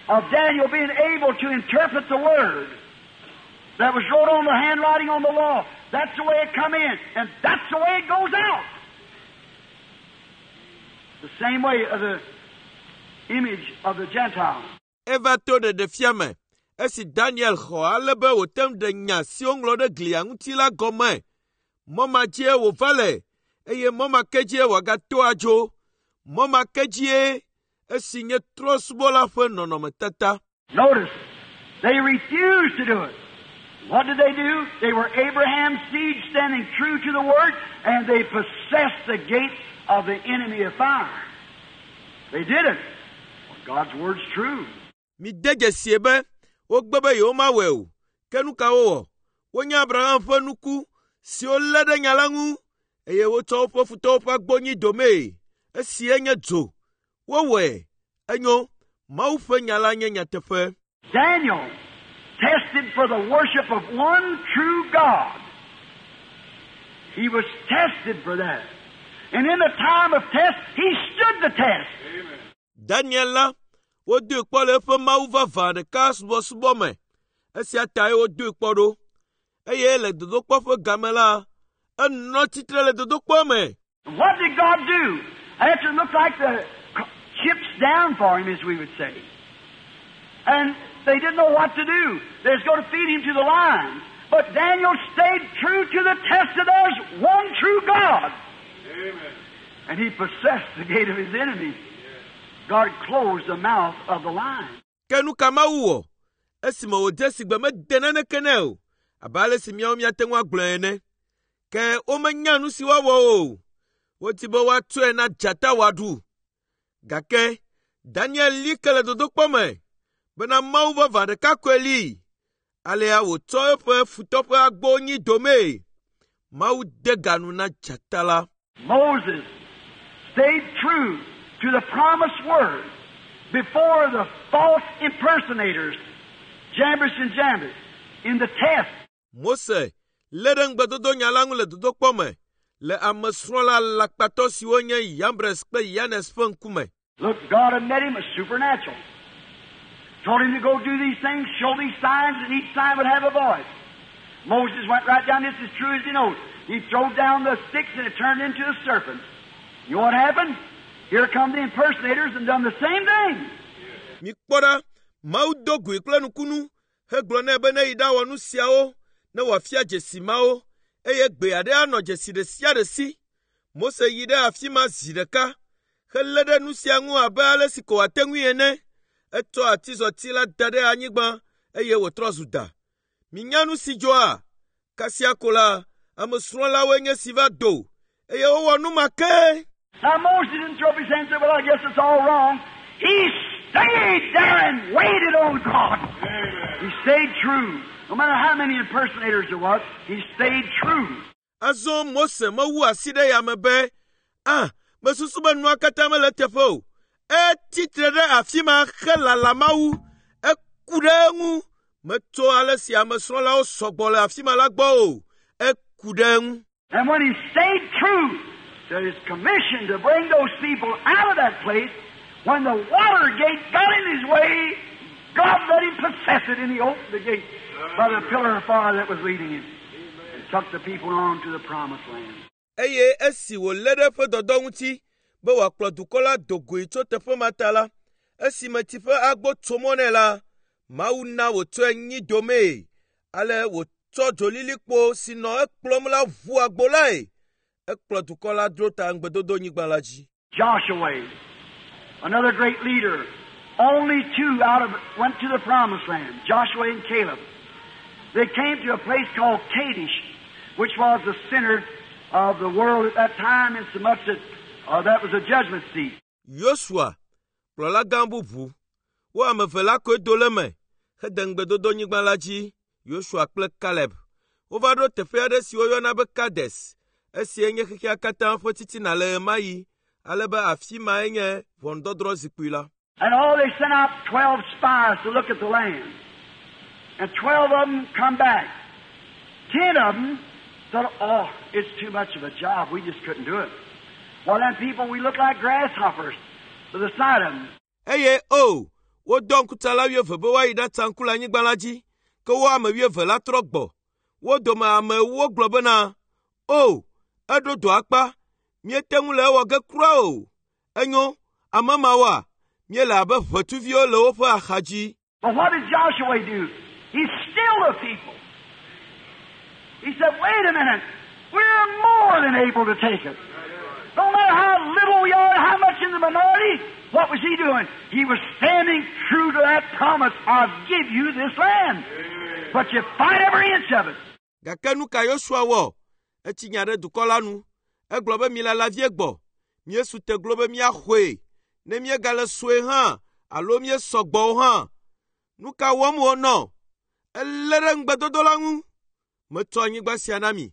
of Daniel being able to interpret the word that was wrote on the handwriting on the wall. That's the way it come in, and that's the way it goes out. The same way of the image of the Gentile. Eva to ɖeɖefia me esi Daniel xɔ ale be wòte ŋu ɖe nya si woŋlɔ ɖe glia ŋuti la gɔme. Mɔ ma dzie wòva le eye mɔ ma ke dzie wòagato adzo. Mɔ ma ke dzie esi nye trɔ̃subɔla ƒe nɔnɔmetata. Notice, they refused to do it. What did they do? They were Abraham's seed standing true to the Word, and they possessed the gate of the enemy of fire. They did it. Well, God's Word's true. Mide dzesie be wogbe be yewomawɔe o. Ke nu ka wowɔ? Wonye Abraham ƒe nuku siwo lé ɖe nya la ŋu eye wotsɔ woƒe futɔwo ƒe agbo nyi domee. Esie nye dzo. Wowɔe. Enyo. Mawu ƒe nya la nye nyateƒe. Daniel tested for the worship of one true God. He was tested for that. And in the time of test, he stood the test. Amen. Daniel la, wodoe kpɔ le eƒe Mawu vavã ɖeka subɔsubɔ me. Esia tae wodoe kpɔ ɖo. Eye le dodokpɔ ƒe game la, enɔ tsitre le dodokpɔ me. What did God do? After it looked like the chips down for him, as we would say. And they didn't know what to do. They was going to feed him to the lions. But Daniel stayed true to the test that there's one true God. Amen. And he possessed the gate of his enemies. God closed the mouth of the lion. Ke nu ka Mawu wɔ? Esime wòdze si gbe mede naneke nɛ o, abe ale si míawo míate ŋu agblɔe ene. Ke womenya nu si woawɔ o. Wodi be woatsɔe na dzata wòaɖu. Gake Daniel li ke le dodokpɔ me bena Mawu vavã ɖeka koe li. Alea wòtsɔ eƒe futɔ ƒe agbo nyi domee. Mawu de ga nu na dzata la. Moses stayed true to the promised word before the false impersonators, Jambres and Jambres, in the test. Mose lé ɖe ŋugbedodo nya la ŋu le dodokpɔ me le amesrɔ̃la alakpatɔ siwo nye Yambres kple Yanes ƒe ŋkume. Look, God had met him as supernatural. Told him to go do these things, show these signs, and each sign would have a voice. Moses went right down just as true as he knows. He throwed down the sticks and it turned into a serpent. You know what happened? Here come the impersonators and done the same thing. Mikpɔ ɖa, Mawu do goe kple nukunu hegblɔ nɛ be ne yi ɖawɔ nu siawo ne wòafia dzesi mawo eye gbe aɖe anɔ dzesi ɖe sia ɖe si. Mose yi ɖe afi ma zi ɖeka helé ɖe nu sia ŋu abe ale si ko wòate ŋui ene. Etsɔ atizɔti la da ɖe anyigba eye wòtrɔ zu da. Minya nu si dzɔa? Kasia ko la, ame srɔ̃lawoe nye si va do eye wowɔ nu ma ke. Now Moses didn't throw up his hands and say, Well, I guess it's all wrong. He stayed there and waited on God. He stayed true. No matter how many impersonators there was, he stayed true. Azɔ Mose mewu asi ɖe yame be, “Ah, mesusu be nua katã mele eteƒe o.” Etsi tre ɖe afi ma helala Mawu. Eku ɖe eŋu. Metso ale si ame srɔ̃lawo sɔgbɔ le afi ma la gbɔ o. Eku ɖe eŋu. And when he stayed true to his commission to bring those people out of that place, when the water gate got in his way, God let him possess it, and he opened the gate by the pillar of fire that was leading him and took the people on to the promised land. Eye esi wòlé ɖe eƒe dɔdɔ ŋuti be wòakplɔ dukɔ la do goe tso teƒe ma ta la, esime tsi ƒe agbo tso mɔ nɛ la, Mawu na wòtsɔe nyi domee. Ale wòtsɔ dzolilikpo si nɔ ekplɔm la ʋu agbo lae. Ekplɔ dukɔ la dro ta ŋugbedodonyigba la dzi. Joshua, another great leader, only two out of went to the promised land, Joshua and Caleb. They came to a place called Kadesh, which was the center of the world at that time, insomuch that that was a judgment seat. Yosua, kplɔla gã bubu, wo ame eve la koe do le eme hede ŋugbedodonyigba la dzi, Yosua kple Kaleb. Wova ɖo teƒe aɖe si woyɔna be Kades. Esie nye xexea katã ƒe titina le ɣemaɣi, ale be afi mae nye ʋɔnudɔdrɔ̃ zikpui la. And all they sent out 12 spies to look at the land. And 12 of them come back. 10 of them said, Oh, it's too much of a job. We just couldn't do it. Well, them people, we look like grasshoppers to the sight of them. Eye o, wodɔ ŋkutsala wuieve be woayi ɖatsa ŋku le anyigba la dzi, ke wo ame wuieve la trɔ gbɔ. Wo dome ame ewo gblɔ bena, “O, eɖo dɔ akpa, míete ŋu le ewɔ ge kura o. Enyo, ame mawoa, míele abe ʋetsuviwo le woƒe axa dzi.” But what did Joshua do? He stilled the people. He said, Wait a minute. We're more than able to take it. No matter how little we are, how much in the minority, what was he doing? He was standing true to that promise. I'll give you this land. But you fight every inch of it. Gake nu ka Yosua wɔ? Etsi nya ɖe dukɔ la nu. Egblɔ be milala vie gbɔ. Míesu te glo be míaxɔe. Ne míegale sue hã alo míesɔ gbɔ o hã. Nu ka wɔm wònɔ? Elé ɖe ŋugbedodo la ŋu. Metsɔ anyigba sia na mi.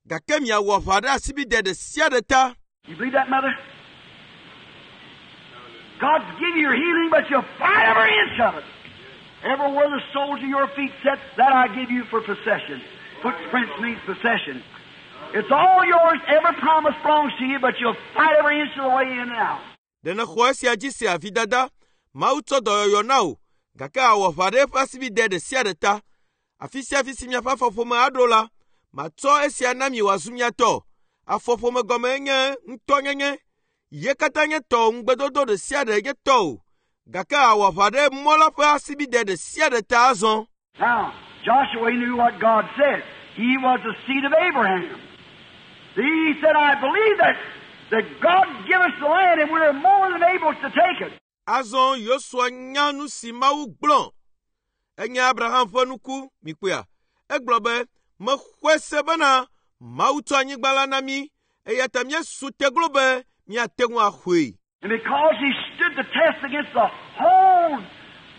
Gake miawɔ aʋa ɖe asibide ɖe sia ɖe ta. You believe that, Mother? God's give you your healing, but you'll fight every inch of it. Everywhere the soles of your feet set, that I give you for possession. Footprints means possession. It's all yours. Every promise belongs to you, but you'll fight every inch of the way in and out. Ɖe nèxɔ esia dzi sea vidada? Mawu tsɔ dɔyɔyɔ na wò, gake àwɔ aʋa ɖe eƒe asibide ɖe sia ɖe ta. Afi sia afi si miaƒe afɔƒome aɖo la, matsɔ esia na mi wòazu mia tɔ. Afɔƒome gɔme nye ŋutɔnyenye. Ye katã nye tɔwò ŋugbedodo ɖe sia ɖe nye tɔwò. Gake àwɔ aʋa ɖe mɔ la ƒe asibide ɖe sia ɖe ta azɔ. Now, Joshua knew what God said. He was the seed of Abraham. He said, I believe that God give us the land and we're more than able to take it. Azɔ Yosua nya nu si Mawu gblɔ. Enye Abraham ƒe nuku, mikpɔea? Egblɔ be, mexɔe se bena Mawu tsɔ anyigba la na mí eya ta míesu te glo be míate ŋu axɔe. And because he stood the test against the whole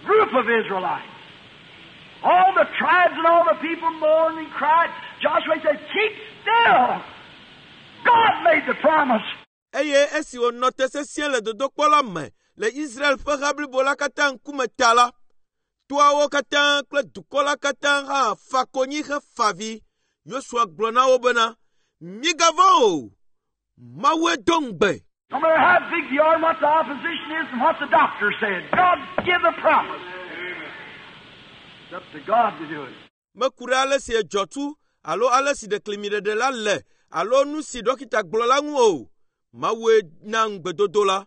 group of Israelites, all the tribes and all the people mourned and cried, Joshua said, Keep still. God made the promise. Eye esi wònɔ te sesĩe le dodokpɔ la me le Israel ƒe ha blibo la katã ŋkume ta la, toawo katã kple dukɔ la katã hã fa konyi hefa avi. Yosua gblɔ na wo bena, migavɔ̃ o, Mawue do ŋugbe. No matter how big you are and what the opposition is and what the doctor said, God give the promise. It's up to God to do it. Meku ɖe ale si edzɔ tu alo ale si ɖeklemiɖeɖe la le alo nu si dɔkita gblɔ la ŋu o. Mawue na ŋugbedodo la.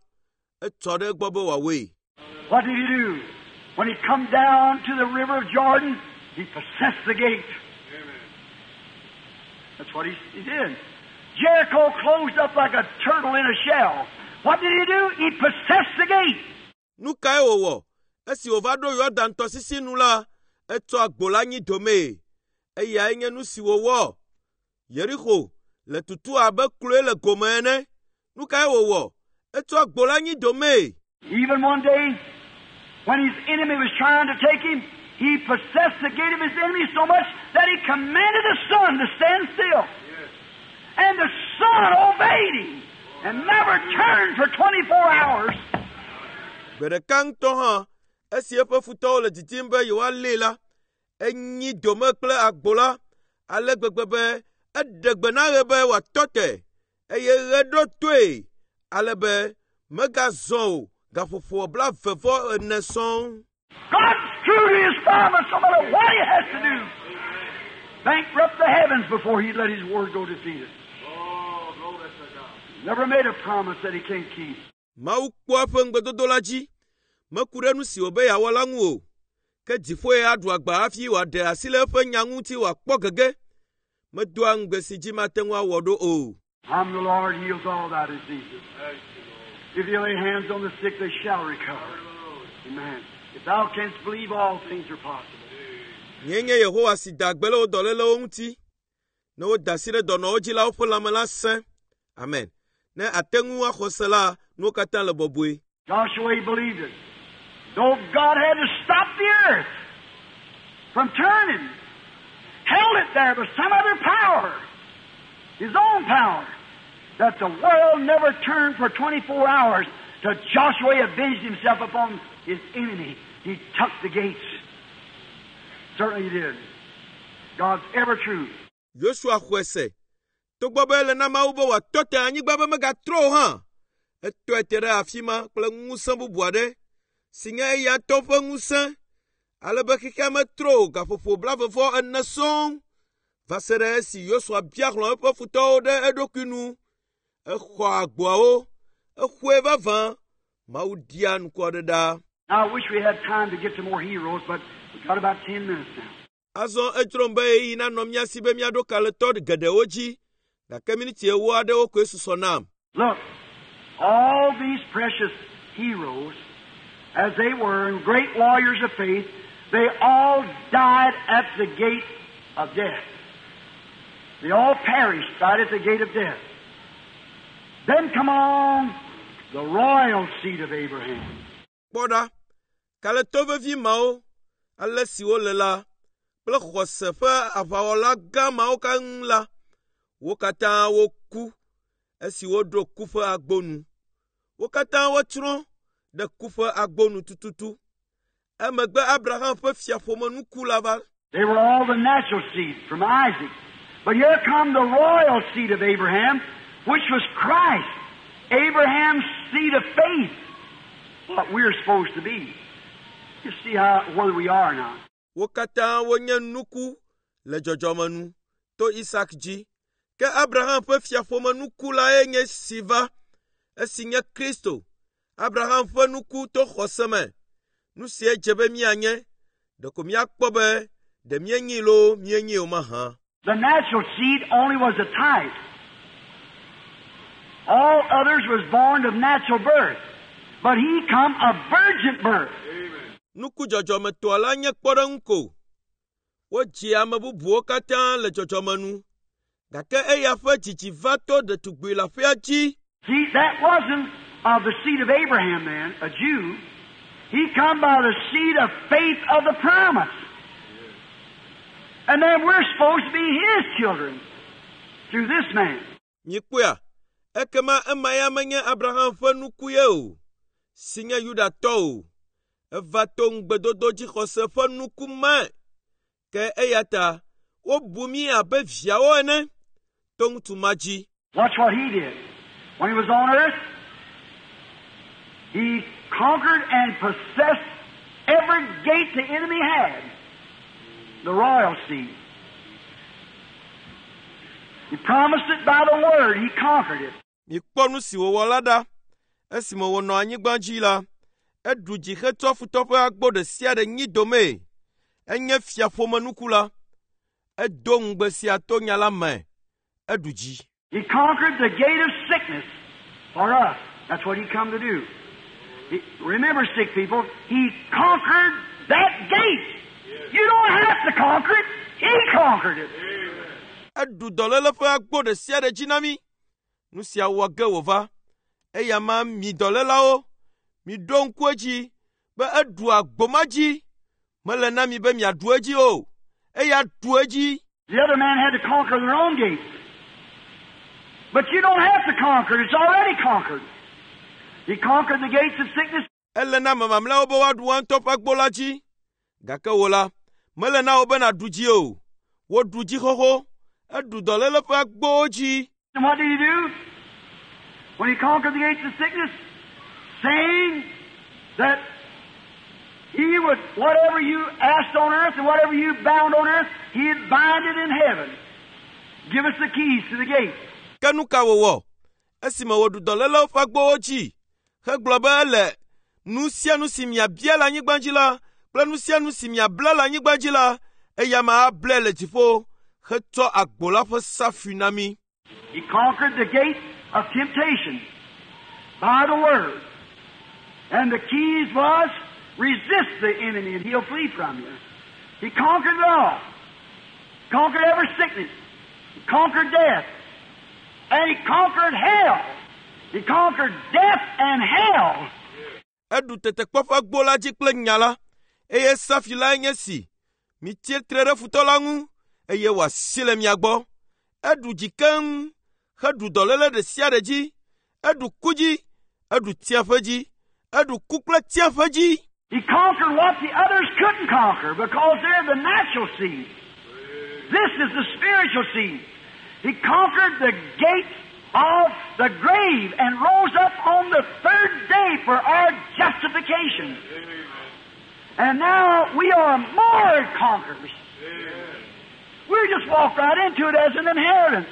Etsɔ ɖe egbɔ be wòawɔe. What did he do? When he come down to the river of Jordan, he possessed the gate. That's what he did. Jericho closed up like a turtle in a shell. What did he do? He possessed the gate. Nu kae wòwɔ? Esi wòva ɖo Yɔdan tɔsisi nu la, etsɔ agbo la nyi domee. Eyae nye nu si wòwɔ. Yerixo le tutu abe kloe le gome ene. Nu kae wòwɔ? Etsɔ agbo la nyi domee. Even one day, when his enemy was trying to take him, he possessed the gate of his enemy so much that he commanded the sun to stand still. And the sun obeyed him and never turned for 24 hours. Gbe ɖeka ŋutɔ hã, esi eƒe futɔwo le didim be yewoalée la, enyi dome kple agbo la ale gbegbe be eɖe gbe na ɣe be wòatɔ te eye ɣe ɖo toe ale be megazɔ o gaƒoƒo 24 sɔŋ. God's true to his promise no matter what he has to do. Bankrupt the heavens before he'd let his word go defeated. Oh, glory to God. Never made a promise that he can't keep. Mawu kpɔa eƒe ŋugbedodo la dzi. Meku ɖe nu si wòbe yeawɔ la ŋu o. Ke dziƒoe aɖu agba hafi wòaɖe asi le eƒe nya ŋuti wòakpɔ gege. Medoa ŋugbe si dzi mate ŋu awɔ ɖo o. I'm the Lord heals all thy diseases. Thank you, Lord. If you lay hands on the sick, they shall recover. Hallelujah. Amen. If thou canst believe, all things are possible. Nyee nye Yehowa si da gbe le wo dɔlélewo ŋuti. Ne woda asi ɖe dɔnɔwo dzi la, woƒe lãme la sẽ. Amen. Ne ate ŋu axɔ se la, nuwo katã le bɔbɔe. Joshua he believed it. Though God had to stop the earth from turning, held it there by some other power, his own power, that the world never turned for 24 hours till Joshua avenged himself upon his enemy. He took the gates. Certainly he did. God's ever true. Yosua xɔe se. Togbɔ be ele na Mawu be wòatɔ te anyigba be megatrɔ o hã, etɔe te ɖe afi ma kple ŋusẽ bubu aɖe si nye eya ŋutɔ ƒe ŋusẽ ale be xexea metrɔ o gaƒoƒo 24 sɔŋ va se ɖe esi Yosua bia hlɔ̃ eƒe futɔwo ɖe eɖokui nu. Exɔ agboawo, exɔe vavã. Mawu ɖia ŋku aɖe ɖa. Now, I wish we had time to get to more heroes, but we've got about 10 minutes now. Azɔ edzrom be ɣeyiɣi nanɔ mía si be míaɖo kalẽtɔ geɖewo dzi gake miniti ewo aɖewo koe susɔ nam. Look, all these precious heroes, as they were, and great warriors of faith, they all died at the gate of death. They all perished right at the gate of death. Then come on the royal seed of Abraham. Kpɔ ɖa, kalẽtɔ vevi mawo, ale si wole la, kple xɔse ƒe aʋawɔla gã mawo keŋ la, wo katã woku esi woɖo ku ƒe agbo nu. Wo katã wotsrɔ̃ ɖe ku ƒe agbo nu tututu. Emegbe Abraham ƒe fiaƒomenuku la va. They were all the natural seed from Isaac. But here come the royal seed of Abraham, which was Christ, Abraham's seed of faith, what we're supposed to be. You see how where we are now. Wo katã wonye nuku le dzɔdzɔme nu to Isak dzi. Ke Abraham ƒe fiaƒomenuku lae nye si va, esi nye Kristo. Abraham ƒe nuku to xɔse me. Nu sie dze be míanye. Ɖeko míakpɔ be ɖe míenyi loo míenyi o mahã. The natural seed only was a type. All others was born of natural birth. But he come of virgin birth. Amen. Nuku dzɔdzɔmetɔa la nye kpɔɖeŋu ko. Wodzi ame bubuwo katã le dzɔdzɔme nu. Gake eya ƒe dzidzi va to ɖetugbi leaƒea dzi. See, that wasn't of the seed of Abraham then, a Jew. He come by the seed of faith of the promise. And then we're supposed to be his children through this man. Mikpɔea, ekema ema ya menye Abraham ƒe nuku ye o, si nye Yudatɔ o. Eva to ŋugbedodo dzixɔse ƒe nuku me. Ke eya ta wobu mí abe viawo ene to ŋutsu ma dzi. Watch what he did. When he was on earth, he conquered and possessed every gate the enemy had. The royal seed. He promised it by the word. He conquered it. Mikpɔ nu si wòwɔ la ɖa. Esime wònɔ anyigba dzi la, eɖu dzi hetsɔ futɔ ƒe agbo ɖe sia ɖe nyi domee. Enye fiaƒomenuku la. Edo ŋugbe sia to nya la me. Eɖu dzi. He conquered the gate of sickness for us. That's what he come to do. Remember, sick people, he conquered that gate. You don't have to conquer it. He conquered it. Eɖu dɔléle ƒe agbo ɖe sia ɖe dzi na mí. Nu sia wɔ ge wòva. Eya ma mi dɔlélawo, miɖo ŋku edzi be eɖu agbo ma dzi. Mele na mi be miaɖu edzi o. Eya ɖu edzi. The other man had to conquer their own gates. But you don't have to conquer. It's already conquered. He conquered the gates of sickness. Ele na ame mamlɛawo be woaɖu woa ŋutɔ ƒe agbo la dzi. Gake wò la, mele na wò be nàɖu dzi o. Woɖu dzi xoxo. Eɖu dɔléle ƒe agbowo dzi. And what did he do? When he conquered the gates of sickness, saying that he would, whatever you asked on earth and whatever you bound on earth, he'd bind it in heaven. Give us the keys to the gate. Ke nu ka wòwɔ? Esime wòɖu dɔlélewo ƒe agbowo dzi hegblɔ be ele nu sia nu si miabia le anyigba dzi la kple nu sia nu si miabla le anyigba dzi la, eya ma ablae le dziƒo hetsɔ agbo la ƒe safui na mí. He conquered the gate of temptation by the word. And the keys was resist the enemy and he'll flee from you. He conquered it all. Conquered every sickness. He conquered death. And he conquered hell. He conquered death and hell. Eɖu tetekpɔ ƒe agbo la dzi kple nya la, eye safi lae nye si. Mitsi tre ɖe futɔ la ŋu, eye wòasi le mia gbɔ. Eɖu dzi keŋ, heɖu dɔléle ɖe sia ɖe dzi. Eɖu ku dzi, eɖu tsiaƒe dzi, eɖu ku kple tsiaƒe dzi. He conquered what the others couldn't conquer because they're the natural seed. This is the spiritual seed. He conquered the gates of the grave and rose up on the third day for our justification. And now we are more conquerors. We just walk right into it as an inheritance.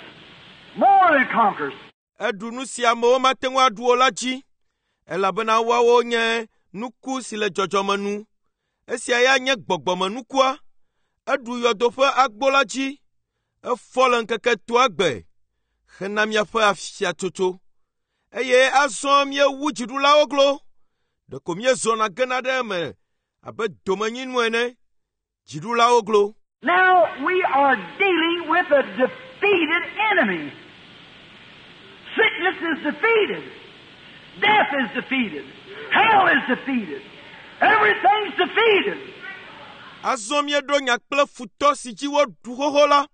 More than conquerors. Eɖu nu si amewo mate ŋu aɖu o la dzi, elabena woawo nye nuku si le dzɔdzɔme nu. Esia ya nye gbɔgbɔmenukua. Eɖu yɔdo ƒe agbo la dzi. Efɔ le ŋkeke etɔ̃a gbe hena míaƒe afiatsotso. Eye azɔ míewu dziɖulawo glo. Ɖeko míezɔna gena ɖe eme abe domenyinu ene. Dziɖulawo glo. Now we are dealing with a defeated enemy. Sickness is defeated. Death is defeated. Hell is defeated. Everything's defeated. Azɔ míeɖo nya kple futɔ si dzi woɖu xoxo la.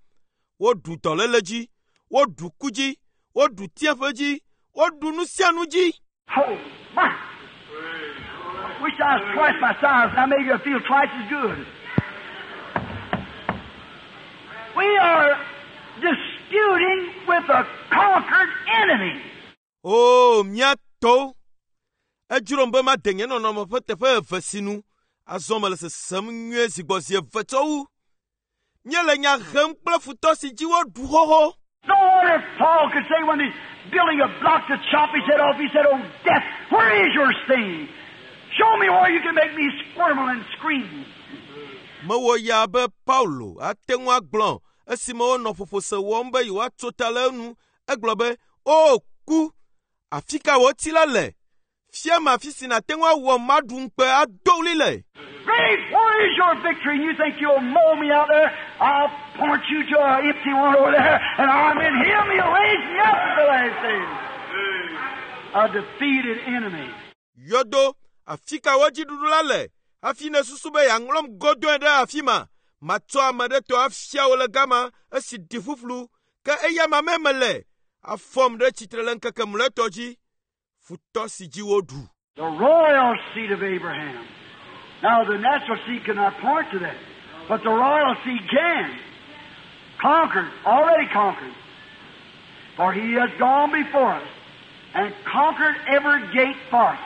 Woɖu dɔléle dzi, woɖu ku dzi, woɖu tsiaƒe dzi, woɖu nu sia nu dzi. Oh, my. Wish I was twice my size. Now maybe I feel twice as good. We are disputing with a conquered enemy. O, mía tɔwo! Edzrom be made nye nɔnɔme ƒe teƒe eve sinu. Azɔ mele sesem nyuie zi gbɔ zi eve tsɔ wu. Míele nya hem kple futɔ si dzi woɖu xoxo. No wonder Paul could say when he's building a block to chop his head off, he said, Oh, death, where is your sting? Show me where you can make me squirm and scream. Mewɔ yaa be Paulo ate ŋu agblɔ esime wonɔ ƒoƒose wɔm be yewoatso ta le enu. Egblɔ be, “O ku, afi ka wò ti la le? Fiam afi si nàte ŋu awɔ maɖu ŋukpe ado ɣli le.” Grave, where is your victory? And you think you'll mow me out there? I'll point you to an empty one over there, and I'm in him. He'll raise me up at the last day. A defeated enemy. Yɔdo, afi ka wò dziɖuɖu la le? Hafi nèsusu be yeaŋlɔm godoe ɖe afi ma. Matsɔ ame ɖe tɔ afia wò le gama esi ɖi ƒuƒlu. Ke eya ma me mele. Afɔm ɖe tsitre le ŋkeke mlɔetɔ dzi. Futɔ si dzi woɖu. The royal seed of Abraham. Now, the natural seed cannot point to that, but the royal seed can. Conquered, already conquered. For he has gone before us and conquered every gate for us.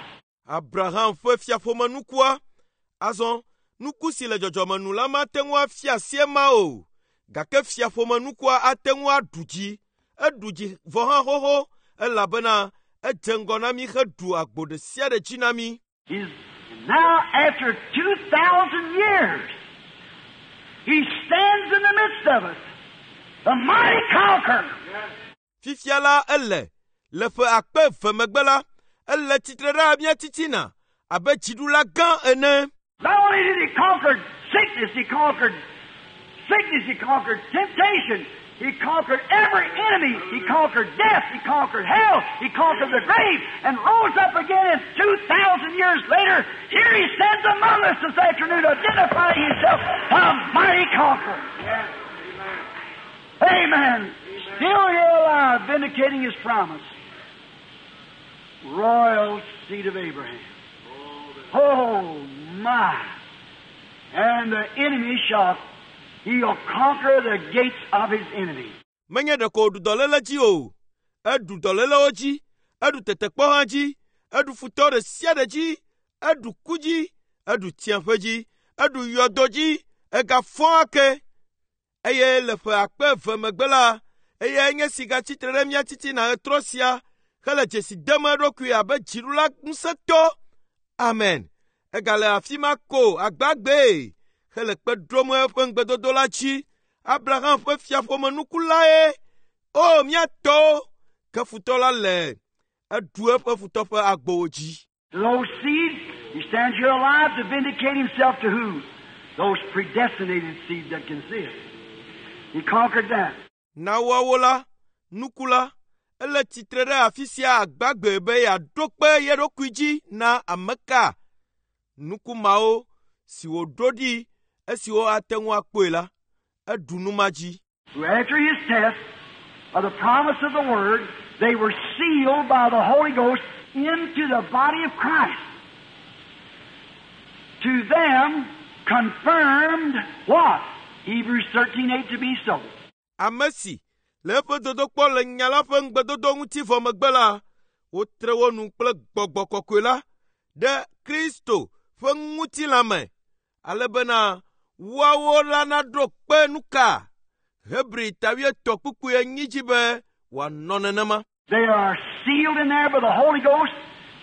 Abraham ƒe fiaƒomenukua. Azɔ, nuku si le dzɔdzɔmenu la mate ŋu afia asi ema o. Gake fiaƒomenukua ate ŋu aɖu dzi. Eɖu dzi vɔ hã xoxo elabena edze ŋgɔ na mí heɖu agbo ɖe sia ɖe dzi na mí. He's now, after 2,000 years, he stands in the midst of us, the mighty conqueror. Fifia la ele le ƒe akpe eve megbe la, ele tsitre ɖe mía titina abe dziɖula gã ene. Not only did he conquer sickness, he conquered sickness. He conquered temptation. He conquered every enemy. He conquered death. He conquered hell. He conquered the grave and rose up again. And 2,000 years later, here he stands among us this afternoon, identifying himself a mighty conqueror. Yes. Amen. Still here alive, vindicating his promise. Royal seed of Abraham. Oh, my. And the enemy shall, he'll conquer the gates of his enemy. Menye ɖeko wòɖu dɔléle dzi o, eɖu dɔlélewo dzi, eɖu tetekpɔ hã dzi, eɖu futɔ ɖe sia ɖe dzi, eɖu ku dzi, eɖu tsiaƒe dzi, eɖu yɔdo dzi, egafɔ ake. Eye le ƒe 2000 megbe la, eyae nye si gatsitre ɖe mía titina ɣetrɔ sia hele dzesi dem eɖokui abe dziɖula ŋusẽtɔ. Amen. Egale afi ma ko agbagbee hele kpe ɖom eƒe ŋugbedodo la dzi. Abraham ƒe fiaƒomenukulae. O, mía tɔwo, ke futɔ la le eɖu eƒe futɔ ƒe agbowo dzi. Those seeds, he stands here alive to vindicate himself to who? Those predestinated seeds that can see it. He conquered that. Na woawo la, nuku la, ele tsitre ɖe afi sia agbagbe be yeaɖo kpe ye ɖokui dzi na ame ka? Nuku mawo si wòɖo ɖi esiwo ate ŋu akpɔe la, eɖu nu ma dzi. Who after his test of the promise of the Word, they were sealed by the Holy Ghost into the body of Christ. To them confirmed what? Hebrews 13:8 to be so. Ame si le eƒe dodokpɔ le nya la ƒe ŋugbedodo ŋuti vɔ megbe la, wotre wo nu kple gbɔgbɔ kɔkɔe la ɖe Kristo ƒe ŋutilã me, ale bena woawo la naɖo kpe nu ka? Hebri ta 3 kpukpui 4 dzi be wòanɔ nenema. They are sealed in there by the Holy Ghost.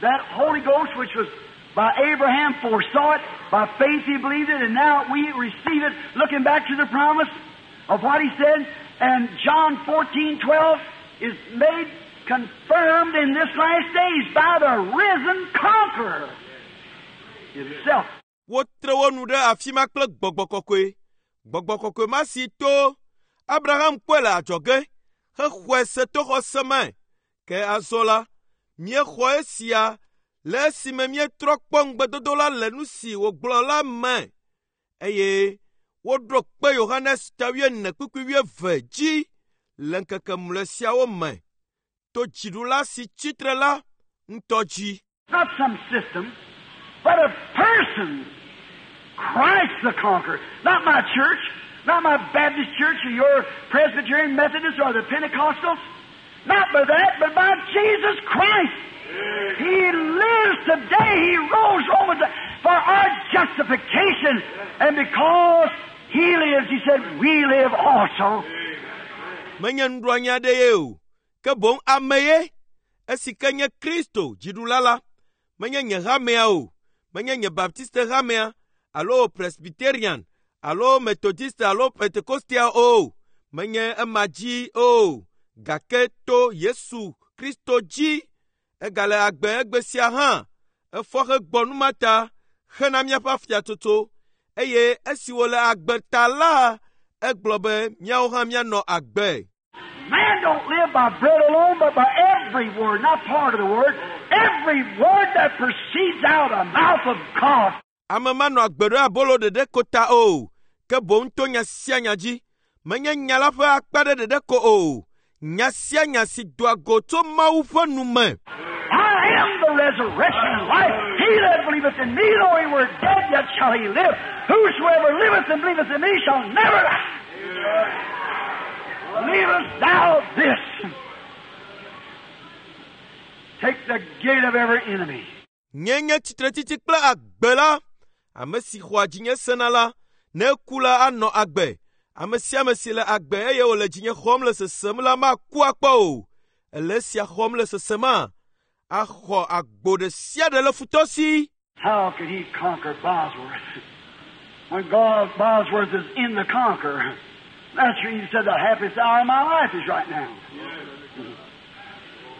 That Holy Ghost which was by Abraham foresaw it, by faith he believed it, and now we receive it, looking back to the promise of what he said. And John 14:12 is made confirmed in this last days by the risen conqueror himself. Wotre wo nu ɖe afi ma kple gbɔgbɔ kɔkɔe. Gbɔgbɔ kɔkɔe ma si to Abraham kpɔe le adzɔge hexɔe se to xɔse me. Ke azɔ la, míexɔ esia le esime míetrɔ kpɔ ŋugbedodo la le nu si wògblɔ la me. Eye woɖo kpe Yohanes ta 4 kpukpui 20 dzi le ŋkeke mlɔe siawo me to dziɖula si tsitre la ŋutɔ dzi. Not some system, but a person. Christ the conqueror. Not my church, not my Baptist church or your Presbyterian Methodist or the Pentecostals. Not by that, but by Jesus Christ. He lives today. He rose Romans for our justification. And because He lives, He said, we live also. Menye nuɖoanyi aɖe ye o, ke boŋ ame ye, esi ke nye Kristo dziɖula la. Menye nye hamea o, menye nye Baptiste hamea alo Presbyterian alo Methodiste alo Pentecostia o, menye ema dzi o, gake to Yesu Kristo dzi. Egale agbe egbe sia hã, efɔ hegbɔ nu ma ta hena míaƒe afiatsotso eye esi wòle agbe ta la, egblɔ be míawo hã míanɔ agbe. Man don't live by bread alone, but by every word, not part of the word, every word that proceeds out of the mouth of God. Ame manɔ agbe ɖe abolo ɖeɖe ko ta o, ke boŋ to nya sia nya dzi. Menye nya la ƒe akpa ɖe ɖeɖe ko o, nya sia nya si doa go tso Mawu ƒe nu me. I am the resurrection and life. He that believeth in me, though he were dead, yet shall he live. Whosoever liveth and believeth in me shall never die. Believest thou this? Take the gate of every enemy. Nye nye tsitretsitsi kple agbe la. Ame si xɔa dzinye sena la, ne eku la anɔ agbe. Ame sia ame si le agbe eye wòle dzinye xɔm le sesem la maku akpɔ o. Ele esia xɔm le sesema, axɔ agbo ɖe sia ɖe le futɔ si. How could he conquer Bosworth? When God Bosworth is in the conqueror. That's where he said the happiest hour of my life is right now.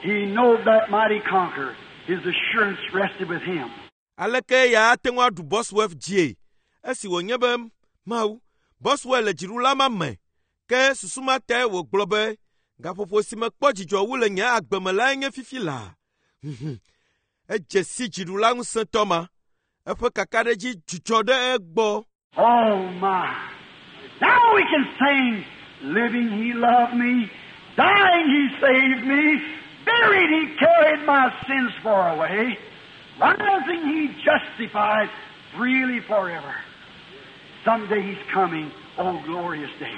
He knowed that mighty conqueror. His assurance rested with him. Aleke ya ate ŋu aɖu Bosworth dzie? Esi wònye be Mawu, Boswell le dziɖula ma me ke susu ma tae wògblɔ be gaƒoƒo si mekpɔ dzidzɔ wu le nye agbe me lae nye fifi laa. Edze si dziɖula ŋusẽtɔ ma. Eƒe kakaɖedzi dzudzɔ ɖe egbɔ. Oh my. Now we can sing, living he loved me, dying he saved me, buried he carried my sins far away, rising he justified freely forever. Someday he's coming, oh glorious day.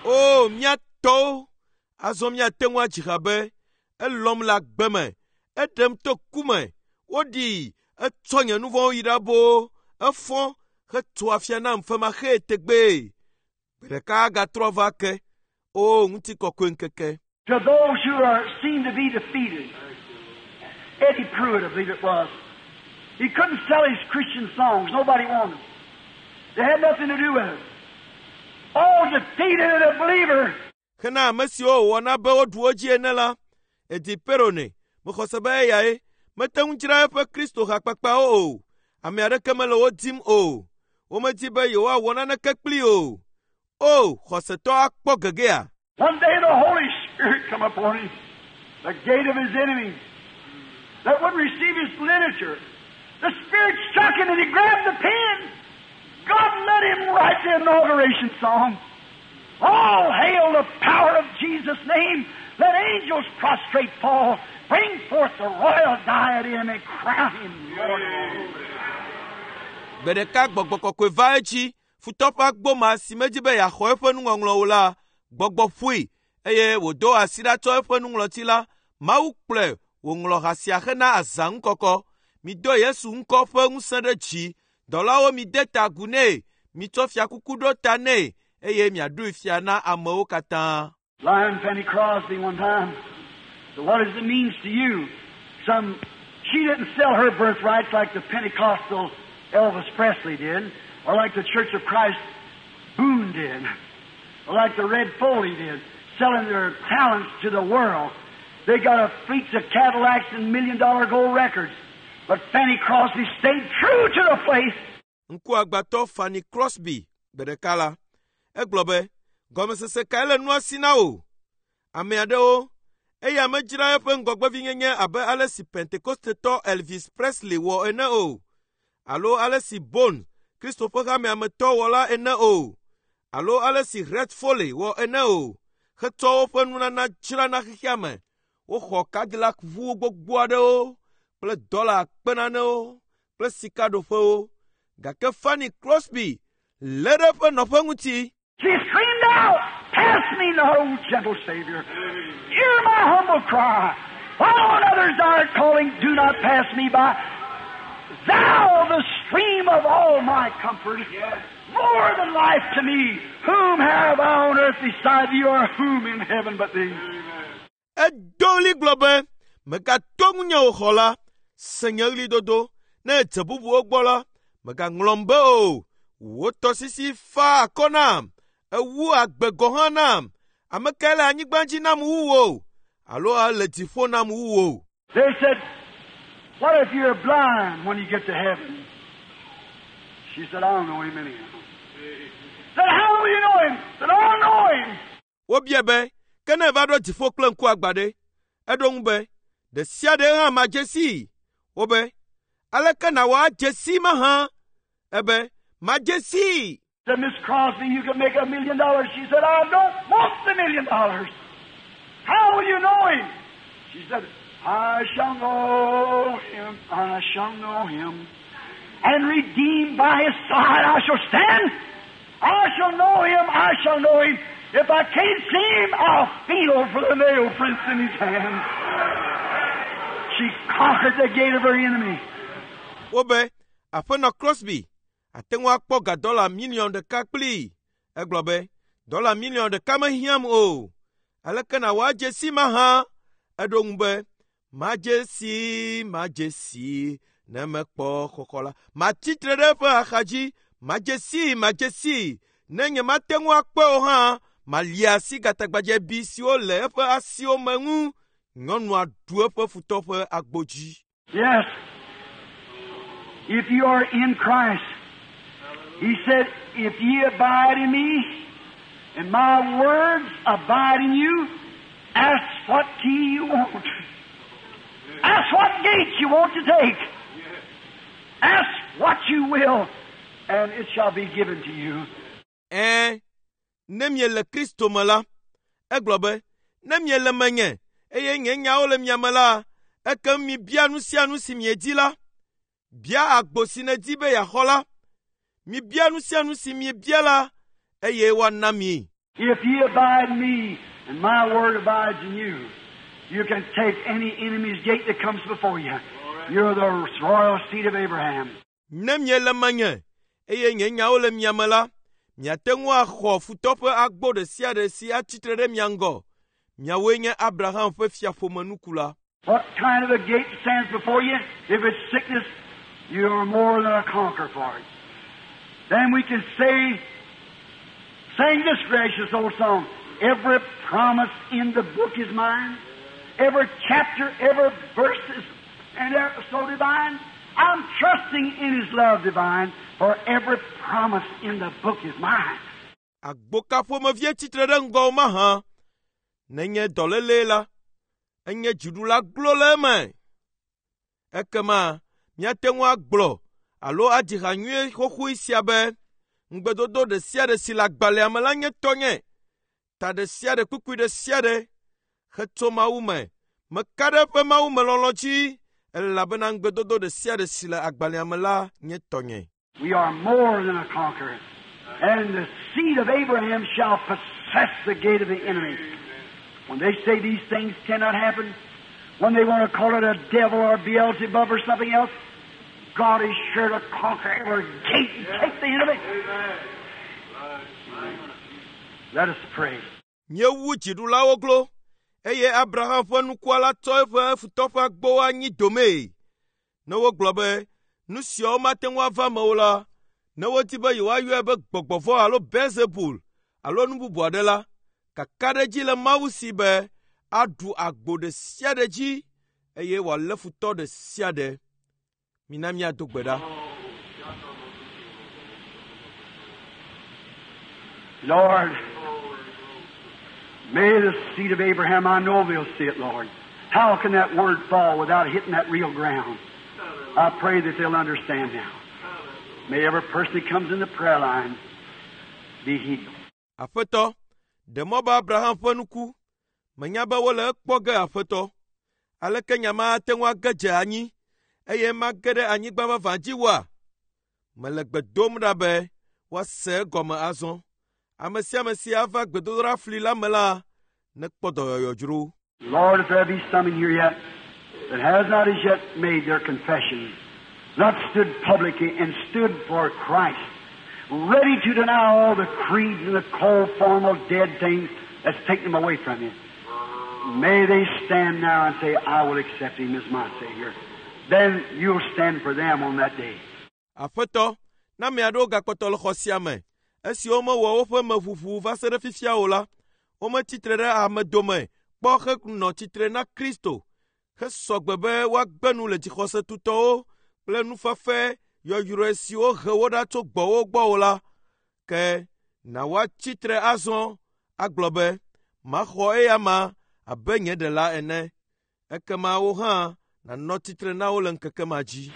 O mía tɔwo, azɔ míate ŋu adzi ha be elɔ̃m le agbe me, eɖem to ku me, woɖii, etsɔ nye nu vɔ̃wo yi ɖa boo, efɔ hetso afia nam femaxee tegbee. Gbe ɖeka agatrɔ va ke. O ŋutikɔkɔe ŋkeke. To those who are seem to be defeated, Eddie Pruitt, I believe it was, he couldn't sell his Christian songs. Nobody wanted them. They had nothing to do with it. All defeated and a believer. Hena ame siwo wòwɔ be woɖu wo dzi ene la, Eddie Perronet, mexɔ se be eyae mete ŋu dzra eƒe Kristo hakpakpawo o. Ame aɖeke mele wo dim o. Womedi be yewoawɔ naneke kplii o. O, xɔsetɔ akpɔ gegea. One day the Holy Spirit come upon him, the gate of his enemies, that wouldn't receive his literature. The Spirit struck him and he grabbed the pen. God let him write the inauguration song. All hail the power of Jesus' name. Let angels prostrate fall. Bring forth the royal diadem and crown him Lord of all. Gbe ɖeka gbɔgbɔ kɔkɔe va edzi. Futɔ ƒe agboma si medzi be yeaxɔ eƒe nuŋɔŋlɔwo la, gbɔgbɔ ƒoe eye wòdo asi ɖa tsɔ eƒe nuŋlɔti la. Mawu kplɔe wòŋlɔ ha sia hena azã ŋukɔkɔ. Mido Yesu ŋkɔ ƒe ŋusẽ ɖe dzi. Dɔlawo mide ta agu nɛ. Mitsɔ fiakuku ɖo ta nɛ eye miaɖoe fia na amewo katã. Lion Fanny Crosby one time. So what does it mean to you? Some she didn't sell her birthrights like the Pentecostal Elvis Presley did, or like the Church of Christ Boone did, or like the Red Foley did, selling their talents to the world. They got a fleet of Cadillacs and $1 million gold records. But Fanny Crosby stayed true to the place. Ŋkuagbãtɔ Fanny Crosby gbe ɖeka la, egblɔ be, gɔmesese kae le nua si na wò? Ame aɖewo, eya medzra eƒe ŋgɔgbevinyenye abe ale si Pentekostetɔ Elvis Presley wɔ ene o, alo ale si Bone, Kristo ƒe hamea me tɔ wɔ la ene o, alo ale si Red Foley wɔ ene o, hetsɔ woƒe nunana dzra na xexea me. Woxɔ Cadillac ʋuwo gbogbo aɖewo kple dɔla akpe nanewo kple sikaɖoƒewo. Gake Fanny Crosby lé ɖe eƒe nɔƒe ŋuti. She screamed out, Pass me not, O gentle Savior. Hear my humble cry. While on others thou art calling, do not pass me by. Thou, the stream of all my comfort, more than life to me. Whom have I on earth beside thee, or whom in heaven but thee? Edo ɣli gblɔ be, megato ŋunye o xɔla, se nye ɣlidodo. Ne èdze bubuwo gbɔ la, mègaŋlɔm be o. Wò tɔsisi fa akɔ nam. Ewu agbe gɔ̃ hã nam. Ame kae le anyigba dzi nam wu wò? Alo ele dziƒo nam wu wò? They said, What if you're blind when you get to heaven? She said, I don't know him anyhow. Said, How will you know him? Said, I don't know him. Wobia be, ke ne eva ɖo dziƒo kple ŋku agbã ɖe? Eɖo ŋu be, ɖe sia ɖe hã madze sii. Wobe, aleke nàwɔ adze sii mahã? Ebe, madze sii. Said, Miss Crosby, you can make $1 million. She said, I don't want the $1 million. How will you know him? She said, I shall know him, I shall know him. And redeemed by his side I shall stand. I shall know him, I shall know him. If I can't see him, I'll feel for the nail prints in his hand. She conquered the gate of her enemy. Wobe, aƒenɔ Crosby, ate ŋu akpɔ ga dɔla miliɔn ɖeka kplii. Egblɔ be, dɔla miliɔn ɖeka mehiãm o. Aleke nàwɔ adze sii mahã? Eɖo ŋu be, madze sii, madze sii, ne mekpɔ xɔxɔ la. Matsi tre ɖe eƒe axadzi, madze sii, madze sii. Ne nyemate ŋu akpɔe o hã, malia asi gatagbadzɛbi siwo le eƒe asiwo me ŋu. Nyɔnua ɖu eƒe futɔ ƒe agbo dzi. Yes. If you are in Christ, He said, If ye abide in me, and my words abide in you, ask what key you want. Ask what gate you want to take. Ask what you will, and it shall be given to you. Ɛ̃, ne miele Kristo me la, egblɔ be, ne miele menye eye nye nyawo le mia me la, ekem mibia nu sia nu si miedi la. Bia agbo si nèdi be yeaxɔ la. Mibia nu sia nu si miebia la, eye woana mi. If ye abide in me, and my word abides in you, you can take any enemy's gate that comes before you. You're the royal seed of Abraham. Ne miele menye eye nye nyawo le mia me la, miate ŋu axɔ futɔ ƒe agbo ɖe sia ɖe si atsitre ɖe mia ŋgɔ. Miawoe nye Abraham ƒe fiaƒomenukula. What kind of a gate stands before you? If it's sickness, you are more than a conqueror for it. Then we can say, sing this gracious old song, every promise in the book is mine. Every chapter, every verse is and ever so divine. I'm trusting in His love divine, for every promise in the book is mine. Agbo ka ƒomevie tsitre ɖe ŋgɔwò mahã? Nenye dɔlélee la, enye dziɖula glo le eme. Ekema míate ŋu agblɔ alo adzi ha nyuie xoxoe sia be, ŋugbedodo ɖe sia ɖe si le agbalẽa me la nye tɔnye. Ta ɖe sia ɖe kpukpui ɖe sia ɖe hetso Mawu me. Meka ɖe eƒe Mawu me lɔlɔ̃ dzi elabena ŋugbedodo ɖe sia ɖe si le agbalẽa me la nye tɔnye. We are more than a conqueror. And the seed of Abraham shall possess the gate of the enemy. When they say these things cannot happen, when they want to call it a devil or Beelzebub or something else, God is sure to conquer every gate and take the enemy. Let us pray. Míewu dziɖulawo glo eye Abraham ƒe nukua la tsɔ eƒe futɔ ƒe agbowo anyi domee. Ne wogblɔ be nu siawo mate ŋu ava eme o la, ne wodi be yewoayɔe be gbɔgbɔ vɔ̃ alo Belzebul alo nu bubu aɖe la, kakaɖedzi le Mawu si be aɖu agbo ɖe sia ɖe dzi eye wòalé futɔ ɖe sia ɖe. Mina míado gbe ɖa. Lord, may the seed of Abraham, I know they'll see it, Lord. How can that word fall without hitting that real ground? I pray that they'll understand now. May every person that comes in the prayer line be healed. Aƒetɔ, ɖe mɔ be Abraham ƒe nuku. Menya be wole ekpɔ ge Aƒetɔ. Aleke nya ma ate ŋu age dze anyi eye mage ɖe anyigba vavã dzi woa? Mele gbe dom ɖa be woase egɔme azɔ. Ame sia ame si ava gbedodoɖa fli la me la, nekpɔ dɔyɔyɔ dzro. Lord, if there be some in here yet that has not as yet made their confession, not stood publicly and stood for Christ, ready to deny all the creeds and the cold, formal, dead things that's taken them away from you, may they stand now and say, I will accept Him as my Savior. Then you'll stand for them on that day. Aƒetɔ, ne ame aɖewo gakpɔtɔ le xɔ sia me, esiwo mewɔ woƒe meʋuʋu va se ɖe fifia o la, wometsitre ɖe ame dome kpɔ henɔ tsitre na Kristo hesɔ gbe be woagbe nu le dzixɔse tutɔwo kple nufafa yɔyrɔe siwo he wo ɖa tso gbɔwò gbɔ o la, ke na woatsi tre azɔ agblɔ be, maxɔ eya ma abe nye ɖela ene. Ekema wo hã nànɔ tsitre na wo le ŋkeke ma dzi.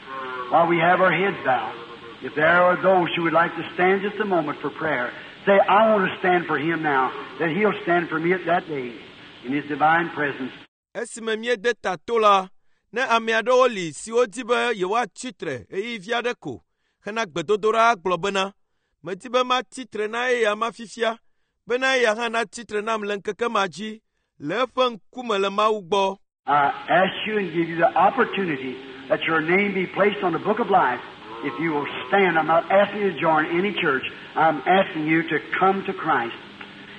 While we have our heads bowed, if there are those who would like to stand just a moment for prayer, say, I want to stand for Him now, that He'll stand for me at that day in His divine presence. Esime míede ta to la, ne ame aɖewo li siwo di be yewoatsi tre ɣeyiɣi vi aɖe ko hena gbedodoɖa agblɔ bena, medi be matsi tre na eya ma fifia, bena eya hã natsi tre nam le ŋkeke ma dzi le eƒe ŋkume le Mawu gbɔ. I ask you and give you the opportunity that your name be placed on the book of life. If you will stand, I'm not asking you to join any church. I'm asking you to come to Christ.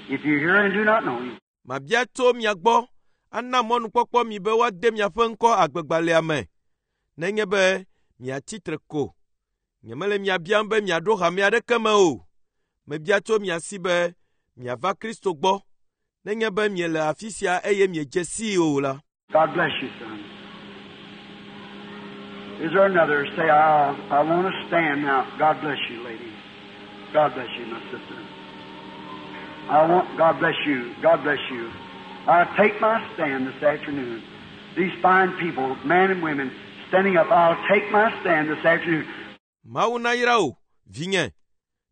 If you're here and do not know Him, Mabia tso mia gbɔ ana mɔnukpɔkpɔ mi be woade miaƒe ŋkɔ agbegbalẽa me. Nenye be miatsi tre ko. Nyemele mia biam be miaɖo hame aɖeke me o. Mebia tso mia si be miava Kristo gbɔ. Nenye be miele afi sia eye miedze sii o la. God bless you, son. Is there another? Say, I want to stand now. God bless you, lady. God bless you, my sister. I want, God bless you. God bless you. I take my stand this afternoon. These fine people, men and women, standing up, I'll take my stand this afternoon. Mawu nayra wò, vinye.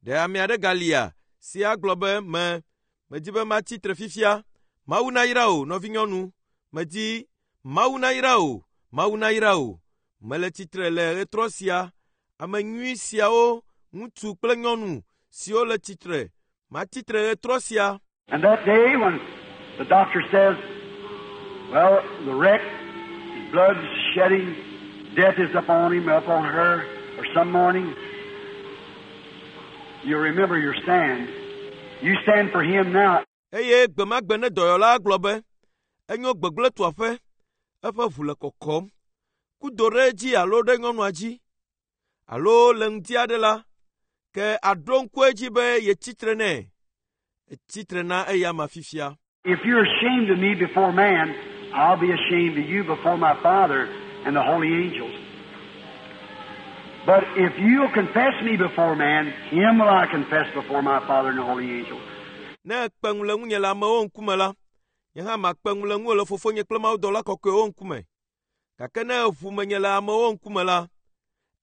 Ɖe ame aɖe galia si agblɔ be me medi be matsi tre fifia. Mawu nayra wò, nɔvinyɔnu. Medi Mawu nayra wò, Mawu nayra wò. Mele tsitre le ɣetrɔ sia. Ame nyui siawo, ŋutsu kple nyɔnu siwo le tsitre. Matsi tre ɣetrɔ sia. And that day when the doctor says, well, the wreck, his blood's shedding, death is upon him, upon her, or some morning, you'll remember your stand. You stand for him now. Eye gbe ma gbe ne dɔyɔla gblɔ be, enyo gbegblẽ tu aƒe, eƒe ʋu le kɔkɔm. Kudo ɖe edzi alo ɖe nyɔnua dzi alo le ŋdi aɖe la, ke aɖo ŋku edzi be yetsi tre nɛ. Etsi tre na eya ma fifia. If you're ashamed of me before man, I'll be ashamed of you before my Father and the holy angels. But if you'll confess me before man, him will I confess before my Father and the holy angels. Ne èkpe ŋu le ŋunye le amewo ŋkume la, nye hã makpe ŋu le ŋuwò le fofonye kple mawudɔla kɔkɔewo ŋkume. Gake ne èʋu menye le amewo ŋkume la,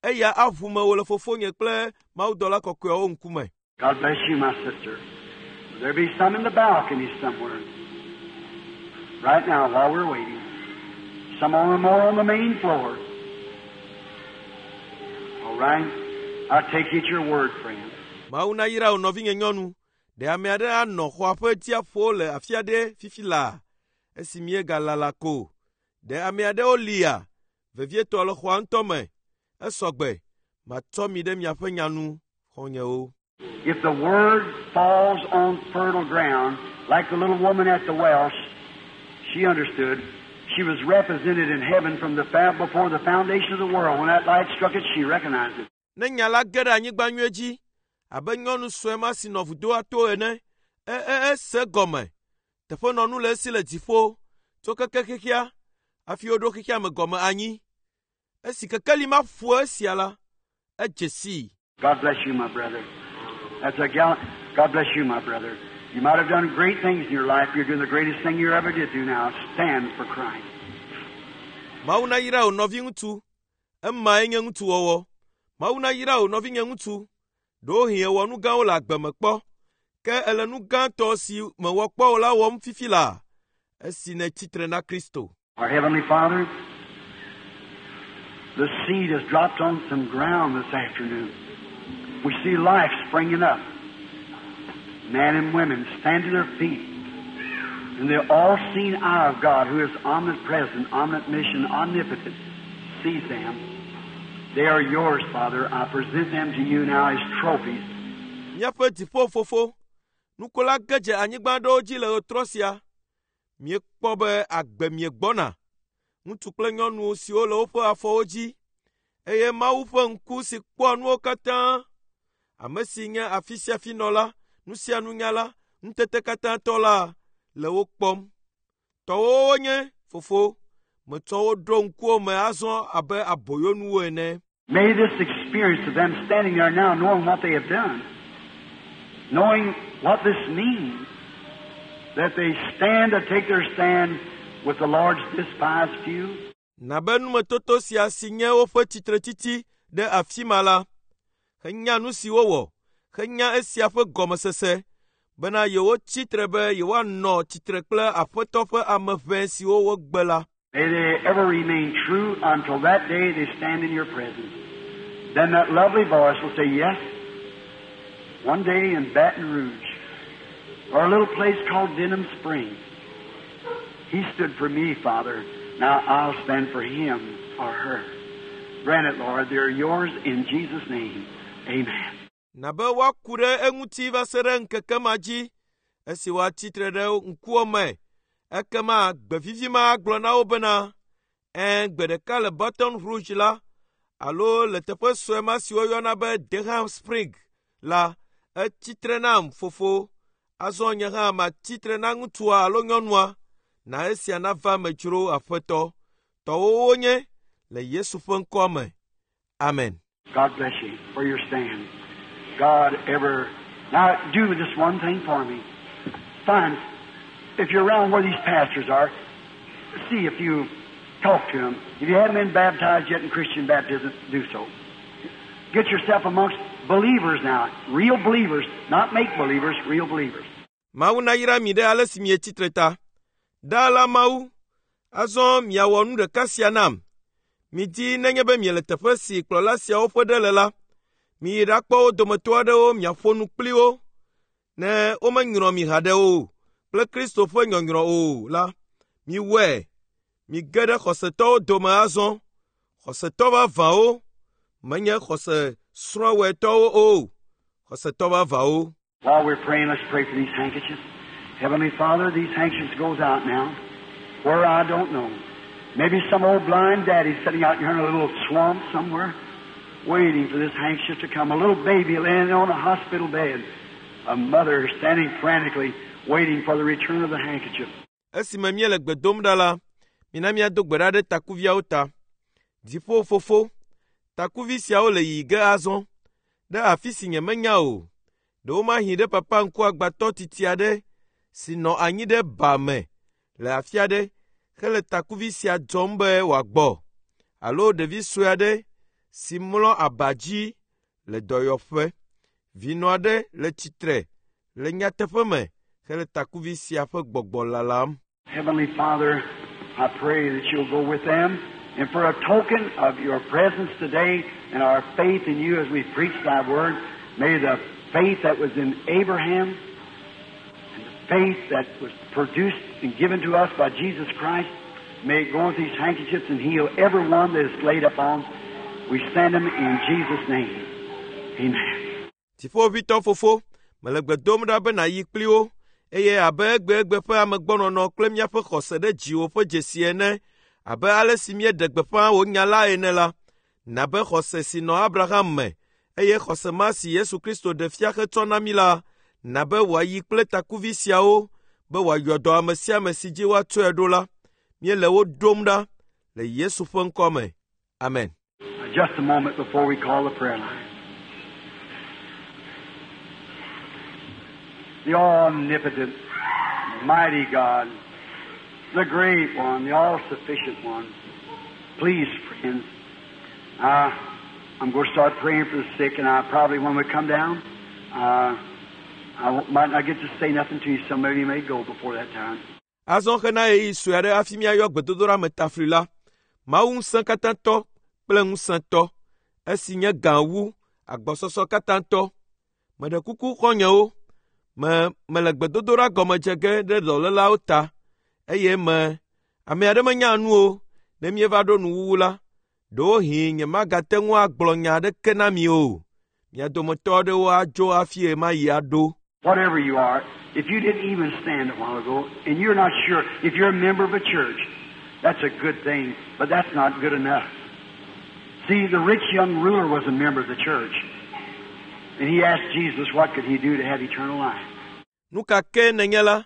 eya aʋu mewò le fofonye kple mawudɔla kɔkɔewo ŋkume. God bless you, my sister. There be some in the balcony somewhere. Right now, while we're waiting. Some on more on the main floor. All right? I take you at your word, friend. Mawu nayra wò nɔvinye nyɔnu. Ɖe ame aɖe anɔ xɔa ƒe dziaƒo le afi aɖe fifi laa esi míegalala ko. Ɖe ame aɖewo lia, vevietɔ le xɔa ŋutɔ me. Esɔgbe, matsɔ mi ɖe miaƒe nya nu, xɔ̃nyewo. If the word falls on fertile ground, like the little woman at the well, she understood. She was represented in heaven from the before the foundation of the world. When that light struck it, she recognized it. Ne nya la ge ɖe anyigba nyuie dzi abe nyɔnu sue ma si nɔ vudoa to ene, e e ese gɔme. Teƒenɔnu le esi le dziƒo tso keke xexea hafi woɖo xexea me gɔme anyi. Esi kekeli ma ƒo esia la, edze sii. God bless you, my brother. That's a gallant. God bless you, my brother. You might have done great things in your life. You're doing the greatest thing you ever did do now. Stand for Christ. Mawu nayra wò nɔviŋutsu. Emae nye ŋutsuwɔwɔ. Mawu nayra wò nɔvinye ŋutsu. Ɖewohĩ èwɔ nu gãwo le agbe me kpɔ. Ke èle nu gãtɔ si mewɔ kpɔ o la wɔm fifi laa esi nètsi tre na Kristo. Our Heavenly Father, the seed has dropped on some ground this afternoon. We see life springing up. Men and women stand to their feet. And the all-seeing eye of God, who is omnipresent, omniscient, omnipotent, sees them. They are yours, Father. I present them to you now as trophies. Míaƒe dziƒo fofo, nuku la ge dze anyigba aɖewo dzi le ɣetrɔ sia. Míekpɔ be agbe miegbɔna. Ŋutsu kple nyɔnu siwo le woƒe afɔwo dzi eye Mawu ƒe ŋku si kpɔa nuwo katã, ame si nye afi sia afi nɔla, nu sia nunyala, ŋutete katã tɔ la le wo kpɔm. Tɔwòwo wonye, fofo, metsɔ wo ɖo ŋkuwò me azɔ abe aboyonuwo ene. May this experience of them standing there now, knowing what they have done, knowing what this means, that they stand to take their stand with the Lord's despised few. Na be numetoto sia si nye woƒe tsitretsitsi ɖe afi ma la, henya nu si wowɔ, henya esia ƒe gɔmesese bena yewotsi tre be yewoanɔ tsitre kple Aƒetɔ ƒe ame ʋɛ siwo wogbe la. May they ever remain true until that day they stand in your presence. Then that lovely voice will say, Yes, one day in Baton Rouge, or a little place called Denham Springs, he stood for me, Father. Now I'll stand for him or her. Grant it, Lord. They're yours in Jesus' name. Amen. Na be woaku ɖe eŋuti va se ɖe ŋkeke ma dzi esi woatsi tre ɖe ŋkuwò me. Ekema gbe vivi ma agblɔ na wo bena, ɛ̃ gbe ɖeka le Baton Rouge la alo le teƒe sue ma si woyɔna be Denham Spring la, etsi tre nam fofo. Azɔ nye hã matsi tre na ŋutsua alo nyɔnua. Na esia nava me dzro Aƒetɔ. Tɔwòwo wonye le Yesu ƒe ŋkɔ me. Amen. God bless you for your stand. God ever. Now, do this one thing for me. Find, if you're around where these pastors are, see if you talk to them. If you haven't been baptized yet in Christian baptism, do so. Get yourself amongst believers now, real believers, not make believers, real believers. Mawu nayra mi ɖe ale si mietsi tre ta. Ɖaa la Mawu, azɔ miawɔ nu ɖeka sia nam. Midi nenye be miele teƒe si kplɔla siawo ƒe ɖe le la, miyi ɖakpɔ wo dometɔ aɖewo miaƒo nu kpli wo. Ne womenyrɔ mi haɖe o kple Kristo ƒe nyɔnyrɔ o la, miwɔe. Mige ɖe xɔsetɔwo dome azɔ. Xɔsetɔ vavãwo menye xɔse srɔ̃wɔetɔwo o. Xɔsetɔ vavãwo. While we're praying, let's pray for these handkerchiefs. Heavenly Father, these handkerchiefs goes out now. Where I don't know. Maybe some old blind daddy sitting out here in a little swamp somewhere, waiting for this handkerchief to come. A little baby laying on a hospital bed. A mother standing frantically waiting for the return of the handkerchief. Esime míele gbe dom ɖa la, mina míado gbe ɖa ɖe takuviawo ta. Dziƒo fofo, takuvi siawo le yiyi ge azɔ ɖe afi si nyemenya o. Ɖewomahi ɖe papa ŋkuagbatɔ titi aɖe si nɔ anyi ɖe ba me le afi aɖe hele takuvi sia dzɔm be wòagbɔ alo ɖevi sue aɖe si mlɔ aba dzi le dɔyɔƒe. Vinɔ aɖe le tsitre le nyateƒe me hele takuvi sia ƒe gbɔgbɔ lalam. Heavenly Father, I pray that you'll go with them. And for a token of your presence today and our faith in you as we preach thy word, may the faith that was in Abraham and the faith that was produced and given to us by Jesus Christ, may it go with these handkerchiefs and heal every one that is laid upon. We send them in Jesus' name. Amen. Dziƒoʋĩtɔ fofo, mele gbe dom ɖa be nàyi kpli wo eye abe egbegbe ƒe amegbɔnɔnɔ kple míaƒe xɔse ɖe dziwò ƒe dzesi ene abe ale si míeɖe gbeƒã wò nya la ene la, na be xɔse si nɔ Abraham me eye xɔse ma si Yesu Kristo ɖe fia hetsɔ na mí la, na be wòayi kple takuvi siawo be wòayɔ dɔ ame sia ame si dzi woatsɔe ɖo la. Míele wo ɖom ɖa le Yesu ƒe ŋkɔ me. Amen. Now, just a moment before we call the prayer line. The omnipotent, mighty God, the great one, the all-sufficient one. Please, friends, I'm going to start praying for the sick, and I probably, when we come down, I won't, might not get to say nothing to you. Some of you may go before that time. Azɔ hena ɣeyiɣi sue aɖe hafi míayɔ gbedodoɖa me tafli la, Mawu ŋusẽkatãtɔ kple ŋusẽtɔ, esi nye gã wu agbɔsɔsɔ katãtɔ. Meɖe kuku xɔ̃nyewo, me mele gbedodoɖa gɔme dze ge ɖe dɔlélawo ta eye me ame aɖe menya nu o. Ne míeva ɖo nuwuwu la, ɖewohĩ nyemagate ŋu agblɔ nya aɖeke na mi o. Mia dometɔ aɖewo adzo hafi ɣemaɣi aɖo. Whatever you are, if you didn't even stand a while ago, and you're not sure if you're a member of a church, that's a good thing, but that's not good enough. See, the rich young ruler was a member of the church, and he asked Jesus what could he do to have eternal life. Nu ka ke nènye la,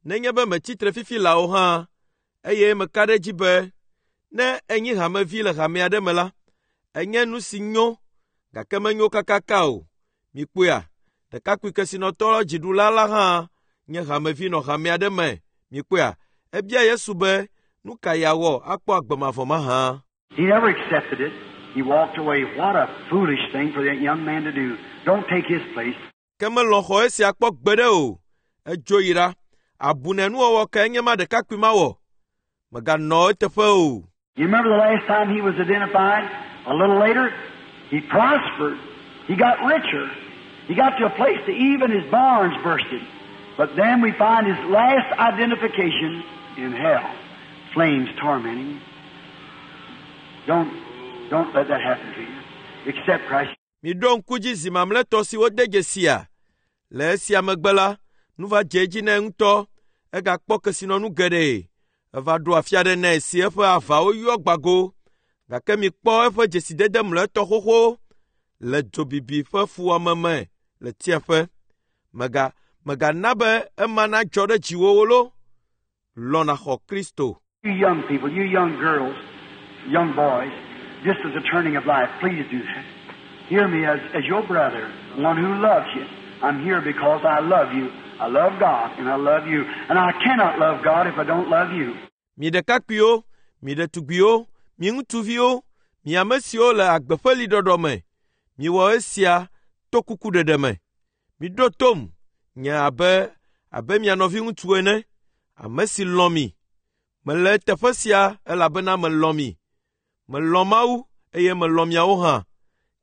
nenye be metsi tre fifi laa o hã, eye meka ɖe edzi be ne enyi hamevi le hame aɖe me la, enye nu si nyo, gake menyo kakaka o. Mikpɔea, ɖekakpui kesinɔtɔ dziɖula la hã nye hamevi nɔ hame aɖe me. Mikpɔea, ebia Yesu be nu ka yeawɔ akpɔ agbe mavɔ mahã. He never accepted it. He walked away. What a foolish thing for that young man to do. Don't take his place. Ke melɔ̃ xɔ esia kpɔ gbeɖe o. Edzo yi ɖa. Abune nuwɔwɔ kae nye ma ɖekakpui ma wɔ? Meganɔ eteƒe o. You remember the last time he was identified? A little later, he prospered. He got richer. He got to a place that even his barns bursted. But then we find his last identification in hell. Flames tormenting him. Don't let that happen to you. Accept Christ. Miɖo ŋku dzi zi mamlɛtɔ si wode dzesia. Le esia megbe la, nu va dze edzi nɛ ŋutɔ. Egakpɔ kesinɔnu geɖe. Eva ɖo afi aɖe nɛ si eƒe avawo yɔ gbago. Gake mikpɔ eƒe dzesidede mlɔetɔ xoxo le dzobibi ƒe fuwɔame me le tsiẽƒe. Mega megana be ema nadzɔ ɖe dziwò lo. Lɔ̃ nàxɔ Kristo. You young people, you young girls, young boys, just as a turning of life, please do that. Hear me as, as your brother, one who loves you. I'm here because I love you. I love God and I love you. And I cannot love God if I don't love you. Mi ɖekakpuiwo, mi ɖetugbiwo, mi ŋutsuviwo, mi ame siwo le agbe ƒe liɖɔɖɔ me, miwɔ esia to kukuɖeɖe me. Miɖo tom nye abe abe mia nɔviŋutsu ene, ame si lɔ̃ mi. Mele teƒe sia elabena melɔ̃ mi. Melɔ̃ Mawu eye melɔ̃ miawo hã.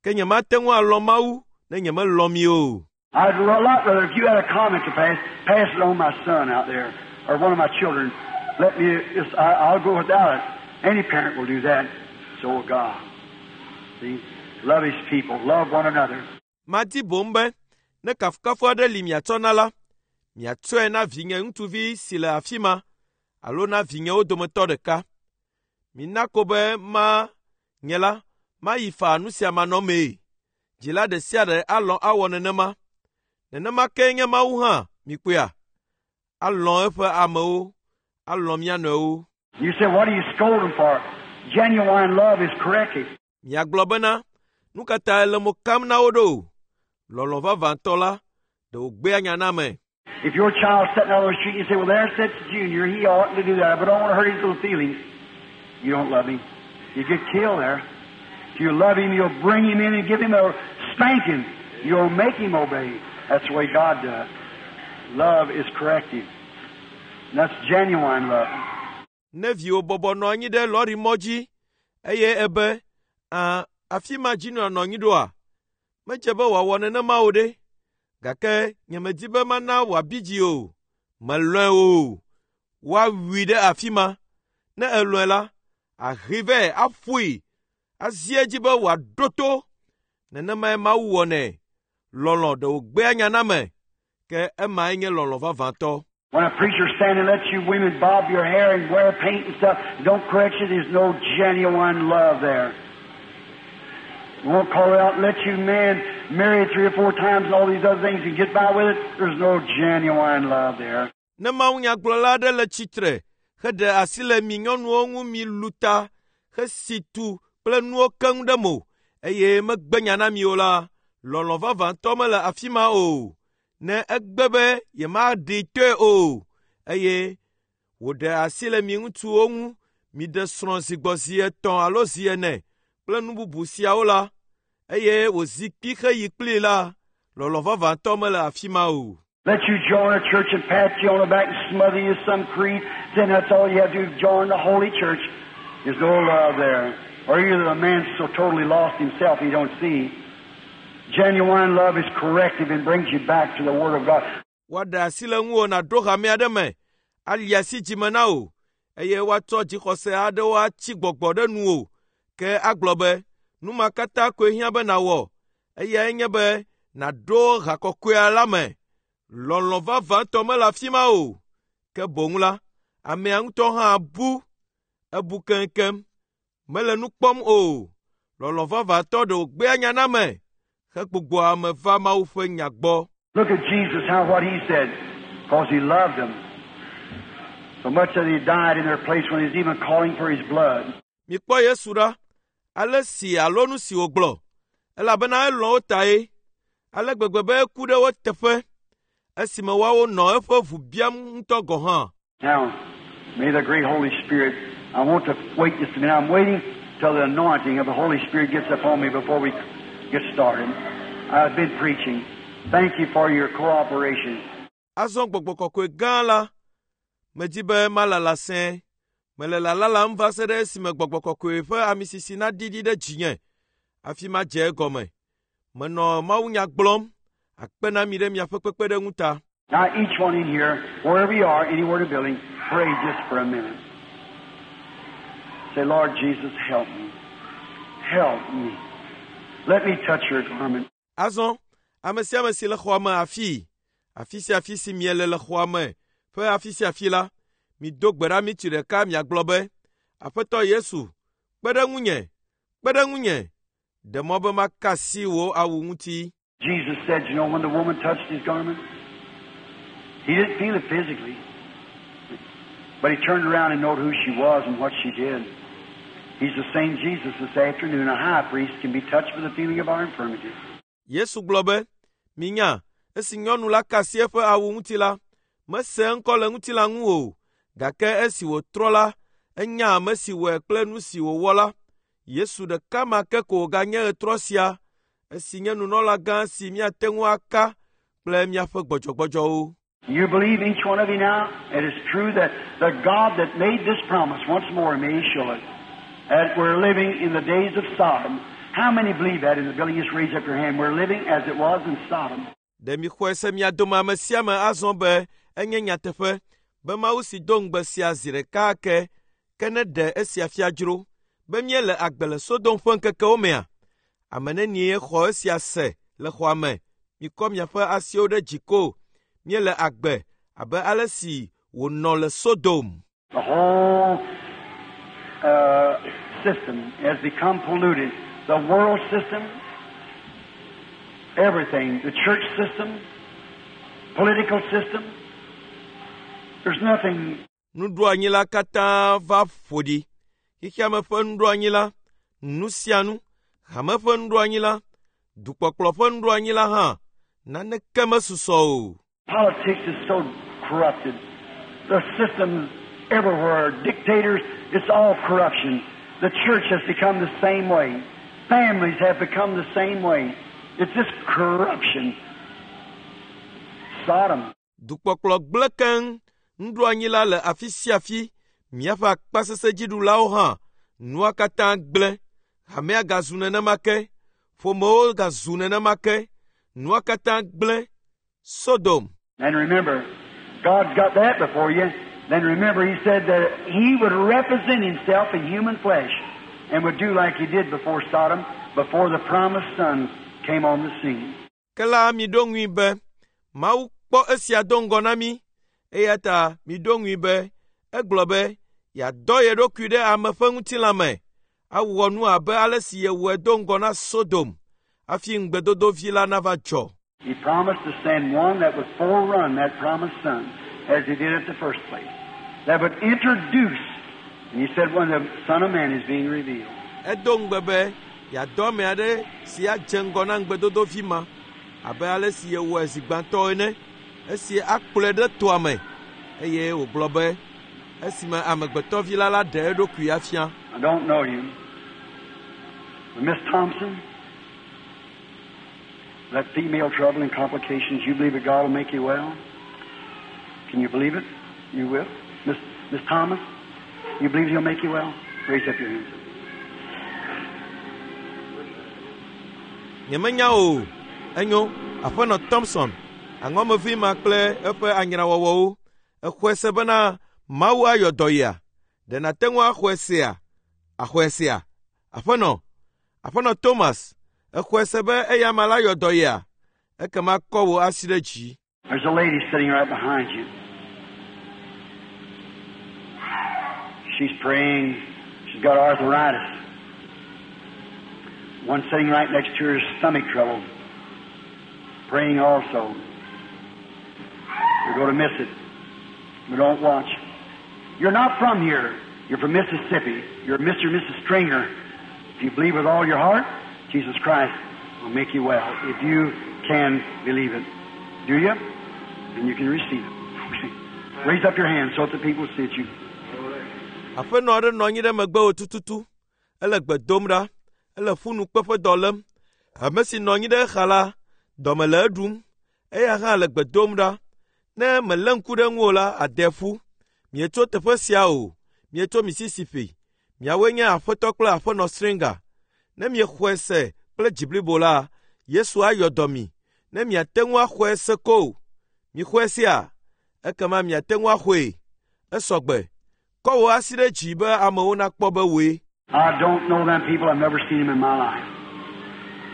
Ke nyemate ŋu alɔ̃ Mawu ne nyemelɔ̃ mi o. I'd a lot rather if you had a comment to pass, pass it on my son out there or one of my children. Let me just, I, I'll go without it. Any parent will do that. So will God. See? Love his people. Love one another. Madi boŋ be ne kafukafu aɖe li miatsɔ na la, miatsɔe na vinye ŋutsuvi si le afi ma alo na vinyewo dometɔ ɖeka. Mina ko be ma nye la mayi faa nu sia manɔmee. Dzila ɖe sia ɖe alɔ̃ awɔ nenema. Nenema kee nye Mawu hã, mikpɔea? Alɔ̃ eƒe amewo, alɔ̃ mía nɔewo. You say, what do you scold them for? Genuine love is corrective. Miagblɔ bena, nu ka ta ele mo kam na wo ɖo? Lɔlɔ̃ vavãtɔ la, ɖe wògbea nya na ame. If your child's sitting out on the street, you say, well, there sits Junior. He oughtn't to do that, but I don't want to hurt his little feelings. You don't love him. You get killed there. If you love him, you'll bring him in and give him a spanking. You'll make him obey. That's the way God does. Love is corrective. And that's genuine love. Ne viwò bɔbɔ nɔ anyi ɖe lɔrimɔ dzi eye ebe, “Ã, afi ma Junior nɔ anyi ɖoa?” Medze be wòawɔ nenema o ɖe. Gake nyemedi be mana wòabi dzi o. Melɔ̃e o. Woawui ɖe afi ma. Ne elɔ̃e la, ahee vɛ aƒoe, azi edzi be wòaɖo to. Nenemae Mawu wɔnɛ. Lɔlɔ̃ ɖe wògbea nya na ame, ke emae nye lɔlɔ̃ vavãtɔ. When a preacher stands and lets you women bob your hair and wear paint and stuff, don't correct you, there's no genuine love there. You won't call it out and let you men marry three or four times and all these other things and get by with it. There's no genuine love there. Ne mawunyagblɔla aɖe le tsitre heɖe asi le mi nyɔnuwo ŋu mi lu ta hesi tu kple nuwo keŋ ɖe mo eye megbe nya na mi o la, lɔlɔ̃ vavãtɔ mele afi ma o. Ne egbe be yemaɖee toe o eye wòɖe asi le mi ŋutsuwo ŋu miɖe srɔ̃ zi gbɔ zi etɔ̃ alo zi ene kple nu bubu siawo la, eye wòzi kpi heyi kplii la, lɔlɔ̃ vavãtɔ mele afi ma o. Let you join a church and pat you on the back and smother you some creed, then that's all you have to do, join the holy church. There's no love there. Or either the man's so totally lost himself he don't see. Genuine love is corrective and brings you back to the Word of God. Woaɖe asi le ŋuwò nàɖo hame aɖe me, ali asi dzime na wò, eye woatsɔ dzixɔse aɖewo atsi gbɔgbɔ ɖe nuwò. Ke agblɔ be, nu ma katã koe hiã be nàwɔ, eyae nye be nàɖo ha kɔkɔea la me. Lɔlɔ̃ vavãtɔ mele afi ma o. Ke boŋ la, amea ŋutɔ hã bu, ebu keŋkeŋ, mele nu kpɔm o. Lɔlɔ̃ vavãtɔ ɖe wògbea nya na ame hegbugbɔa ame va Mawu ƒe nya gbɔ. Look at Jesus, how what he said, because he loved them. So much that he died in their place when he was even calling for his blood. Mikpɔ Yesu ɖa, ale si alo nu si wògblɔ, elabena elɔ̃ wo tae, ale gbegbe be eku ɖe wo teƒe, esime woawo nɔ eƒe ʋu biam ŋutɔ gɔ̃ hã. Now, may the great Holy Spirit, I want to wait just a minute. I'm waiting till the anointing of the Holy Spirit gets upon me before we get started. I've been preaching. Thank you for your cooperation. Azɔ gbɔgbɔ kɔkɔe gã la, medi be malala sẽe. Mele lalalam va se ɖe esime gbɔgbɔ kɔkɔe ƒe amisisi naɖiɖi ɖe dzinye hafi madze egɔme. Menɔ mawunya gblɔm, akpe na mi ɖe miaƒe kpekpeɖeŋu ta. Now, each one in here, wherever you are, anywhere in the building, pray just for a minute. Say, Lord Jesus, help me. Help me. Let me touch your garment. Azɔ, ame sia ame si le xɔa me afii, afi sia afi si miele le xɔa me ƒe afi sia afi la, mido gbe ɖa mitsi ɖeka miagblɔ be, Aƒetɔ Yesu, kpe ɖe ŋunye, kpe ɖe ŋunye, ɖe mɔ be maka asi wò awu ŋuti. Jesus said, you know, when the woman touched his garment, he didn't feel it physically, but he turned around and knowed who she was and what she did. He's the same Jesus this afternoon. A high priest can be touched with the feeling of our infirmities. Yesu gblɔ be, “Minya, esi nyɔnu la ka asi eƒe awu ŋuti la, mese eŋkɔ le ŋutilã ŋu o, gake esi wòtrɔ la, enya ame si wɔe kple nu si wòwɔ la. Yesu ɖeka ma ke ko wòganye ɣetrɔ sia, esi nye nunɔlagã si míate ŋu aka kple míaƒe gbɔdzɔgbɔdzɔwo.” You believe, each one of you now, it is true that the God that made this promise once more may show it. That we're living in the days of Sodom. How many believe that in the building? Just raise up your hand. We're living as it was in Sodom. Ɖe mixɔe se mia dome ame sia ame azɔ be enye nyateƒe be Mawu si do ŋugbe sia zi ɖeka ake ke ne ɖe esia fia dzro be míele agbe le Sodom ƒe ŋkekewo mea? Ame nenie xɔ esia se le xɔa me? Mikɔ miaƒe asiwo ɖe dzi ko. Míele agbe abe ale si wònɔ le Sodom. The whole system has become polluted. The world system, everything, the church system, political system. There's nothing Nuɖoanyi la katã va ƒo ɖi. Xexeame ƒe nuɖoanyi la, nu sia nu, hame ƒe nuɖoanyi la, dukpɔkplɔ ƒe nuɖoanyi la hã, naneke mesusɔ o. Politics is so corrupted. The systems everywhere, dictators, it's all corruption. The church has become the same way. Families have become the same way. It's just corruption. Sodom. Dukpɔkplɔ gblẽ keŋ, nuɖoanyi la le afi sia afi, míaƒe akpasesẽdziɖulawo hã, nua katã gblẽ. Hamea gazu nenema ke, ƒomewo gazu nenema ke, nua katã gblẽ. Sodom. And remember, God's got that before you. Then remember, He said that He would represent Himself in human flesh and would do like He did before Sodom, before the promised Son came on the scene. Ke la miɖo ŋui be Mawu kpɔ esia do ŋgɔ na mí eya ta miɖo ŋui be egblɔ be yeadɔ ye ɖokui ɖe ame ƒe ŋutilã me awɔ nu abe ale si yewɔe do ŋgɔ na Sodom hafi ŋugbedodovi la nava dzɔ. He promised to send one that would forerun that promised Son, as He did at the first place, that would introduce, and He said, when the Son of Man is being revealed. Edo ŋugbe be yeadɔ ame aɖe si adze ŋgɔ na ŋugbedodovi ma abe ale si yewɔe zi gbãtɔ ene esi akplɔe ɖe toa me eye wògblɔ be esime amegbetɔvi la la ɖe eɖokui afia. I don't know you. But Miss Thompson, that female trouble and complications, you believe that God will make you well? Can you believe it? You will? Miss Thomas, you believe He'll make you well? Raise up your hands. Nyemenya o. Enyo, aƒenɔ Thompson, aŋɔmevi ma kple eƒe anyrawɔwɔwo, exɔe se bena Mawu ayɔ dɔ yia? Ɖe nàte ŋu axɔe sea? Axɔe sea? Aƒenɔ, aƒenɔ Thomas, exɔe se be eya ma la yɔ dɔ yia? Ekema kɔ wò asi ɖe dzi. There's a lady sitting right behind you. She's praying. She's got arthritis. One sitting right next to her is stomach trouble. Praying also. You're going to miss it. But don't watch. You're not from here. You're from Mississippi. You're Mr. and Mrs. Stringer. If you believe with all your heart, Jesus Christ will make you well. If you can believe it. Do you? Then you can receive it. Raise up your hand so that the people see it. You. Aƒenɔ aɖe nɔ anyi ɖe megbewò tututu. Ele gbe dom ɖa. Ele ƒunukpeƒe dɔ lém. Ame si nɔ anyi ɖe exa la, dɔme le eɖum. Eya hã le gbe dom ɖa. Ne mèlé ŋku ɖe ŋu o la, ade ƒu. Mietso teƒe sia o. Mietso Mississippi. Miawoe nye aƒetɔ kple aƒenɔ Stringer. Ne miexɔe se kple dzi blibo la, Yesu ayɔ dɔ mi. Ne miate ŋu axɔe se ko. Mixɔe sea? Ekema miate ŋu axɔe. Esɔgbe. Kɔ wò asi ɖe dzi be amewo nakpɔ be wòe. I don't know them people. I've never seen them in my life.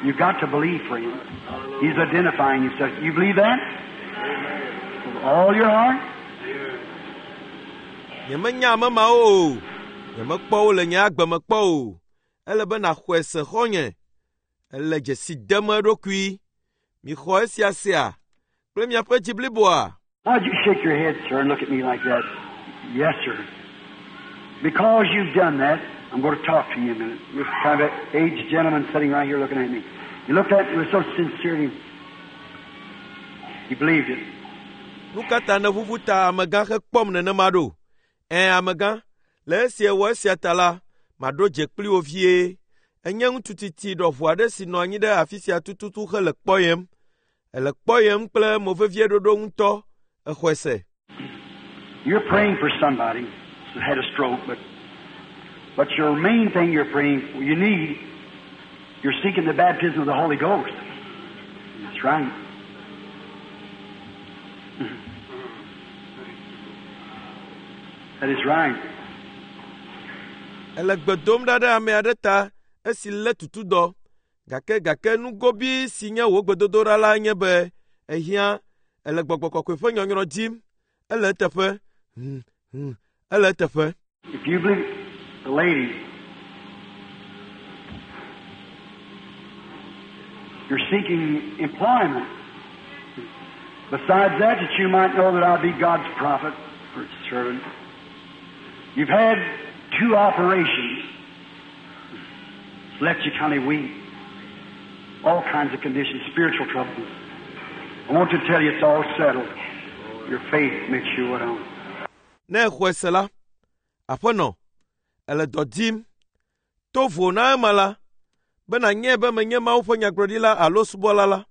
You've got to believe for him. He's identifying himself. You believe that? With all your heart? Nyemenya ame mawo o. Nyemekpɔ wo le nye agbe me kpɔ o. Ele be nàxɔe se xɔ̃nye. Ele dzesi dem eɖokui. Mixɔ esia sea kple miaƒe dzi bliboa. Why'd you shake your head, sir, and look at me like that? Yes, sir. Because you've done that, I'm going to talk to you a minute. This kind of aged gentleman sitting right here looking at me. He looked at me with so sincerely. He believed it. Nu ka ta nèʋuʋu ta amegã hekpɔm nenema ɖo? Ẽ amegã, le esi èwɔ esia ta la, maɖo dze kpli wò vie. Enye ŋutsu tsitsi ɖɔʋu aɖe si nɔ anyi ɖe afi sia tututu hele kpɔyem. Ele kpɔyem kple movevieɖoɖo ŋutɔ. Exɔe se. You're praying for somebody who had a stroke, but your main thing you're praying for, you need, you're seeking the baptism of the Holy Ghost. That's right. That is right. Ele gbe dom ɖa ɖe ame aɖe ta esi lé tutudɔ. Gake nugobi si nye wò gbedodoɖa la nye be ehiã ele gbɔgbɔ kɔkɔe ƒe nyɔnyrɔ dim. Ele eteƒe. Ele eteƒe. If you believe the lady, you're seeking employment. Besides that, that you might know that I'll be God's prophet or servant. You've had 2 operations. It's left you kind of weak. All kinds of conditions, spiritual troubles. I want to tell you it's all settled. Your faith makes you well. Ne exɔe se la, aƒenɔ, ele dɔ dim. To vo na ema la, be nànyae be menye Mawu ƒe nyagblɔɖila alo subɔla la,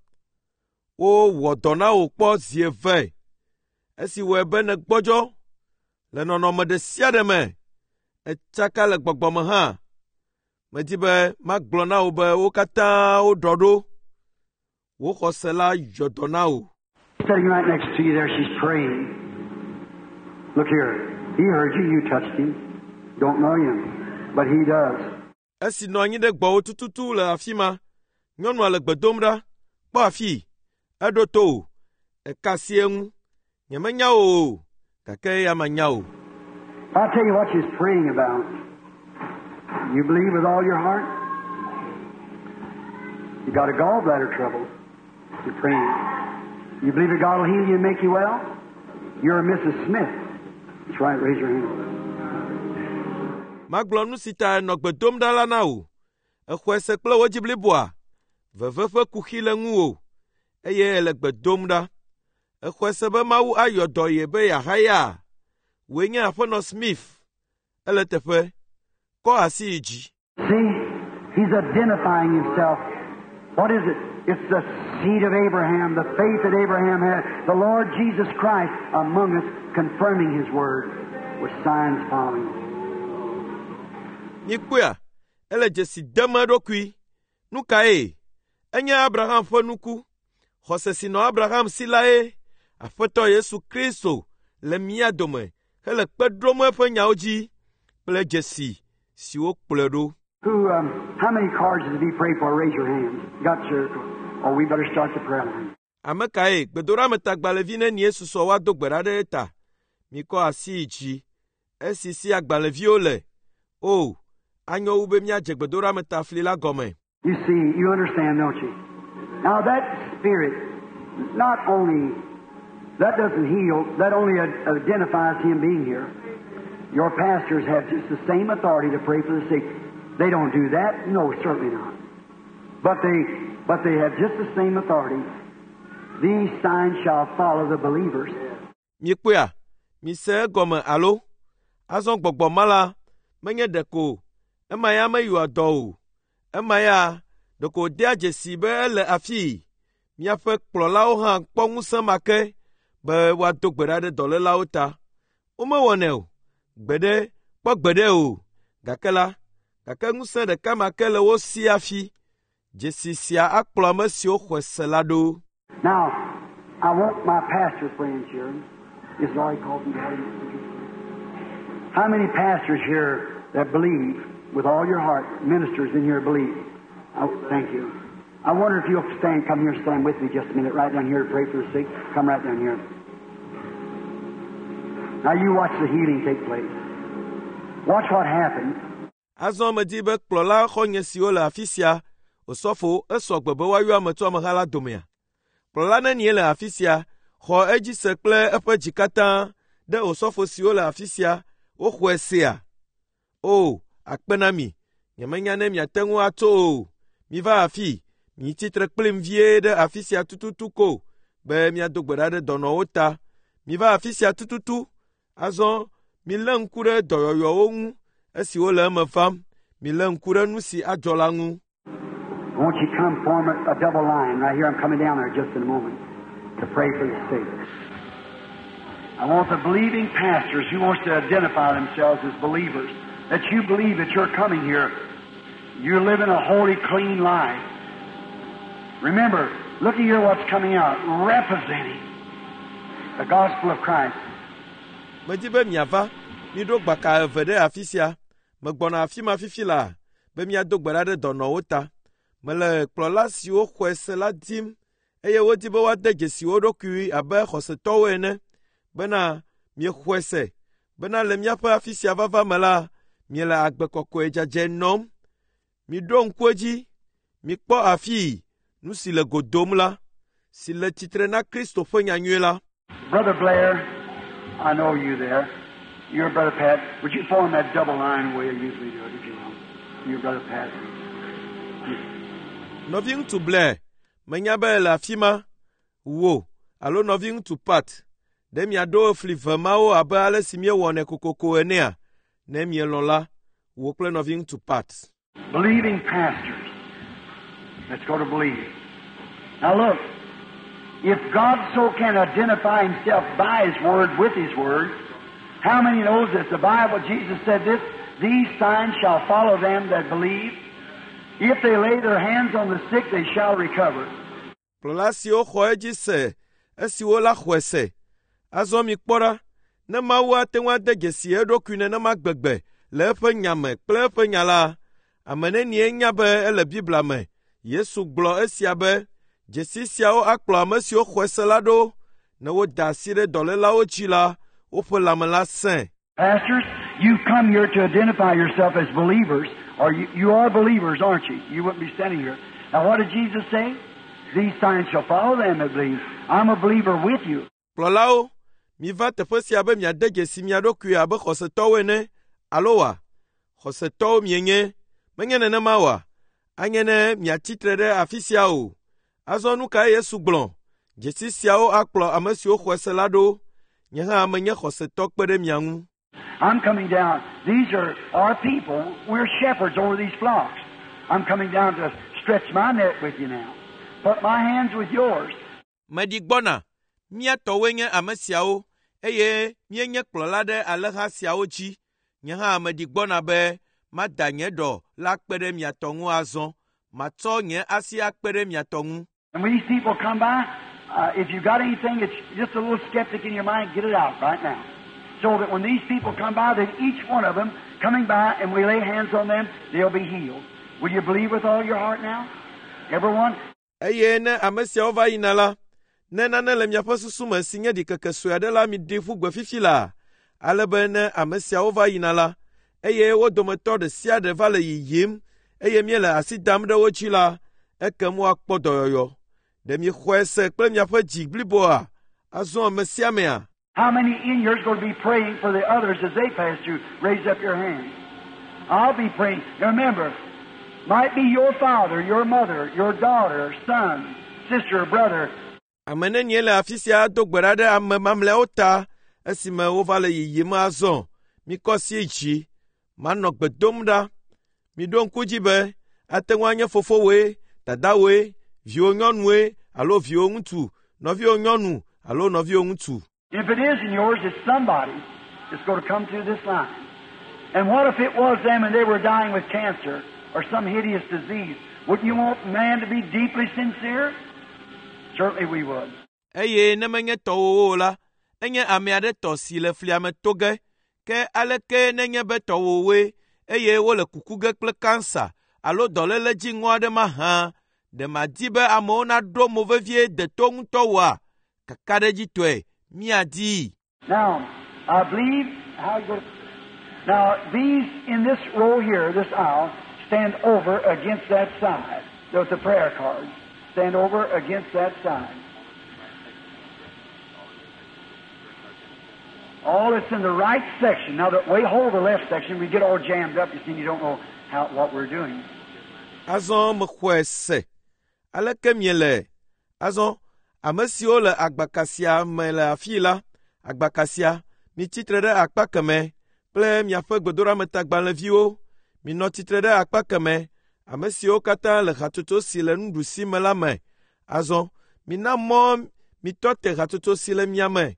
wowɔ dɔ na wò kpɔ zi eve. Esi wɔe be nègbɔdzɔ le nɔnɔme ɖe sia ɖe me, etsaka le gbɔgbɔme hã. Medi be magblɔ na wò be wo katã woɖɔ ɖo. Wò xɔse la yɔ dɔ na wò. Sitting right next to you there, she's praying. Look here. He heard you, you touched him. Don't know him, but he does. Esi nɔ anyi ɖe gbɔwò tututu le afi ma, nyɔnua le gbe dom ɖa. Kpɔ afii. Eɖo to wò. Eka asi eŋu. Nyemenya wò o, gake eya manya wò. I'll tell you what she's praying about. You believe with all your heart? You got a gallbladder trouble. You're praying. You believe that God will heal you and make you well? You're a Mrs. Smith. That's right, raise your hand. Magblɔ nu si ta nɔ gbe dom ɖa la na wò. Exɔe se kple wò dzi bliboa. Veve ƒe kuxi le ŋuwò eye ele gbe dom ɖa. Exɔe se be Mawu ayɔ dɔ ye be yeahaya. Wòe nye aƒenɔ Smith. Ele teƒe. Kɔ asi yi dzi. See, he's identifying himself. What is it? It's the seed of Abraham, the faith that Abraham had, the Lord Jesus Christ among us, confirming his word with signs following. Mikpɔea, ele dzesi dem eɖokui. Nu kae? Enye Abraham ƒe nuku. Xɔse si nɔ Abraham si lae. Aƒetɔ Yesu Kristo le mía dome hele kpe ɖom eƒe nyawo dzi kple dzesi siwo kplɔe ɖo. Who? How many cards did he pray for? Raise your hands. Got your. Oh, we better start the prayer line. Ame kae gbedoɖametagbalẽvi nenie susɔ woado gbe ɖa ɖe eta? Mikɔ asi yi dzi. Esi si agbalẽviwo le. O, anyo wu be míadze gbedoɖametafli la gɔme. You see, you understand, don't you? Now that spirit, not only, that doesn't heal, that only identifies him being here. Your pastors have just the same authority to pray for the sick. They don't do that? No, certainly not. But they have just the same authority. These signs shall follow the believers. Mikpɔea, mise egɔme alo? Azɔ gbɔgbɔ ma la, menye ɖeko ema ya meyɔa dɔ o. Ema ya ɖeko wòdea dzesi be ele afii. Miaƒe kplɔlawo hã kpɔ ŋusẽ ma ke be woado gbe ɖa ɖe dɔlélawo ta. Womewɔnɛ o. Gbeɖe, kpɔ gbeɖe o. Gake la, gake ŋusẽ ɖeka ma ke le wo si hafi. Dzesi sia akplɔ ame siwo xɔe se la ɖo. Now, I want my pastor friends here. Is Laurie called me? How many pastors here that believe with all your heart, ministers in here believe? Oh, thank you. I wonder if you'll stand, come here and stand with me just a minute, right down here to pray for the sick. Come right down here. Now you watch the healing take place. Watch what happens. Azɔ medi be kplɔla xɔnye siwo le afi sia, osɔfo esɔ gbe be woayɔ ame tso ameha la domea. Kplɔla nenie le afi sia, xɔ edzi se kple eƒe dzi katã ɖe osɔfo siwo le afi sia, woxɔe sea. O, akpe na mi. Nyemenya ne miate ŋu atso o. Miva afi, mitsi tre kplim vie ɖe afi sia tututu ko be míado gbe ɖa ɖe dɔnɔwo ta. Miva afi sia tututu. Azɔ milé ŋku ɖe dɔyɔyɔwo ŋu esiwo le eme vam. Milé ŋku ɖe nu si adzɔ la ŋu. Won't you come form a double line right here? I'm coming down there just in a moment to pray for the sick. I want the believing pastors who wants to identify themselves as believers, that you believe that you're coming here. You're living a holy, clean life. Remember, look here what's coming out, representing the gospel of Christ. Medi be miava, miɖo gbaka eve ɖe afi sia. Megbɔna afi ma fifi laa be míado gbe ɖa ɖe dɔnɔwo ta. Mele kplɔla siwo xɔe se la dim eye wodi be woade dzesi wo ɖokui abe xɔsetɔwo ene bena miexɔe se bena le míaƒe afi sia vava me la, miele agbe kɔkɔe dzadzɛ nɔm. Miɖo ŋku edzi, mikpɔ afii nu si le go dom la, si le tsitre na Kristo ƒe nyanyui la. Brother Blair, I know you there. Your Brother Pat. Would you form that double line the way you usually do it, if you will? Your Brother Pat. Nɔviŋutsu Blair, menya be le afi ma, wò alo nɔviŋutsu Pat, ɖe miaɖo fli ve mawo abe ale si míewɔnɛ kokoko enea? Ne mielɔ̃ la, wò kple nɔviŋutsu Pat. Believing pastors. Let's go to believe. Now look, if God so can identify Himself by His Word with His Word, how many knows that the Bible, Jesus said this, these signs shall follow them that believe. If they lay their hands on the sick, they shall recover. Kplɔla siwo xɔ edzi se esiwo la xɔe se. Azɔ mikpɔ ɖa, ne Mawu ate ŋu ade dzesi eɖokui nenema gbegbe le eƒe nya me kple eƒe nya la, ame nenie nya be ele Biblia me. Yesu gblɔ esia be, dzesi siawo akplɔ ame siwo xɔe se la ɖo. Ne woda asi ɖe dɔlélawo dzi la, woƒe lãme la sẽ. Pastors, you've come here to identify yourself as believers, or you are believers, aren't you? You wouldn't be standing here. Now, what did Jesus say? These signs shall follow them that believe. I'm a believer with you. Kplɔlawo, miva teƒe sia be miade dzesi mia ɖokui abe xɔsetɔwo ene, alo wa? Xɔsetɔwo mienye, menye nenema oa? Anye ne miatsi tre ɖe afi sia o. Azɔ nu kae Yesu gblɔ? Dzesi siawo akplɔ ame siwo xɔe se la ɖo. Nye hã menye xɔsetɔ kpe ɖe mia ŋu. I'm coming down. These are our people. We're shepherds over these flocks. I'm coming down to stretch my net with you now. Put my hands with yours. Meɖi gbɔna. Mía tɔwoe nye ame siawo eye míenye kplɔla ɖe alẽha siawo dzi. Nye hã meɖi gbɔna be mada nye ɖɔ la kpe ɖe mia tɔ ŋu azɔ. Matsɔ nye asi akpe ɖe mia tɔ ŋu. And when these people come by, if you got anything that's just a little skeptic in your mind, get it out right now. So that when these people come by, that each one of them coming by and we lay hands on them, they'll be healed. Will you believe with all your heart now? Everyone? Eye ne ame siawo va yina la, ne nane le miaƒe susu me si nye ɖikeke sue aɖe la miɖi ƒu gbe fifi laa, ale be ne ame siawo va yina la, eye wo dometɔ ɖe sia ɖe va le yiyim eye míele asi dam ɖe wo dzi la, ekem woakpɔ dɔyɔyɔ. Ɖe miexɔe se kple miaƒe dzi bliboa? Azɔ ame sia amea? How many in here is going to be praying for the others as they pass through? Raise up your hand. I'll be praying. Remember, might be your father, your mother, your daughter, son, sister, or brother. Ame nenie le afi sia ado gbe ɖa ɖe ame mamlɛawo ta esime wova le yiyim azɔ. Mikɔ asi dzi. Manɔ gbe dom ɖa. Miɖo ŋku dzi be ate ŋu anye fofowoe, dadawoe, viwò nyɔnue alo viwò ŋutsu, nɔviwò nyɔnu alo nɔviwò ŋutsu. If it isn't yours, it's somebody that's going to come through this line. And what if it was them and they were dying with cancer or some hideous disease? Wouldn't you want man to be deeply sincere? Certainly we would. Eye ne menye tɔwòwo o la, enye ame aɖe tɔ si le flia me to ge. Ke aleke nenye be tɔwòwoe eye wole kuku ge kple kansa alo dɔléle dziŋɔ aɖe mahã, ɖe màdi be amewo naɖo mo vevie deto ŋutɔ oa? Kakaɖedzitɔe, míadii. Now, I believe how you go. Now, these in this row here, this aisle, stand over against that side. There's the prayer cards. Stand over against that side. All that's in the right section. Now, the, we hold the left section, we get all jammed up, you see, and you don't know how, what we're doing. Azɔ mexɔe se. Aleke miele? Azɔ ame siwo le agbaka sia me le afii la, agbaka sia, mitsi tre ɖe akpa kemɛ kple miaƒe gbedoɖametagbalẽviwo. Minɔ tsitre ɖe akpa kemɛ, ame siwo katã le hatsotso si le nuɖusi me la me. Azɔ mina mɔ mitɔ te hatsotso si le mia me.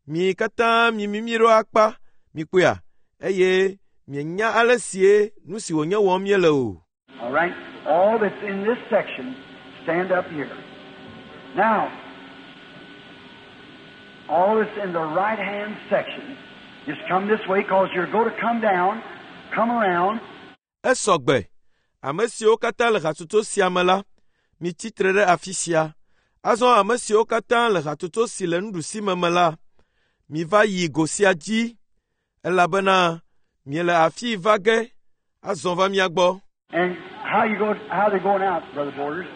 Mi katã mimimi ɖo akpa, mikpɔea, eye mienya ale sie nu si wònye wɔm míele o. All right? All that's in this section, stand up here. Now, all that's in the right hand section, just come this way because you're going to come down, come around, Esɔ gbe. Ame siwo katã le hatsotso sia me la, mitsi tre ɖe afi sia. Azɔ ame siwo katã le hatsotso si le nuɖusime me la, miva yi go sia dzi, elabena miele afii va ge azɔ va mia gbɔ. And how you go? How they going out, Brother Borders?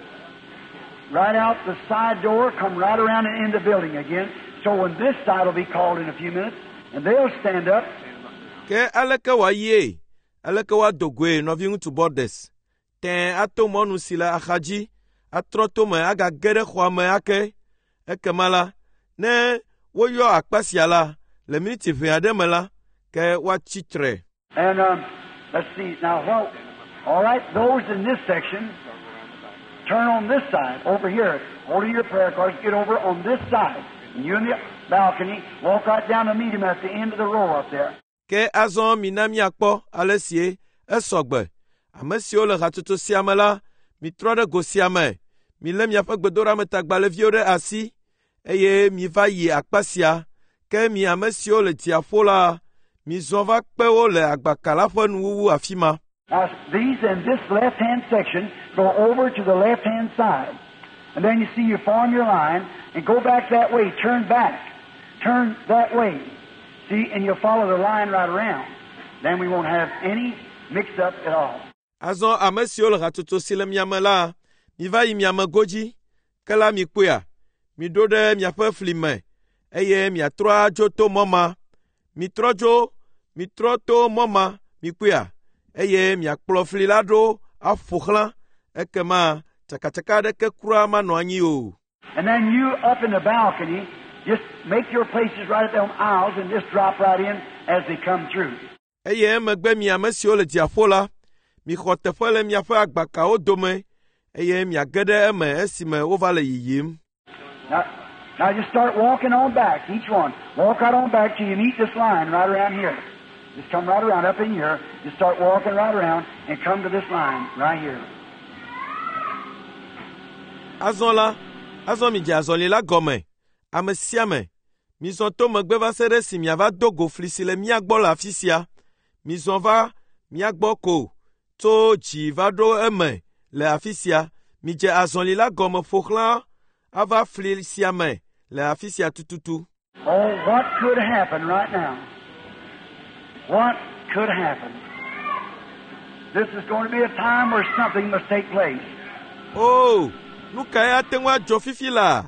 Right out the side door, come right around and in the building again. So when this side will be called in a few minutes, and they'll stand up. Ke aleke wòayie? Aleke woado goe nɔviŋutsu Borders? Tẽe ato mɔnu si le axadzi, atrɔ tome agage ɖe xɔa me ake. Ekema la, ne woyɔ akpa sia la, le miniti ʋɛ aɖe me la, ke woatsi tre. And let's see now. What? All right, those in this section, turn on this side over here. Hold your prayer cards. Get over on this side. And you in the balcony, walk right down to meet him at the end of the row up there. Ke azɔ mina míakpɔ ale sie esɔ gbe. Ame siwo le hatsotso sia me la, mitrɔ ɖe go sia me. Milé miaƒe gbedoɖametagbalẽviwo ɖe asi eye miva yi akpa sia. Ke mi ame siwo le dziaƒo la, mizɔ va kpe wo le agbaka la ƒe nuwuwu afi ma. Now, these in this left hand section go over to the left hand side. And then you see you form your line and go back that way. Turn back. Turn that way. See, and you'll follow the line right around. Then we won't have any mix up at all. Azɔ ame siwo le hatsotso si le miame la, miva yi miame godzi. Ke la mikpɔea, miɖo ɖe miaƒe fli me eye miatrɔ adzo to mɔ ma. Mitrɔ dzo, mitrɔ to mɔ ma, mikpɔea, eye miakplɔ fli la ɖo aƒo xlã. Ekema tsakatsaka aɖeke kura manɔ anyi o. And then you up in the balcony, just make your places right at them aisles and just drop right in as they come through. Eye emegbe mi ame siwo le dziaƒo la, mixɔ teƒe le miaƒe agbakawo dome eye miage ɖe eme esime wova le yiyim. Now just start walking on back, each one. Walk right on back till you meet this line right around here. Just come right around up in here. Just start walking right around and come to this line right here. Azɔ la, azɔ midze azɔli la gɔme. Ame sia ame, mizɔ to megbe va se ɖe esi miava do go fli si le mía gbɔ le afi sia. Mizɔ va mía gbɔ ko tso dzi va ɖo eme le afi sia. Midze azɔli la gɔme ƒo xlã ava fli sia me le afi sia tututu. Oh, what could happen right now? What could happen? This is going to be a time where something must take place. O, nu kae ate ŋu adzɔ fifi la?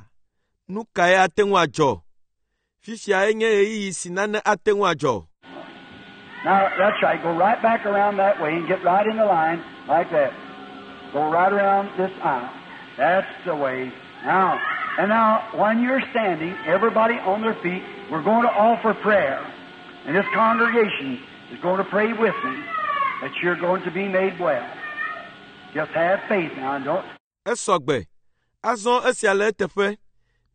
Nu kae ate ŋu adzɔ? Fifia enye ɣeyiɣi si nane ate ŋu adzɔ. Now, that's right. Go right back around that way and get right in the line like that. Go right around this aisle. That's the way. Now, and now, when you're standing, everybody on their feet, we're going to offer prayer. And this congregation is going to pray with me that you're going to be made well. Just have faith now and don't. Esɔ gbe. Azɔ esia le eteƒe.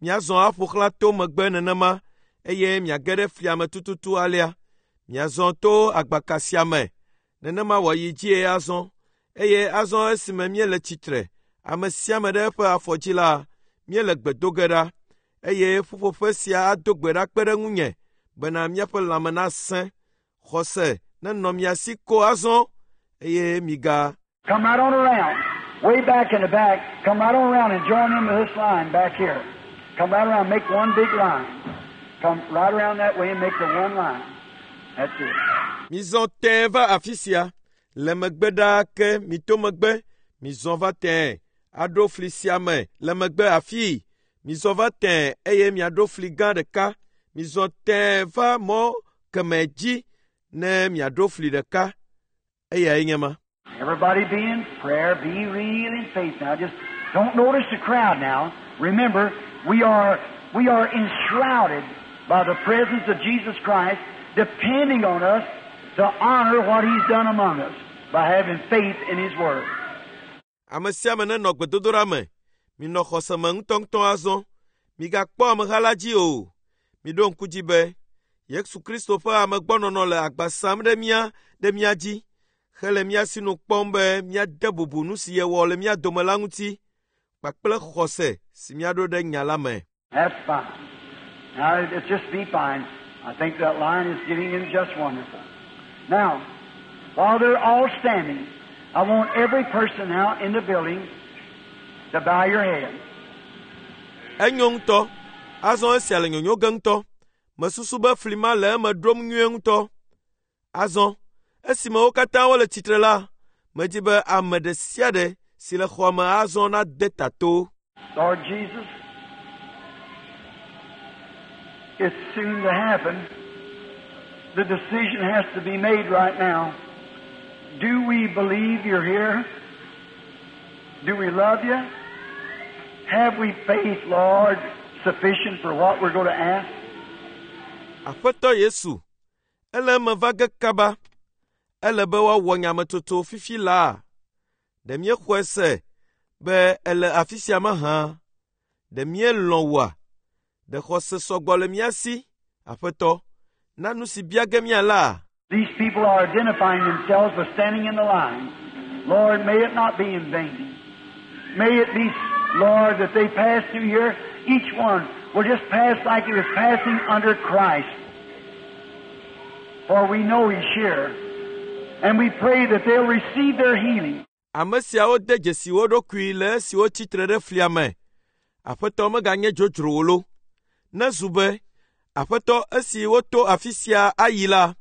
Miazɔ aƒo xlã to megbe nenema eye miage ɖe flia me tututu alea. Miazɔ to agbaka sia me. Nenema wòayi dzie azɔ. Eye azɔ esime míele tsitre, ame sia ame ɖe eƒe afɔ dzi la, míele gbe do ge ɖa. Eye ƒuƒoƒe sia ado gbe ɖa kpe ɖe ŋunye bena míaƒe lãme nasẽ. Xɔse nenɔ mia si ko azɔ eye miga Come right on around. Way back in the back, come right on around and join in with this line back here. Come right around, make one big line. Come right around that way and make the one line. That's it. Mizɔ tẽe va afi sia. Le megbe ɖaa ke mito megbe, mizɔ va tẽe aɖo fli sia me le megbe afii. Mizɔ va tẽe eye miaɖo fli gã ɖeka. Mizɔ tẽe va mɔ kemɛ dzi ne miaɖo fli ɖeka. Eyae nye ma. Everybody be in prayer, be real in faith now. Just don't notice the crowd now. Remember, we are enshrouded by the presence of Jesus Christ, depending on us to honor what He's done among us by having faith in His Word. Ame sia ame nenɔ gbedodoɖa me. Minɔ xɔse me ŋutɔŋutɔ azɔ. Migakpɔ ameha la dzi o. Miɖo ŋku dzi be Yesu Kristo ƒe amegbɔnɔnɔ le agba sam ɖe mía dzi hele mía sinu kpɔm be míade bubu nu si yewɔ le mía dome la ŋuti kpakple xɔse si míaɖo ɖe nya la me. That's fine. Now, it's just be fine. I think that line is getting in just wonderful. Now, while they're all standing, I want every person now in the building to bow your head. Enyo ŋutɔ. Azɔ esia le nyonyo ge ŋutɔ. Mesusu be fli ma le eme ɖom nyuie ŋutɔ. Azɔ, esime wo katã wole tsitre la, medi be ame ɖe sia ɖe si le xɔa me azɔ nade ta to. Lord Jesus, it's soon to happen. The decision has to be made right now. Do we believe you're here? Do we love you? Have we faith, Lord, sufficient for what we're going to ask? Aƒetɔ Yesu, ele eme va ge kaba. Ele be woawɔ nyametsotso fifi laa. Ɖe míexɔe se be ele afi sia mahã? Ɖe míelɔ̃ wòa? Ɖe xɔse sɔgbɔ le mía si? Aƒetɔ, na nu si bia ge míala. These people are identifying themselves by standing in the line. Lord, may it not be in vain. May it be, Lord, that they pass through here, each one will just pass like he was passing under Christ. For we know He's here. And we pray that they'll receive their healing. Ame siawo de dzesi wo ɖokui le esi wotsi tre ɖe flia me. Aƒetɔ meganye dzodzro wo lo. Nezu be, Aƒetɔ esi woto afi sia ayi la,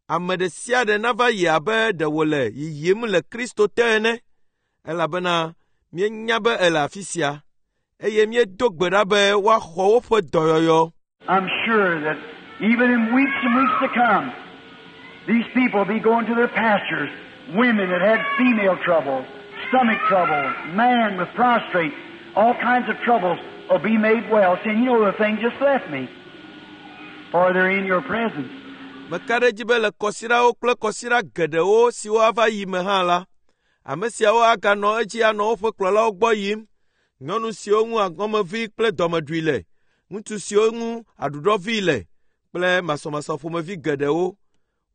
ame ɖe sia ɖe nava yi abe ɖe wòle yiyim le Kristo te ene, elabena míenya be ele afi sia, eye míedo gbe ɖa be woaxɔ woƒe dɔyɔyɔ. I'm sure that even in weeks and weeks to come, these people will be going to their pastures, women that had female trouble, stomach trouble, man with prostrate, all kinds of troubles will be made well, saying, you know, the thing just left me, for they're in your presence. Meka ɖe edzi be le kɔsiɖawo kple kɔsiɖa geɖewo siwo ava yi me hã la, ame siawo aganɔ edzi anɔ woƒe kplɔlawo gbɔ yim. Nyɔnu siwo ŋu aŋɔmevi kple dɔmeɖui le, ŋutsu siwo ŋu aɖuɖɔvi le kple masɔmasɔ ƒomevi geɖewo.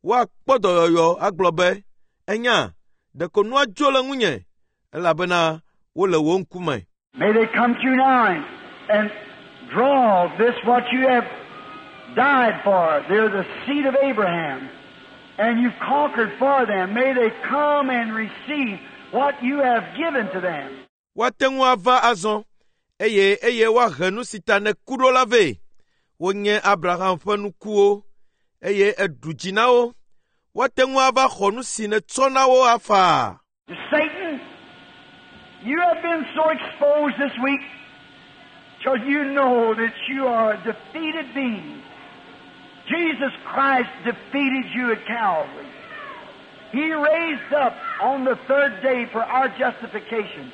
Woakpɔ dɔyɔyɔ agblɔ be, enya, ɖeko nua dzo le ŋunye, elabena wole wò ŋkume. May they come through now and draw this what you have died for. They're the seed of Abraham, and you've conquered for them. May they come and receive what you have given to them. Woate ŋu ava azɔ, eye woahe nu si ta nèku ɖo la vɛ. Wonye Abraham ƒe nukuwo, eye eɖu dzi na wo. Woate ŋu ava xɔ nu si nètsɔ na wo afaa. Satan, you have been so exposed this week till you know that you are a defeated being. Jesus Christ defeated you at Calvary. He raised up on the third day for our justification.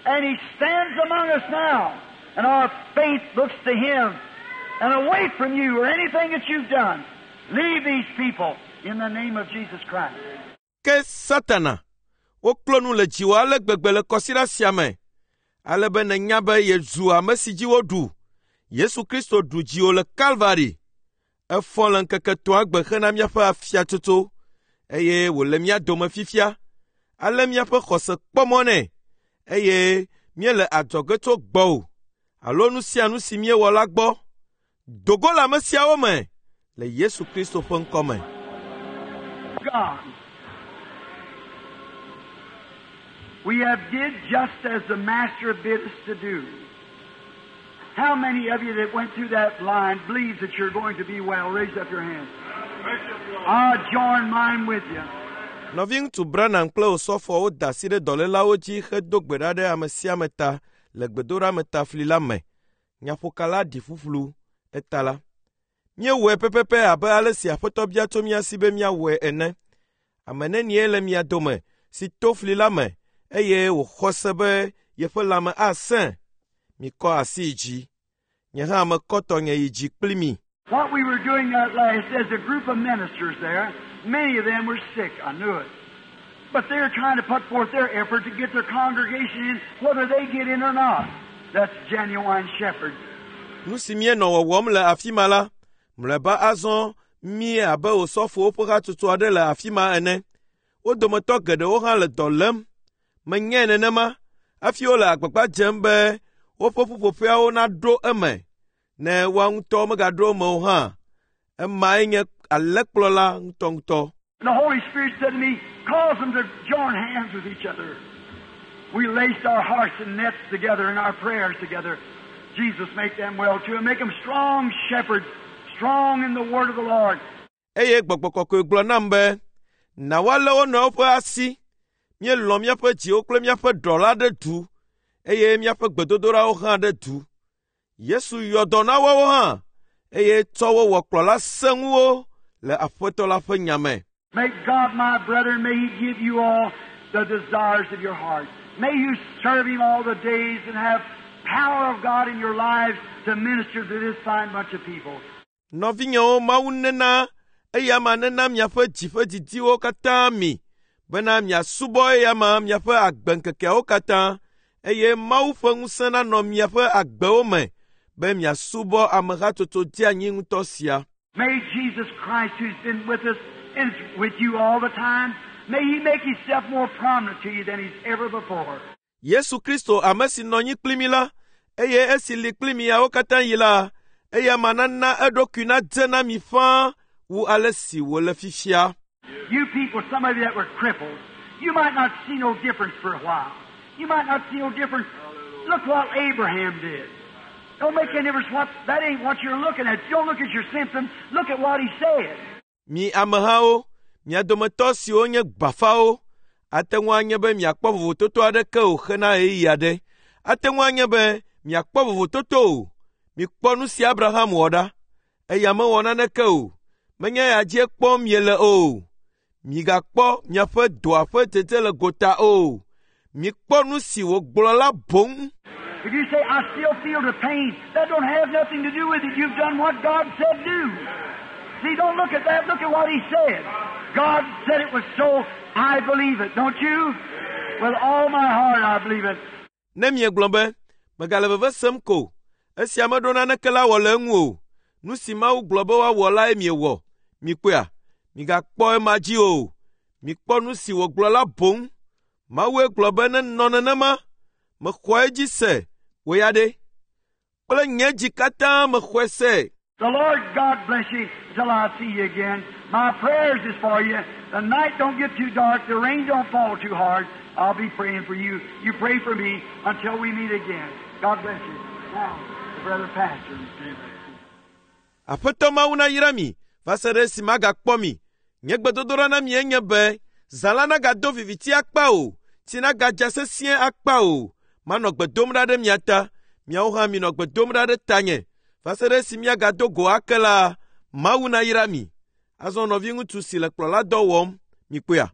And He stands among us now. And our faith looks to Him and away from you or anything that you've done. Leave these people in the name of Jesus Christ. Ke Satana, woklo nu le dziwò ale gbegbe le kɔsiɖa sia me, ale be nènya be yezu ame si dzi woɖu. Yesu Kristo ɖu dziwò le Kalvari. Efɔ le ŋkeke etɔ̃a gbe hena míaƒe afiatsotso, eye wòle mía dome fifia. Ale míaƒe xɔse kpɔ mɔ nɛ, eye míele adzɔge tso gbɔwò alo nu sia nu si míewɔ la gbɔ. Dogo le ame siawo me le Yesu Kristo ƒe ŋkɔ me. God, we have did just as the Master bid us to do. How many of you that went through that line believes that you're going to be well? Raise up your hand. I'll join mine with you. Nɔviŋutsu Branham kple Osɔfowo da asi ɖe dɔlélawo dzi hedo gbe ɖa ɖe ame sia ame ta le gbedoɖametafli la me. Nyaƒokala ɖi ƒuƒlu eta la. Míewɔe pɛpɛpɛ abe ale si Aƒetɔ bia tso mía si be míawɔe ene. Ame nenie le mia dome si to fli la me eye wòxɔ se be yeƒe lãme asẽ? Mikɔ asi yi dzi. Nye hã mekɔ tɔnye yi dzi kpli mi. What we were doing that last, as a group of ministers there, many of them were sick, I knew it. But they're trying to put forth their effort to get their congregation in, whether they get in or not. That's genuine shepherd. Nu si míenɔ wɔwɔm le afi ma la, mlɔeba azɔ mí abe osɔfowo ƒe hatsotso aɖe le afi ma ene. Wo dometɔ geɖewo hã le dɔ lém. Menyae nenema hafi wole agbagba dzem be woƒe ƒuƒoƒeawo naɖo eme ne woa ŋutɔ megaɖo eme o hã. Emae nye alẽkplɔla ŋutɔŋutɔ. The Holy Spirit said to me, cause them to join hands with each other. We laced our hearts and nets together and our prayers together. Jesus make them well too and make them strong shepherds, strong in the word of the Lord. Eye gbɔgbɔ kɔkɔe gblɔ nam be, na woalé wo nɔewo ƒe asi. Míelɔ̃ míaƒe dziwo kple míaƒe ɖɔ la ɖe du eye míaƒe gbedodoɖawo hã ɖe du. Yesu yɔ dɔ na woawo hã eye tsɔ wo wɔ kplɔla sẽŋuwo le Aƒetɔ la ƒe nya me. May God, my brethren, may He give you all the desires of your heart. May you serve Him all the days and have power of God in your lives to minister to this fine bunch of people. Nɔvinyewo Mawu nena eya ma nena miaƒe dzi ƒe didiwo katã mi bena miasubɔ eya ma miaƒe agbeŋkekeawo katã eye Mawu ƒe ŋusẽ nanɔ miaƒe agbewo me be miasubɔ amehatsotso dzeanyi ŋutɔ sia. May Jesus Christ, who's been with us and is with you all the time, may He make Himself more prominent to you than He's ever before. Yesu Kristo ame si nɔ anyi kpli mi la, eye esi li kpli miawo katã yi la, eya ma nana eɖokui nadze na mi ƒãa wu ale si wòle fifia. You people, some of you that were crippled, you might not see no difference for a while. You might not see no difference. Look what Abraham did. Don't make any difference what, that ain't what you're looking at. Don't look at your symptoms. Look at what he said. Mi amehawo, mia dometɔ siwo nye gbafawo, ate ŋu anye be miakpɔ vovototo aɖeke o hena ɣeyiɣi aɖe. Ate ŋu anye be miakpɔ vovototo o. Mikpɔ nu si Abraham wɔ ɖa. Eya mewɔ naneke o. Menye eya dzie kpɔm miele o. Migakpɔ miaƒe dɔa ƒe dzedze le gota o. Mikpɔ nu si wògblɔ la boŋ. If you say, I still feel the pain, that don't have nothing to do with it. You've done what God said do. See, don't look at that. Look at what He said. God said it was so. I believe it. Don't you? With all my heart, I believe it. Ne miegblɔ be, megale veve sem ko, esia meɖo naneke la wɔ le eŋu o. Nu si Mawu gblɔ be woawɔ lae miewɔ. Mikpɔea? Migakpɔ ema dzi o. Mikpɔ nu si wògblɔ la boŋ. Mawue gblɔ be nenɔ nenema. Mexɔ edzi se. Wò ya ɖe? Kple nye dzi katã mexɔe se. The Lord God bless you till I see you again. My prayers is for you. The night don't get too dark. The rain don't fall too hard. I'll be praying for you. You pray for me until we meet again. God bless you. Now, the brother pastor. Aƒetɔ Mawu nayra mi va se ɖe esi magakpɔ mi. Nye gbedodoɖa na mi enye be zã la nagado viviti akpa o, tsi nagadza sesĩe akpa o. Manɔ gbe dom ɖa ɖe mia ta, miawo hã minɔ gbe dom ɖa ɖe tanye. Va se ɖe esi míagado go ake la, Mawu nayra mi. Azɔ nɔviŋutsu si le kplɔladɔ wɔm, mikpɔea?